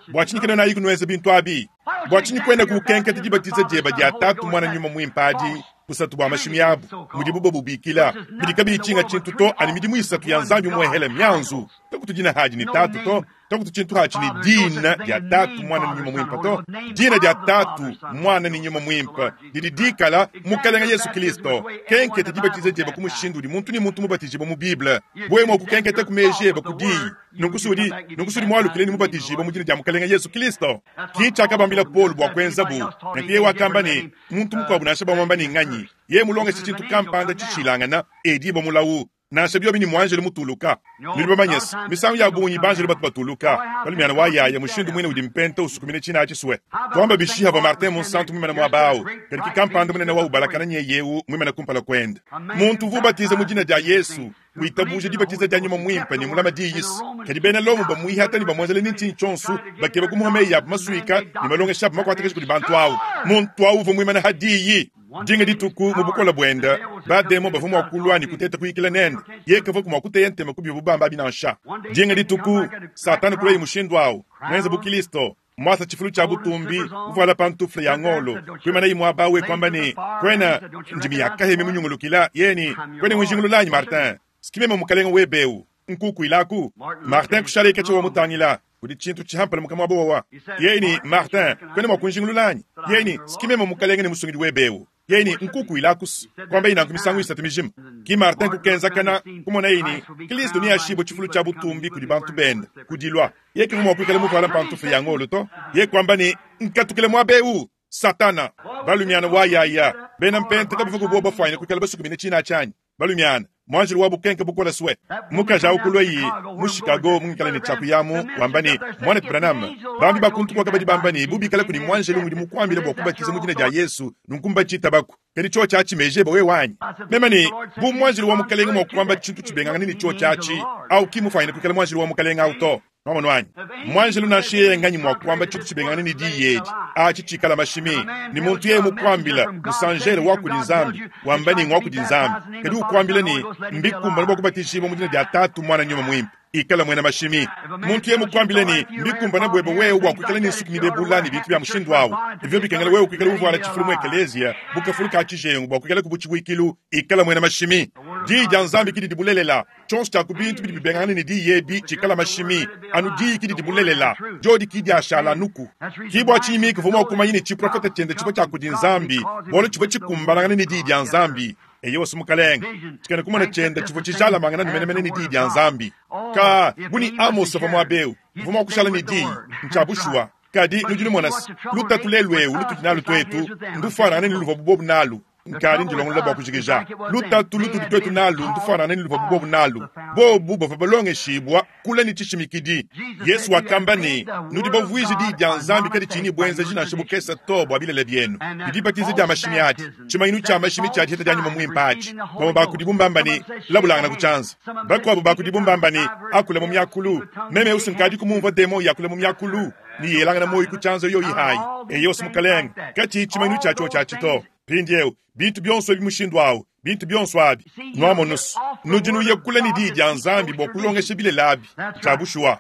Bua tshinyi kanuena ayi kunuenza bintu abi? Bua tshinyi kuena kukenketa dibatiza dieba dia Tatu, Muana, Nyuma Muimpe adi, busatu bua mashimi abu, mudibu babubikila, bidi kabiyi tshinga tshintu to, ani midimu isatu ya Nzambi muehele mianzu? Takutu dina hadi ne Tatu to, takutu tshintu hatshi ne dina dia Tatu, Muana ne Nyuma Muimpe to. Dina dia Tatu, Muana ne Nyuma Muimpe didi dikala Mukalenge Yesu Kristo. Kenketa dibatiza dieba ku mushindu udi muntu ne muntu mubatijibue mu Bible. Wewe mua kukenketa ku meji eba ku diyi, nunku sudi, nunku sudi mualukile ne mubatijibue mu dina dia Mukalenge Yesu Kristo. Ki tshiakabambila Paulo bua kuenzabu. Nanku yeye wakamba ne, muntu mukuabu nansha bamuamba ne nganyi, yeye mulongeshe tshintu kampanda tshishilangana, ediba mulawu. Nansha biobi ni muanjelu mutuluka. Nudi bamanye se, misangu ya bungi banjelu batu batuluka. Balumiana wa yaya mushindu muine udi mpenta usukumina tshina atshi sue. Tuamba bishi hava Martin Munsantu muimane muaba awu, kadi ki kampanda munene wa ubalakana nyeye eu muimane kumpala kuende. Muntu uvua ubatiza mu dina dia Yesu, witabuja dibatiza dia Nyuma Muimpe ne mulama diyi se. Kadi bena Lomo bamuihata ne bamuenzela ne ntshinyi tshionso, bakeba kumuha meyi abu masuika ne malongesha abu makuatakasha kudi bantu awu. Muntu awu uvua muimane ha diyi. Dinga dituku mu bukola buende, bademo bavua mua kulua ne kuteta kuyikila nende. Yeye kavua mua kuteya ntema ku bivu bamba abi nansha. Dinga dituku, Satana kulua mushindu awu, muenze bu Kristo, muasa tshifulu tshia butumbi, muvuala pantufle ya ngolo, kuimana muaba awu kuamba ne, kwena ndimi ya kahemi munyungulukila, yeye ne, kwena ngujingululanyi Martin, sikimeme mukalenge webeu, nkukuilaku. Martin kushala ikatshi wa mutangila. Kudi tshintu tshihampala mukamua bowa. Yeye ne, Martin, kwena mua kunjingululanyi? Yeye ne, sikimeme mukalenge ne musungidi webeu. Yeye ne, nkukuilaku kwamba inanku misangu isatu mijima. Ki Martin kukenzakana kumona yeye ne, Kristo ni ashibo tshifulu tshia butumbi kudi bantu bende, kudilwa. Yeye kavua mua kuikala muvuala pantufle ya ngolo to. Yeye kwamba ne, nkatukile muaba eu, Satana. Balumiana wa yaya, bena mpenta kabavua kuboba bafwanya kuikala basukumine tshina tshianyi. Balumiana, mwanjelu wa bukenke bukola swe. Mukaji awu kulua yi, mu Chicago mungikala ne tshiakuyamu, wamba ne, Mwana Branham, bambi bakuntu kwa kabadi bamba ne, bubikala kuni mwanjelu ngudi mukuambila bua kubatiza mu dina dia Yesu, nunku mbatshita baku. Kadi tsho tshiatshi meje ba wewe wanyi. Mema ne, bu mwanjelu wa mukalenge mua kuamba tshintu tshibengangane ne tsho tshiatshi, au ki mufanyine kuikala mwanjelu wa mukalenge au to. Nwamonu anyi? Mwanjelu nansha yeye nganyi mua kuamba tshintu tshibengangane ne diyi edi, atshi tshikala mashimi. Ni muntu yeye mukuambila, musanjele wa kudi Nzambi, wamba ne ngwa kudi Nzambi. Kadi ukuambila ne, mbikumbana bua kubatijibua mu dina dia Tatu, Muana, Nyuma Muimpe. Ikala mwena mashimi. Muntu yeye mukuambila ne, mbikumbana bwebe wewe bua kuikala ne nsuki mibebula ne bintu bya mushindu awu. Ivyo bikengela wewe kuikala uvuala tshifulu mu ekelezia, bukafulu ka tshijengu bua kuikala kubutshibuikilu, ikala mwena mashimi. Diyi dia Nzambi kidi dibulelela. Tshionso tshia ku bintu bidi bibengangana ne diyi ebi tshikala mashimi. Anu diyi kidi dibulelela. Diodi kidi ashala nuku. Ki bua tshinyi Mika uvua mua kumanya ne tshiprofeta tshiende tshivua tshia kudi Nzambi, bualu tshivua tshikumbanangana ne diyi dia Nzambi. Eyo wasu mukalenge, tshikena kumona tshiende tshivua tshijalamangana ne menemene ne diyi dia Nzambi. Ka buni Amos uvua muaba eu, uvua mua kushala ne diyi, ntshia bushuwa. Kadi nudi numona se, lutatu lelu eu lutudi nalu tuetu, ndufuanangane ne luvua bobu nalu. Nkadi ndilongolola bua kujikija. Lutatu lutudi tuetu nalu ndufuanangane ne luvua bobu nalu. Bobu bavua balongeshibua kula ne tshishimikidi. Yesu wakamba ne, nudi bavuije diyi dia Nzambi kadi tshinyi buenzeji nansha bukese to bua bilele bienu. Dibatiza dia mashimi adi, tshimanyinu tshia mashimi tshia diheta dia Nyuma Muimpe atshi. Bamue bakudi bumbamba ne, labulangana ku tshianza. Bakuabu bakudi bumbamba ne, akula mu miakulu. Meme usu nkadi kumumvua demo yakula mu miakulu, ni yelangana moyo ku tshianza yoyi hayi. Eyo usu mukalenge, katshi tshimanyinu tshia tsho tshia tshito. Mpindieu, bintu bionso ebi mushindu awu, bintu bionso abi. Nwamonusu, nudi nuya kula ne diyi dia Nzambi bua kulongesha bilele abi. Tshia bushuwa.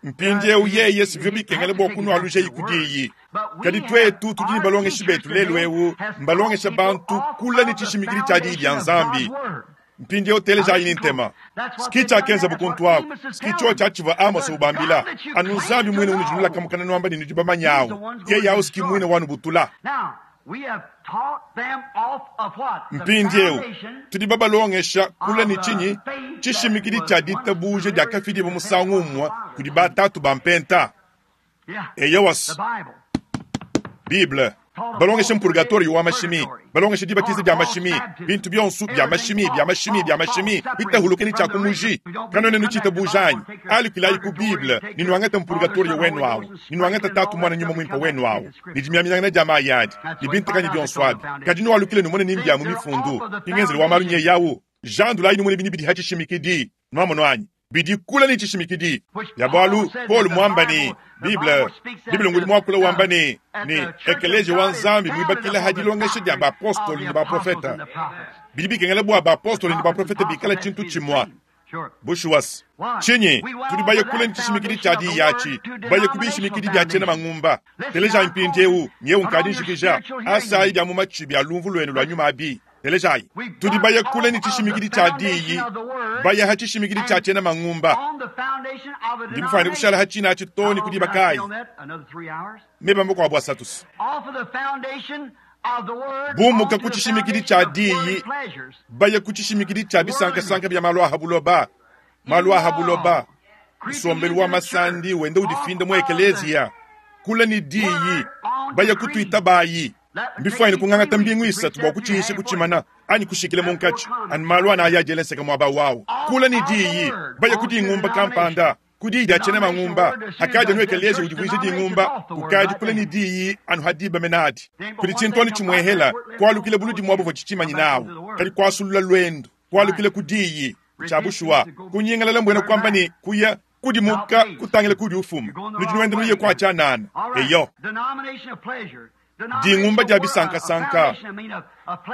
Mpindieu yeye sivyo bikengela bua kunwaluja ku diyi. Kadi tuetu tudi ne balongeshi betu lelu eu, mbalongesha bantu kula ne tshishimikidi tshia diyi dia Nzambi. Mpindieu telejayi ne ntema. Ski tshiakenza bukuntu ako. Ski tsho tshiatshivua Amos ubambila. Anu Nzambi mwene unujinula kamukana nwamba ne nudi bamanyawu. Yeye awu ski mwene wanubutula. Mpindieu tudi babalongesha kula ne tshinyi tshishimikidi tshia ditabuja dia kafidi musangu umue kudi batatu ba mpenta. Eyowas. Bible. Balongeshe mpurgatoriyo wa mashimi, balongeshe dibatiza dia mashimi, bintu bionso bia mashimi, bia mashimi, bia mashimi, bitahuluke ni tshia Kanwena nuchitabuja anyi, alukilayi ku Bible, ne nuangate mpurgatoriyo wenu awu, ne nuangate tatu mwana nyuma muimpe wenu awu, ne dimyamyangana dia mayi adi, ne bintu bionso abi. Kadi nualukile numone ne mbia mu mifundu, ingenzelu wa malu nye yawu. Jandulayi numone bini bidi hachishimikidi, nwamono anyi. Bidi kula ni chishimikidi. Ya bwalu, Paul mwamba ni Bible, Bible nguli mwakula wamba ni ni ekeleje wa Nzambi mwibakila hadilongesha dia baapostoli ni baprofeta. Bidi bikengela bwa baapostoli ni baprofeta bikala chintu chimwa. Bushuwas. Chinyi, tudi baye kula ni chishimikidi cha di yachi, baye kubishimikidi bya chena mangumba. Teleja mpindiewu, nyewu nkadi nshikija, asayi dia mu machibi alumvu lwenu lwa nyuma abi. Telejayi, tudi baye kula ni chishimikidi cha diyi, baye hachishimikidi cha chena mangumba. Ndi mufane kushala hachina achitoni kudi bakai. Mebambo kwa bwasatus. Bumuka kuchishimikidi cha diyi, baye kuchishimikidi cha bisankasanka bya malu ahabuloba. Malu ahabuloba. Nsombelu wa masandi wende udifinda mu ekelezia. Kula ni diyi, baye kutuita bayi. Mbifwaine kung'ang'ata mbingu isatu bwa kuchihisha kuchimana anyi kushikile munkachi ani malu ana ayajelenseka mwaba wawu kula ni diyi baye kudingumba kampanda kudiyi achene mangumba hakaja nu ekelezia udivuisha dingumba kukadi kula ni diyi anu hadiba menadi kuli chintoni chimwehela kwalukile buludi mwabo vwa chichimanyi nawu kadi kwasulula lwendo kwalukile kudiyi chabushuwa kunyingalala mbwena kwamba ni kuya kudimuka kutangila kudi ufuma nudi nuye kwa chanana eyo dingumba dia bisankasanka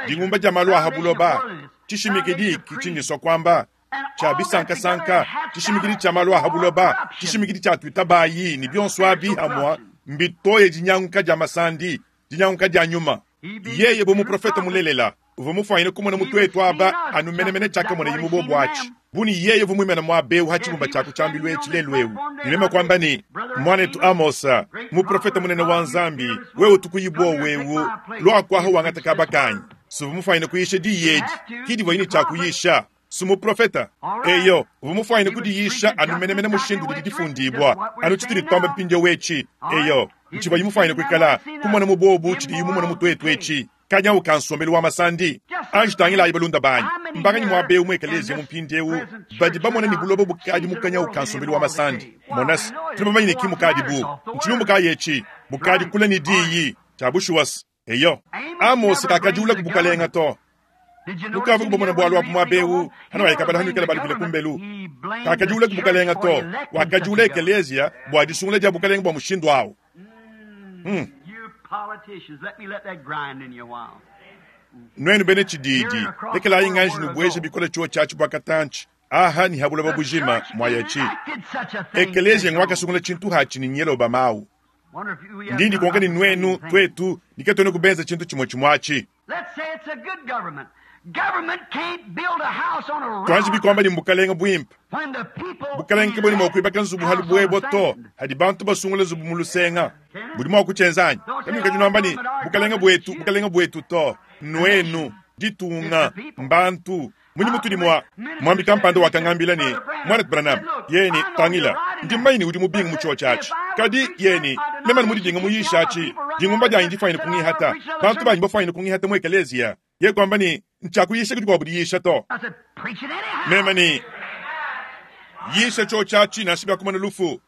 dingumba dia malu ahabuloba chishimikidi kichinyiswa kwamba cha bisankasanka chishimikidi cha malu ahabuloba chishimikidi cha twita bayi ni bionso abi hamwa mbitoye dinyanguka dia masandi dinyanguka dia nyuma yeye bo muprofeta mulelela uvo mufanyine kumona mutwetu aba anu menemene chaka mona yimu bobwachi buni yeye vumwimena mwabeu hachibumba chako chambilwe chilelwewu nilema kwamba ni mwanetu Amosa muprofeta munene wa Nzambi wewe tukuyibwa wewu lwakwaho wangata kabakanyi suvumufanyine kuyisha diyeji kidivo yini chakuyisha sumuprofeta eyo vumufanyine kudiyisha anu menemene mushindu didifundibwa anu chitili twamba mpindio wechi eyo nchivo yimufanyine kwikala kumona mubobu chidi yimumona mutwetu echi kanya ukansombelu wa masandi anjitangila ibalunda banyi mbanganyi mwabeu mwekelezia mumpindiewu badi bamona ni bulobo bukadi mukanya ukansombelu wa masandi monasi tulibamanyine ki mukadi bu nchilumbu kayechi bukadi kula ni diyi chabushuwas eyo Amos kakajula kubukalenga to nukavu kubomona bwalu abu mwabeu hana waikabala hanu ikala balukile kumbelu kakajula kubukalenga to wakajula ekelezia bwa disungula dia bukalenga bwa mushindu awu hmm. Nwenu bene chididi lekelayi nganji nubweje bikola chuo chachi bwa katanchi aha ni habula babujima mwayachi ekelezia ngwakasungula chintu hachi ni nyelo bamawu ndindi konka ni nwenu twetu nikatwene kubenza chintu chimwe chimwachi twanji bikwamba ni mbukalenga bwimpa bukalenga bweni mwakuibaka nzubu halu bwebo to hadi bantu basungula nzubu mulusenga budi mwakuchenzanyi kamika junamba ni bukalenga bwetu bukalenga bwetu to nwenu ditunga mbantu munyi mutudi mwa mwambi kampanda wakangambila ni mwana Branham yeni tangila ndi maini udi mubinga muchiwa chachi kadi yeni memani mudidinga muyishachi dingumba dyanyi difaine kungihata bantu banyi bafaine kungihata mu ekelezia ye kwamba ni nchakuyisha kuti kwabudiyisha to memani yisha cho chachi nashibya kumana lufu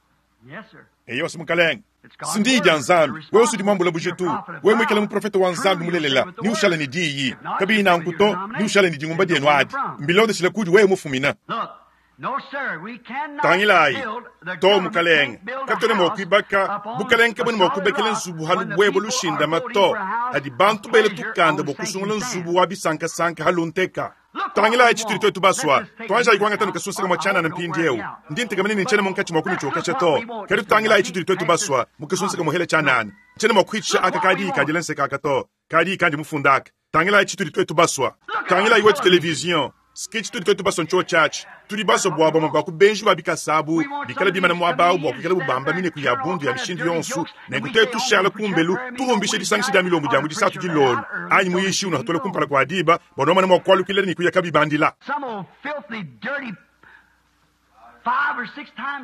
eyo simukalenga sindi dia Nzambi wewe usudi mwambula bujitu wewe mwikala muprofeta wa Nzambi mulelela ni ushala ni diyi kabi na nkuto ni ushala ni dingumba dienu adi mbilonde shila kudi wewe mufumina tangilayi to mukalenga katone mwakwibaka bukalenga bwene mwakubekela nzubu halu bwebo lushinda mato hadi bantu bele tukanda bokusungula nzubu wa bisankasanka halunteka tangilayi chituli twetu baswa twanja ikwanga tano kasunsaka mwachana na mpindi eu ndi ntekamene ni nchene munkachi mwakumi chokasha to kadi tutangilayi chituli twetu baswa mukasunsaka muhele chanana nchene mwakuhitisha aka kadi ikadila nseka aka to kadi ikandi mufundaka tangilayi chituli twetu baswa tangilayi wetu television sketch tuli twetu baswa ncho chachi tuli baswa bwabo mabaku benji babikasabu bikala bimana mwabao bwakukela bubamba mine kuya bundu ya mishindi yonsu nenku tushala kumbelu turumbishe disangishi dia milombo dia mudisatu dilolo anyi muyishi uno hatole kumpala kwa diba bonomana mwakwalukila ni kuya kabibandila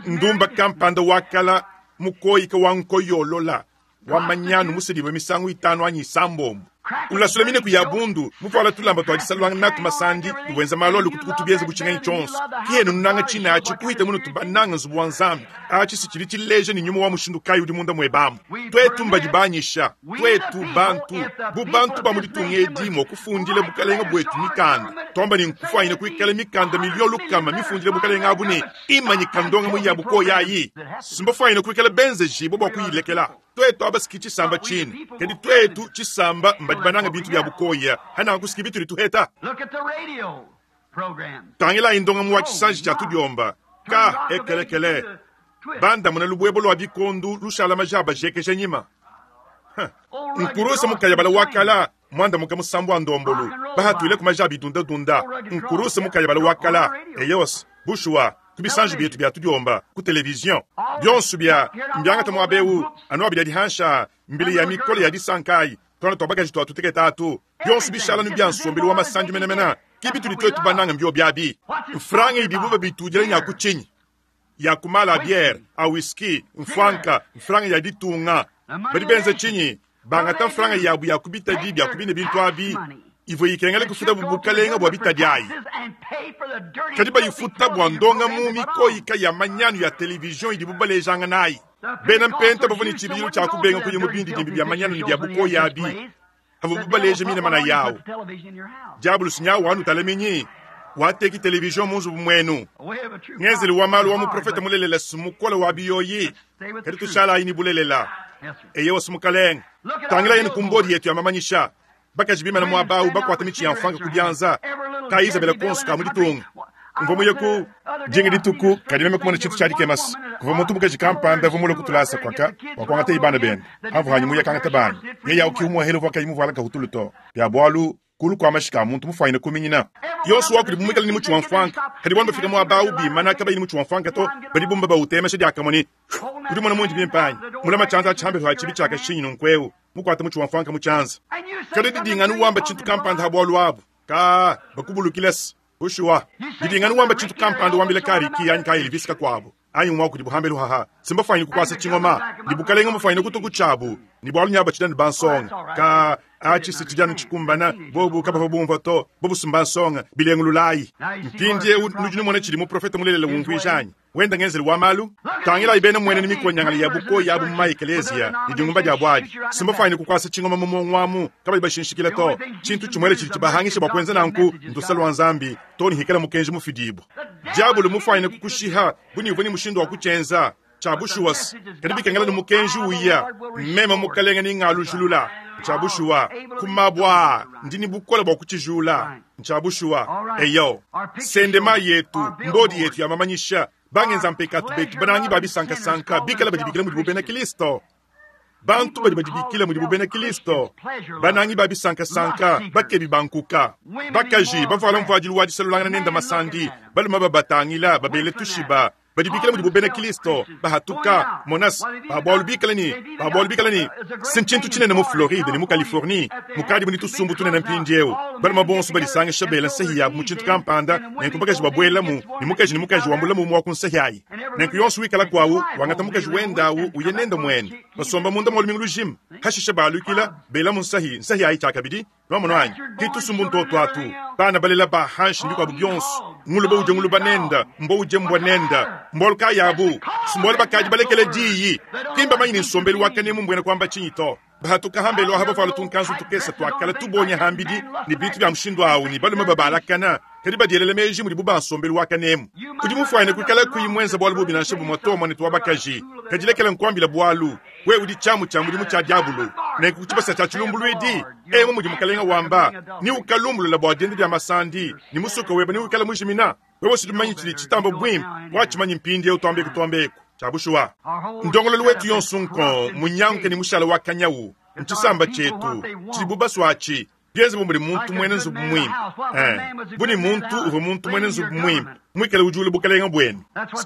ndumba kampanda wakala mukoyika wa nkoyolola wa manyanu musedibue misangu itanu anyi isambombo ulasula mineku ya bundu muvuala tulamba twa disalulanga natu masandi ni wenza malu alukutukutu bienze butshinganyi tshionso kiyenu nunanga tshina atshi kuhita muno tubananga nzubu wa nzambi atshi si tshidi tshileja ni nyuma wa mushindu kayi udi munda muebamu twetu mbadi banyisha twetu bantu bu bantu ba mu ditunga edi mua kufundila bukalenga bwetu mikanda twamba ni nkufwanyine kuikala mikanda milio lukama mifundile bukalenga abu ne imanyika ndonga mu yabu ko yayi simbafwanyine kuikala benzejibo bua kuyilekela twetu abasiki tshisamba tshini kadi twetu tshisamba mbadi bananga bintu bya bukoya hana kusiki bitu lituheta Look at the radio programs. tangila indonga mu wa tshisanji tshia tudiomba ka ekelekele banda muna lubwebo lwa bikondu lushala majaba jekeje nyima nkurusa mukayabala wakala mwanda muka musambu wa ndombolu bahatwile ku majaba idundadunda nkurusa mukayabala wakala eyos bushuwa kubisanji byetu bya tudiomba ku televizion byonso bya mbyangata mwabewu anu abidi dihansha mbili ya mikolo ya disankai twana twabakaji twatuteketa atu byonso bishala nu bya nsombelu wa masanji menemena kibi tudi twetu bananga mbyo byabi mfranga idibu babitudila nya kuchinyi ya kumala biere a whisky mfranka mfranga ya ditunga badi benza chinyi bangata mfranga yabu ya kubitadi bya kubine bintu abi ivo ikengele kufuta bubukalenga bwa bitadi ayi kadi bayifuta bwa ndonga mu mikoyika ya manyanu ya televizion idibu balejanga nayi bena mpenta bavua ne tshibidilu tshia kubenga kuya mu bindi dimbi bya manyanu ne bya bukoya abi avo bubaleje mina mana yawo diabulu sinyawu anu talaminyi wateki televizion mu nzubu muenu ngenzeli wa malu wa muprofeta mulelela sumukola wa biyoyi kadi tushala ayi ni bulelela eye wasumukalenga tangila yenu kumbodi yetu ya mamanyisha bakaji bimana mwabawu bakwata michi ya mfanga kubyanza ka Isabela konso ka muditunga mva muye ku jingi dituku kadi meme kumona tshintu tshiadi kemasi kuva muntu mukaji kampanda vumule kutulasa kwaka wakuangata ibana bende hamvu hanyi muye kangata bana ye yawu kiumuhele vua kayi muvuala kahutulu to bya bwalu kulu kwa mashika muntu mufwanyine kuminyina yonso wakuli bumwikala ni muchi wa mfwanka kadi bwanu bafika mwabawu bimana kabayi ni muchi wa mfwanka to badi bumba bautemesha diakamoni udi mona mundi bimpanyi mulama tshanza tshambe lwa tshibi tshaka shinyi nunkweu mukwata muchi wa mfwanka mutshanza kadi didinganu wamba tshintu kampanda ha bwalu abu ka bakubulukilesi bushuwa didinganu wamba tshintu kampanda wambila kariki anyi ka Elvis kakwabo anyi mwa kudi buhambelu haha simbafwanyine kukwasa tshingoma ni bukalenga mufwanyine kutuku tshabu ni bwalu nyaba tshidani bansonga ka achi sitijanu tshikumbana bobu kabava bumva to bobu simbansonga bilengululayi mpindie nudi numona tshidi muprofeta mulelela wumvuijanyi wenda ngenzeli wa malu tangila ibena mwene ni mikonyangala ya buko yabu mu maekeleziya ni dingumba dia bwadi simbafwanyine kukwasa tshingoma mu mongwamu kabali bashinshikila to tshintu tshimwele tshidi tshibahangisha bua kuenza nanku ndusa lwa nzambi to ni hikala mukenji mufidibwa diabulu mufwanyine kukushiha bunivu ni mushindu wa kutshenza tshabushuwasi kadi bikengela ni mukenji uya mema mukalenga ni ng'alujulula ntshabushuwa kumabwa ndini bukola bua kutshijula ntshabushuwa eyo sendema yetu mbodi yetu ya mamanyisha bangenza mpekatu betu banangi babisankasanka bikala badibikila mudi bubena Kristo bantu badi badibikila mudi bubena Kristo banangi babisankasanka bakebi bankuka bakaji bavuala mvuadilu wa disalulangana nenda masandi baluma babatangila babele tushiba badibikila mudi bubena Kristo bahatuka monas babwalu bikala ni babwalu bikala ni sintshintu tshinene mu Floride ni mu Californie mukadi muni tusumbu tunene mpindiewu baluma bonso badisangisha bela nsehi yabu mu tshintu kampanda nenku bakaji babwelamu ni mukaji ni mukaji wambulamu mu wa ku nsehi ayi nenku yonso wikala kwawu wangata mukaji wendawu uye nenda mwene basomba munda mwa lumingu lujima hashisha balukila bela mu nsehi nsehi ayi tshiakabidi lwamono anyi ki tusumbu ntoto atu bana balela bahanshi ndikwabu byonso nguluba uje nguluba nenda mbo uje mbwa nenda mbolu kayabu simbolu bakaji balekele diyi kimba manyini nsombelu wakanemu mbwena kwamba tshinyi to bahatuka hambelu aha bavuala tunkanzu tukesa twakala tubonya hambidi ni bintu bya mushindu awu ni balume babalakana kadi badielela meji mudi bubansombelu wakanemu kudi mufwanyine kuikala kuyi mwenza bwalu bubi nansha bumwe to mwane twa bakaji kadilekela nkuambila bwalu we udi tshamu tshia mudimu tshia diabulu nenku kutshibasa tshia tshilumbuluidi emu mudi mukalenga wamba ni ukalumbulula bua dienda dia masandi ni musuka weba ni wikala mujimina wewe sidumanyi tshidi tshitamba bwimpe watshimanyi mpindiewu twambeku twambeku tshabushuwa ndongololo wetu yonso nko munyanguke ni mushala wa kanyawu ntshisamba tshetu tshidi bubaswatshi bienze bumudi muntu mwene nzubu mwimpe eh buni muntu uva muntu mwene nzubu mwimpe mwikale ujule bukalenga bwenu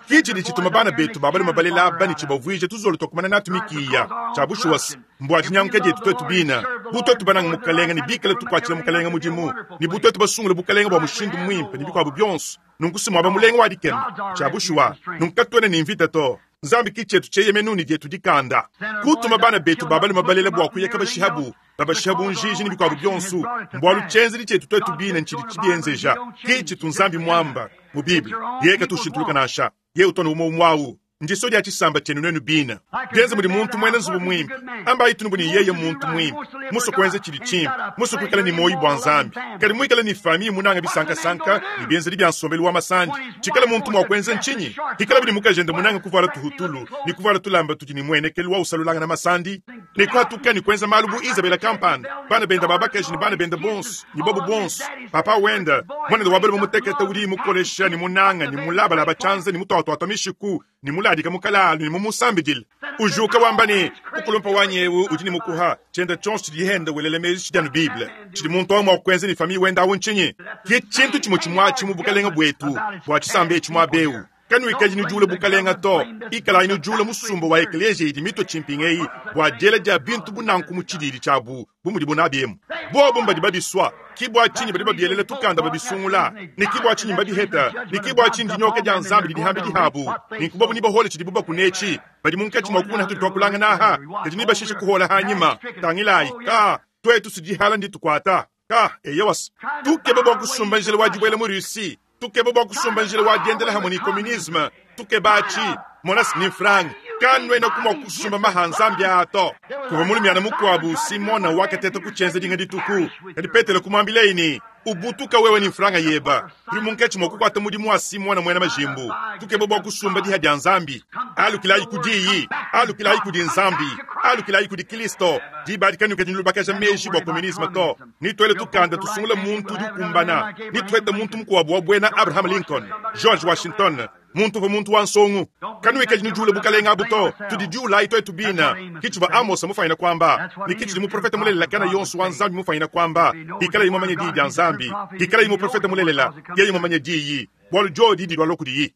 ki tshidi tshituma bana betu babaluma balela aba ni tshibavuije tuzolo twakumana natu mikiya tshabushuwasi mbua tshinyanguke dietu twetu bina butwetu bananga mukalenga ni bikale tukwatshila mukalenga mudimu ni butwetu basungula bukalenga bua mushindu mwimpe ni bikwabu byonso nunku simwaba mulenga wa dikema tshabushuwa nunku katuene ni mvita to Nzambi ki tshietu tshieyemenu ne dietu dikanda. Kutuma bana betu ba balume balela bua kuya kabashihabu, babashihabu njiji ne bikuabu bionso, mbualu tshienzedi tshietu tuetu bine ntshidi tshibienzeja. Ki tshitu Nzambi muamba mu Bible. Yeye katushintuluka nansha. Yeye utona umwe umwe awu. Ndiso dia tshisamba tshienu nuenu bina. Dienze mudi muntu mwena nzubu mwimpe. Amba ayi ni yeye muntu mwimpe. Muso kuenza tshidi tshimpe. Muso kuikala ni moyi bwa Nzambi. Kadi muikala ni famille munanga bisankasanka ni bienzedi bya nsombelu wa masandi. Tshikala muntu mwa kuenza nchinyi. Hikala bidi mukajenda munanga kuvala tuhutulu, ni kuvala tulamba tudi ni mwenekelu wa usalulanga na masandi. Ni kwatuka ni kuenza malu bu Isabela Kampanda. Bana benda babakaji ni bana benda bonso, ni bobu bonso. Papa wenda, mwana wa balo muteketa udi mukolesha ni munanga ni mulaba chanza ni mutwatwa mishiku ni muladika mukalalu ni mumusambidile. Ujuka wamba ni ukulumpa wanyewu udi ni mukuha chenda chonso chidi henda welele mezi chidi anu Bible. Chidi muntu wa mwa ni famille wenda awu nchinyi. Ki chintu chimo chimwa chimu bukalenga bwetu bwa chisambe chimwa beu. Kanu ikaji ni jule bukalenga to ikala inu jule musumba wa eklesia idi mito chimpingei bwa jela ja bintu bunanku mu chidiri chabu bumudi bunabiemu. Bobo mbadi babiswa kibwa chinyi badi babielela tukanda babisungula ni kibwa chinyi mbadiheta ni kibwa chinyi dinyoka ja Nzambi didihambi dihabu ni kubabu ni bahole chidi buba kunechi badi munkachi mwakuna hatu twakulanga naha kadi ni bashishe kuhola hanyima tangilai ka twetu sidihala ndi tukwata ka eyewas tukebe bwa kusumba njele wajibwele mu Russie tukebe bwa kusumba njele wadiendela hamwe ni communisme tukebachi monas ni frang kanwena kumwa kusumba mahanzambi ato kuva mulumyana mukwabu Simona wakateta kuchenza dinga dituku kadi Petelo kumwambileini ubutuka wewe ni franga yeba tuli munkechi mwakukwata mudimu wa Simona mwena majimbu tukebe bwa kusumba diha dia Nzambi alukilayi kudiyi alukilayi kudi Nzambi alukilayi kudi Kristo dibadi kanuka dinulubakaja meji bwa communisme to nitwele tukanda tusungula muntu udi ukumbana nitwete muntu mukwabu wa bwena Abraham Lincoln George Washington muntu va muntu wa nsongu kanuika jinujule bukalenga abuto tudidiula ito etubina kichiva Amos mufanyina kwamba ni kichi muprofeta mulelela kana yonso wa Nzambi mufanyina kwamba ikala imamanye di dia Nzambi ikala imuprofeta mulelela yeye imamanye di bwalu jodi di lwalo kudi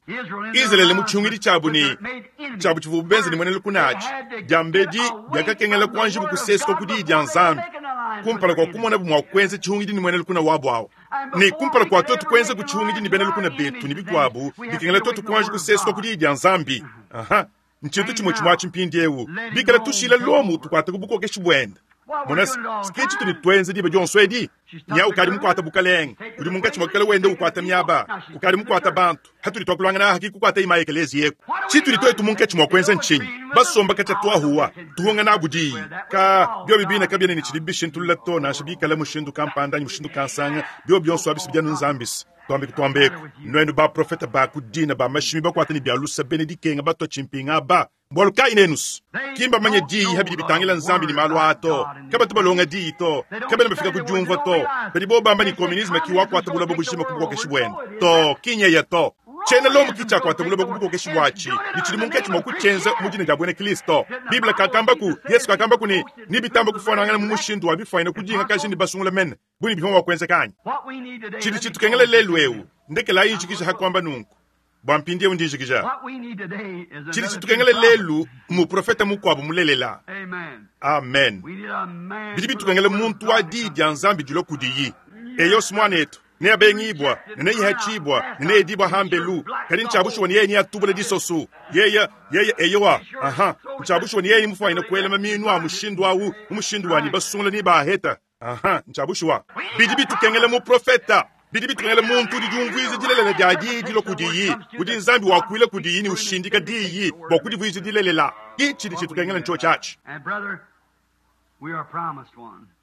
Israel muchungiri chabu ni chabu chivubenze ni mwenele kunachi jambedi byakakengela kwanji bukusesko kudi dia Nzambi kumpala kwa kumona bumwa kwenze chihungidi ni mwenele kuna wabu awo ni kumpala kwa toto kwenze kuchihungidi ni benele kuna betu ni bigwabu bikengela toto kwanji kusesko kudi dia Nzambi aha nchintu chimwe chimwa chimpindi ewu bikala tushila lomu tukwata kubukoke shibwenda Monas skechi tuni twenze diba jonso edi nya ukali mukwata bukaleng uri mungachi mwakala wende ukwata miaba ukali mukwata bantu haturi twakulangana haki kukwata ima ekelezi yeko chituri twetu mungachi mwakwenza nchinyi basomba kacha twahuwa tuhonga nabudi ka byo bibina kabya ni chilibishintu tulato na shibikala mushindu kampanda ni mushindu kansanga byo byonso abisibya nzambisi twambe kutwambeko nwenu ba profeta ba kudina ba mashimi bakwata ni byalusa benedikenga batwa chimpinga ba mbwalu kainenus kimba manye diyi habidi bitangila Nzambi ni malu ato kaba tubalonga diyi to kaba nabafika kujumva to badi bobamba ni communisme kiwakwata bulabo bushima kubukokeshi bwenu to kinyeya to chena lomu kichakwata bulobo kubukokeshi bwachi nichili munkechi mwakuchenza mujini ja bwene Kristo Biblia kakambaku Yesu kakambaku ni nibitamba kufanangana mu mushindu wa bifaina kujinga kashi ni basungula mene buni bihomwa kwenza kanyi chili chitukengele lelu ewu ndekela injikisha hakwamba nunku bwampindie undinjikisha chili chitukengele lelu mu profeta mukwabu mulelela amen bidi bitukengele muntu wa di dia Nzambi dilo kudiyi eyo simwanetu neyabengibwa neneyihachibwa neneyedibwa hambelu kadi nchabushuwa ni yeye niyatubula disosu yeye yeye eyowa aha nchabushuwa ni yeye mufwaina kuelema minu a mushindu awu umushindu wani basungula ni baheta aha nchabushuwa bidi bitukengele mu profeta bidi bitukengele muntu udi dilelela dia diyi dilo kudiyi udi Nzambi wakuila kudiyi ni ushindika diyi bwa kudivuiza dilelela ichi chitukengele ncho chachi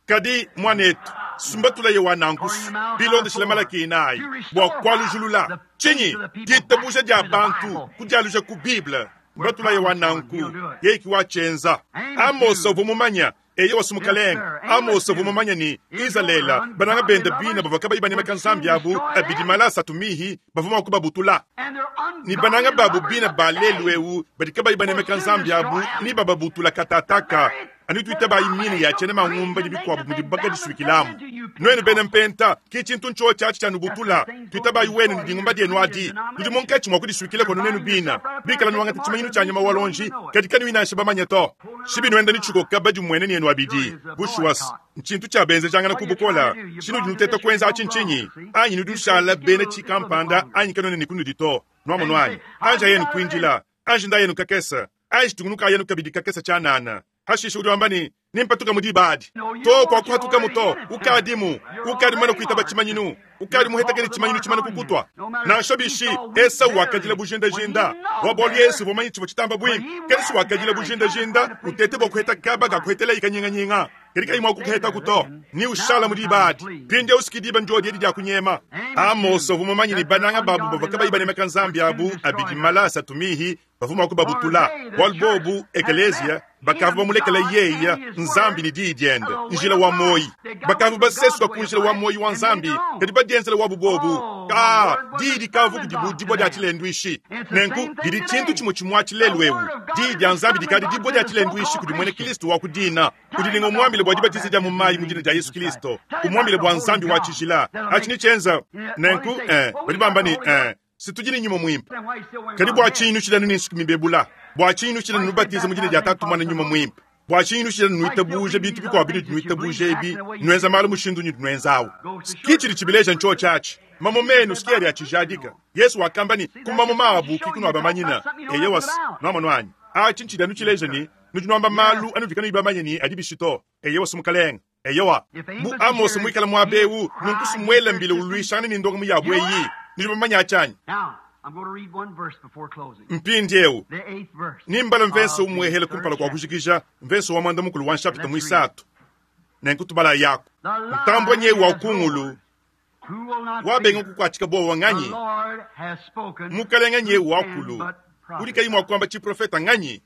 kadi mwanetu sumbatula ye wanankusu bilondeshela malaki inayi bwa kwalujulula chinyi ditabusha dia bantu kudialuja ku Bible mbatula ye wananku yeiki wachenza Amos ovumumanya eyo wasumukalenga Amos ovumumanya ni Israela bananga benda bina bavaka bayibanemeka Nzambi abu abidi malasa tumihi bavuma kubabutula ni bananga babu bina balelu ewu badika bayibanemeka Nzambi abu ni bababutula katataka anituita bayimini ya chene mangumba dibikwabu mudibaka disuikilamu nwenu bene mpenta kichintu ncho chachi chanubutula tuita bayiwenu ndingumba dienu adi tudi munkechi mwakudisuikile kono nenu bina bikala nuwanga tichimanyinu chanyama walonji katika niwinashe bamanya to shibi nwenda nichukoka badi mwene nienu abidi bushuwas nchintu chabenze changana kubukola shinu dinuteta kwenza achinchinyi anyi nudushala bene chikampanda anyi kanone nikunudi to nwamo nwanyi anja yenu kwinjila Anji ndayenu kakese, anji tungunukaayenu kabidi kakese tshianana. Hashishe udi wamba ne, nimpatuka mu diba adi. To kwakuhatuka muto, ukadimu, ukadi mumane kuitaba tshimanyinu, ukadi muhetakele tshimanyinu tshimane kukutwa. Nansha bishi, Esau wakadila bujindajinda. Bua bualu Yesu uvua mumanye tshivua tshitamba buimpe. Kadi wakadila bujindajinda, utete bua kuheta kaba ka kuhetela ikanyinganyinga. Kadi kayi mua kukuheta kuto, ni ushala mu diba adi. Mpindieu siki diba ndio diedi dia kunyema. Amos uvua mumanye ne bananga babu bavua kabayi banemeka nzambi abu abidi mala asatu mihi bavua mua kubabutula. Bualu bobu ekeleziya bakavua bamulekela yeya nzambi ne diyi diende njila wa moyi. Bakavua basesuka ku njila wa moyi wa nzambi kadi badienzela wabu bobu. Ka diyi dikavu kudibu dibua dia tshilenduishi. Nenku didi tshintu tshimue tshimue tshilelu ewu. Diyi dia nzambi dikadi dibua dia tshilenduishi kudi mwene Kristo wa kudina. Udi umuambile bua dibatiza dia mu mayi mu dina dia Yesu Kristo. Umuambile bua nzambi wa tshijila. Achi ni tshienza. Nenku eh badi bamba ne eh situjini nyuma mwimpe. Kadi bua tshinyi nushilanu ne nsuku mibebula? Bua tshinyi nushilanu nubatiza mu dina dia Tatu Mwana nyuma mwimpe? Bua tshinyi nushilanu nuitabuja bintu bikuabu bintu nuitabuja ebi nuenza malu mushindu nyutu nuenzawu? Kichili chibileja ncho chachi. Mamo menu sikia lya chijadika. Yesu wakamba ni kumamo mabu kikunu abamanyina. Eye was nwamano anyi. Achi nchida nuchileja ni nujinwamba malu anuvikanu ibamanye ni adibishito. Eye was mukalenga. Eyowa. Bu Amos mwikala mwabewu nunkusu mwele mbile ulwishana ni ndonga muyabwe yi. Nijibamanya achanyi. Mpindiewu nimbala mvenso umwehele kumpala kwa kujikija mvenso wa mwanda mukulu wa nshapita mwisatu nenkutubala yako ntambwa nyewu wa ukungulu wabenga kukwatika bowa nganyi mukalenga nyewu wakulu udi kayi mwa kuamba chiprofeta nganyi.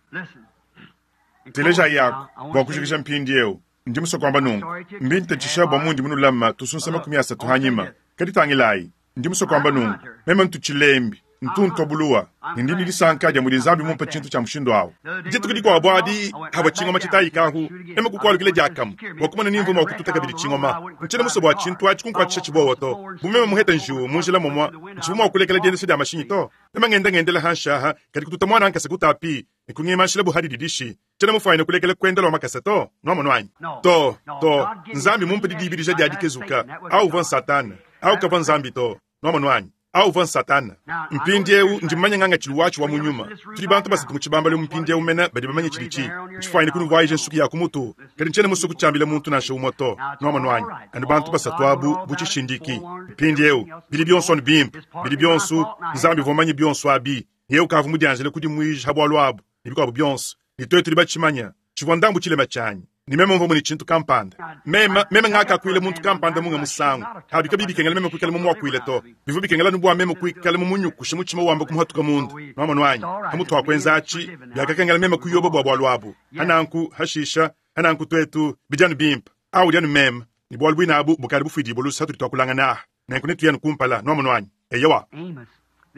Teleja yako bwa kujikija mpindiewu ndi musokwamba nungu mbinta bwa mundi munulama tusunsa makumi asatu hanyima kadi tangilayi ndi musokwamba nungu meme ntuchilembi ntuntu buluwa ndi nilisanka dia mudi nzambi mumpa tshintu tshia mushindu awu dituku dikuabu adi haba tshingoma tshitayikahu eme kukualukile diakamu wakumana nimvuma wakututa kabidi tshingoma ntshina muso bua tshintu atshi kunkuatshisha tshibowo to bumeme muheta njiwu munjila momwa ntshivuma wakulekela diendesha dia mashinyi to eme ngenda ngendela hanshaha kadi kututa mwana ankasa kutapi nikungimashila buhadi didishi tshina mufaine kulekela kwendela wa makasa to nwamonu anyi to to nzambi mumpa didibidija dia dikezuka au uvua nsatana au kavua nzambi to nwamonu anyi au uvua nsatana. Mpindiewu ndi mmanya nganga tshiluwatshu wa munyuma. Tudi bantu basatu mu tshibambalo mpindiewu mena badi bamanye tshidi tshifuaine kunuvaije nsuku ya kumutu kadi ntshiena musuku tshiambila muntu nansha umwe to nwamonu anyi anu bantu basatu abu butshishindiki. Mpindiewu bidi bionso anu bimpe bidi bionso nzambi uvua manye bionso abi yewu kavu mudianjele kudimuija bualu abu ne bikuabu bionso ne twetu tudi batshimanya tshivua ndambu tshilema tshianyi ni meme mvua mune tshintu kampanda meme meme ngakakuile muntu kampanda munga musangu abi kabi bikengela meme kuikala mumuakuile to bivua bikengela nubua meme kuikala mumunyukusha mutshima wamba kumuhatuka munda nwamonu anyi hamutu akwenza atshi byakakengela meme kuyoba bua bualu abu hananku hashisha hananku twetu bidianu bimpe awu dianu meme ni bualu buina abu bukadi bufuidibua lusa tudi tuakulangana aha nenku netuyanu kumpala nwamonu anyi eyowa.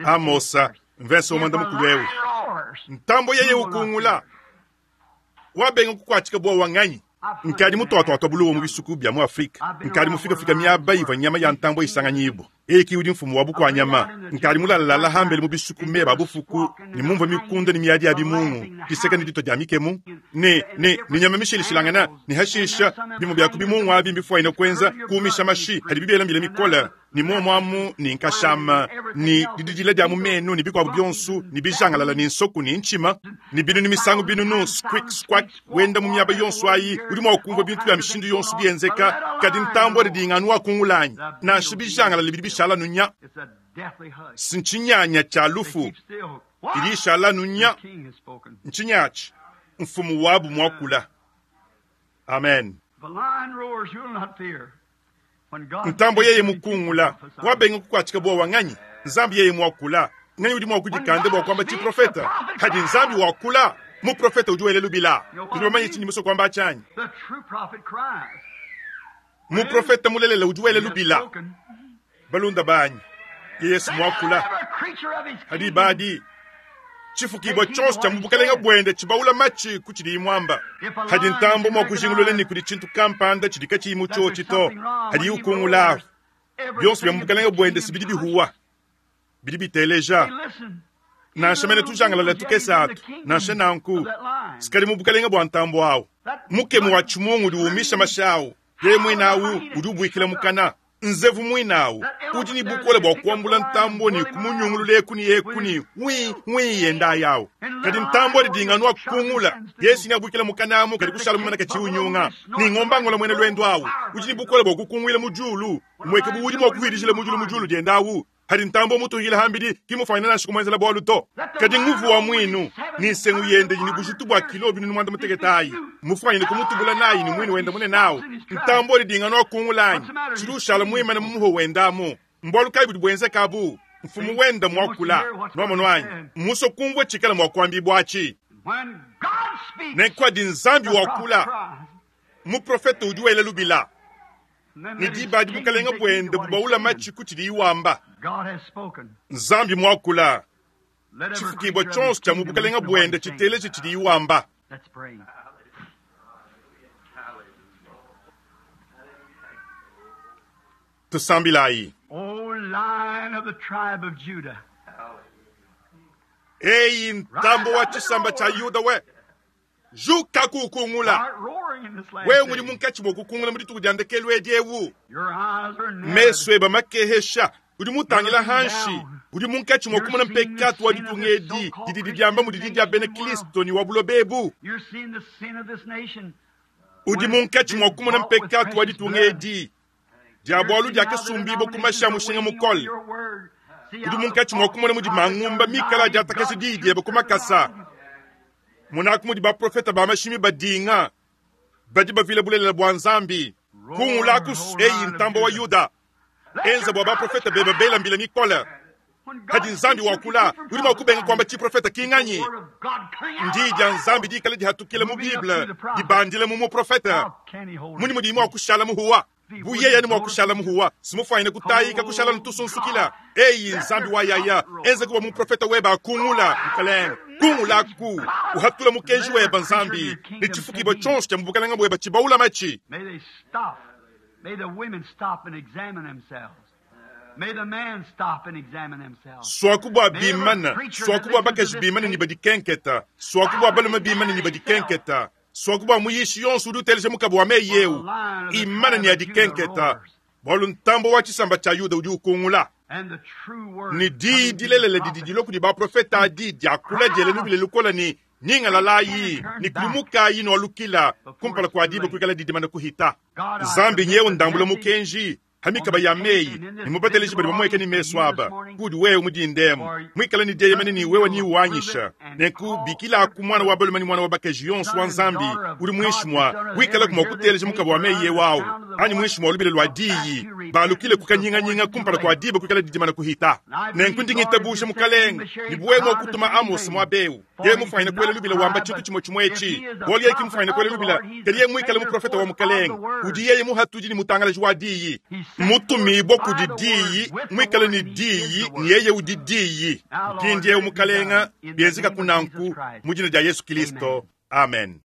Amosa mvenso umwanda mukulu ewu ntambo yeye ukungula wabenga kukwatika bua wanganyi nkadi mutoatoato buluwo mu bisuku bya mu Afrika nkadi mufikafika miaba ivua nyama ya ntambo isanganyibwa eki udi mfumu wa bukwanyama nkadi mulalalala hambele mu bisuku meba bufuku ni mumva mikunda ni miadi ya bimungu kiseka ni dito dia mikemu ne ne ni nyama mishilishilangana ni hashisha bimu bya kubimungu abi mbifuaine kwenza kuumisha mashi hadi bibiela mbile mikola ni momwamu ni nkashama ni dididila dia mumenu ni bikuabu bionsu ni bijangalala ni nsoku ni nchima ni binu ni misangu binunu squeak squak wenda mu miaba yonsu ayi udi mua kumva bintu bya mishindu yonsu bienzeka kadi ntambo didinganu wakungulanyi nansha bijangalala bidi bishala nunya sinchinyanya cha lufu idi ishala nunya nchinyachi mfumu wabu mwakula. Amen. Ntambo yeye mukungula wabenga kukwatika bua wanganyi nzambi yeye mwakula nganyi udi mwakudikande bua kwamba chiprofeta hadi nzambi wakula muprofeta udi wele lubila tudi bamanye tshindi muso kwamba achanyi muprofeta mulelela udi wele lubila balunda banyi Yesu mwakula hadi badi chifukibwa chonse cha mubukalenga bwende chibaula machi kuchili imwamba hadi ntambo mwakujingulule ni kuli chintu kampanda chidika chiyimu chochi to hadi ukungula byonse bya mubukalenga bwende sibidi bihuwa bidi biteleja nansha mene tujangalala tukesatu nansha nanku sikali mubukalenga bwa ntambo awu mukemu wa chimungu udi umisha mashawu ye mwina awu udi ubuikila mukana Nzevu mwinawu udi ne bukole bua kuambula ntambo ne kumunyungulula eku ne eku ne wi wi yenda yawu. Kadi ntambo adi dinganwa kungula Yesu ne abwikila mukanamu kadi kushala mumana kachi unyunga ni ngomba ngola mwene lwendo awu udi ne bukole bua kukunguila mu julu mweke bu udi mua kuhidishila mu julu mu julu diendawu. Hadi ntambo mutuhila hambidi kimufanyina nashiku mwenzela bwalu to. Kadi nguvu wa mwinu ni nsengu yende ni bujitu bwa kilo binu mwanda muteketayi mufanyine kumutubula nayi ni mwinu wenda mune nawo. Ntambo lidinganwa kungulanyi chilushala mwimana mumuho wendamu mbwalu kai budi bwenze kabu mfumu wenda mwakula nwamonwanyi muso kumvwe chikala mwakwambi bwachi nenkwadi nzambi wakula muprofeta udi wela lubila ni dibadi bukalenga bwende bubaula machi kuchili iwamba. Nzambi mwakula chifukibwa chonse cha mubukalenga bwende chiteleche chili iwamba. Tusambilayi. O Lion of the tribe of Judah. Eyi ntambo wa chisamba cha Yuda we juka kukungula wewe muli munkachi mwa kukungula muri tukujandekelu ediewu meso eba makehesha udi mutangila hanshi udi munkachi mwa kumona mpekatu wa ditungedi didi diamba mudi dia bene Kristo ni wa bulobebu udi munkachi mwa kumona mpekatu wa ditungedi dia bwalu dia kasumbibo kumasha mushinga mukole udi munkachi mwa kumona mudi mangumba mikala dia takasi didi eba kumakasa munaku mudi baprofeta ba mashimi badinga badi bavile bulelela bwa nzambi kungulaku eyi ntambo wa Yuda enza bwa baprofeta beba bela mbila mikola hadi nzambi wakula udi mwakubenga kwamba chiprofeta kinganyi ndi dia nzambi dikala dihatukile mu Bible dibandile mu muprofeta muni mudi mwakushala muhuwa buyeya ni mwakushala muhuwa simufanyine kutayika kushala ntusunsukila eyi nzambi wa yaya enza kuba muprofeta weba akungula mkalenga kungulaku uhatula mukenji weba nzambi ni chifukibwa chonse cha mubukalanga bweba chibaula machi. May they stop. May the women stop and examine themselves. May the men stop and examine themselves. Swakubwa bimana, swakubwa bakaji bimana ni badikenketa, swakubwa balume bimana ni badikenketa, swakubwa muyishi yonse udi uteleja mukabo wa meyeu imana ni adikenketa bwalu ntambo wa chisamba cha Yuda udi ukungula ni di dilelele didi diloku di baprofeta adi diakula diele nubile lukola ni ningalalayi ni kumukayi nwalukila kumpala kwa dibe kuikala didimana kuhita nzambi nyewe ndambula mukenji hamikaba ya meyi ni mubateleji bali bamweke ni meso aba kudi wewe mudindemu mwikala ni deyemene ni wewe ni uwanyisha nenku bikila ku mwana wa balume ni mwana wa bakaji yonso wa nzambi uli mwishi mwa wikala kuma kuteleja mukaba wa meyi yewawu ani mwishi mwa lubile lwa diyi balukile kukanyinganyinga kumpala kwa dibe kuikala didimana kuhita nenku ndingitabusha mukalenga ni buwe mwa kutuma Amos mwa bewu ye mufanyina kwele lubile wamba chitu chimwe chimwechi boli yeki mufanyina kwele lubila kali ye mwikala muprofeta wa mukalenga udi yeye muhatudi ni mutangalaji wa diyi mutumibwa kudi diyi mwikale ni diyi ni yeye udi diyi mpindiewu mukalenga bienzeka kunanku mu dina dia Yesu Kristo amen.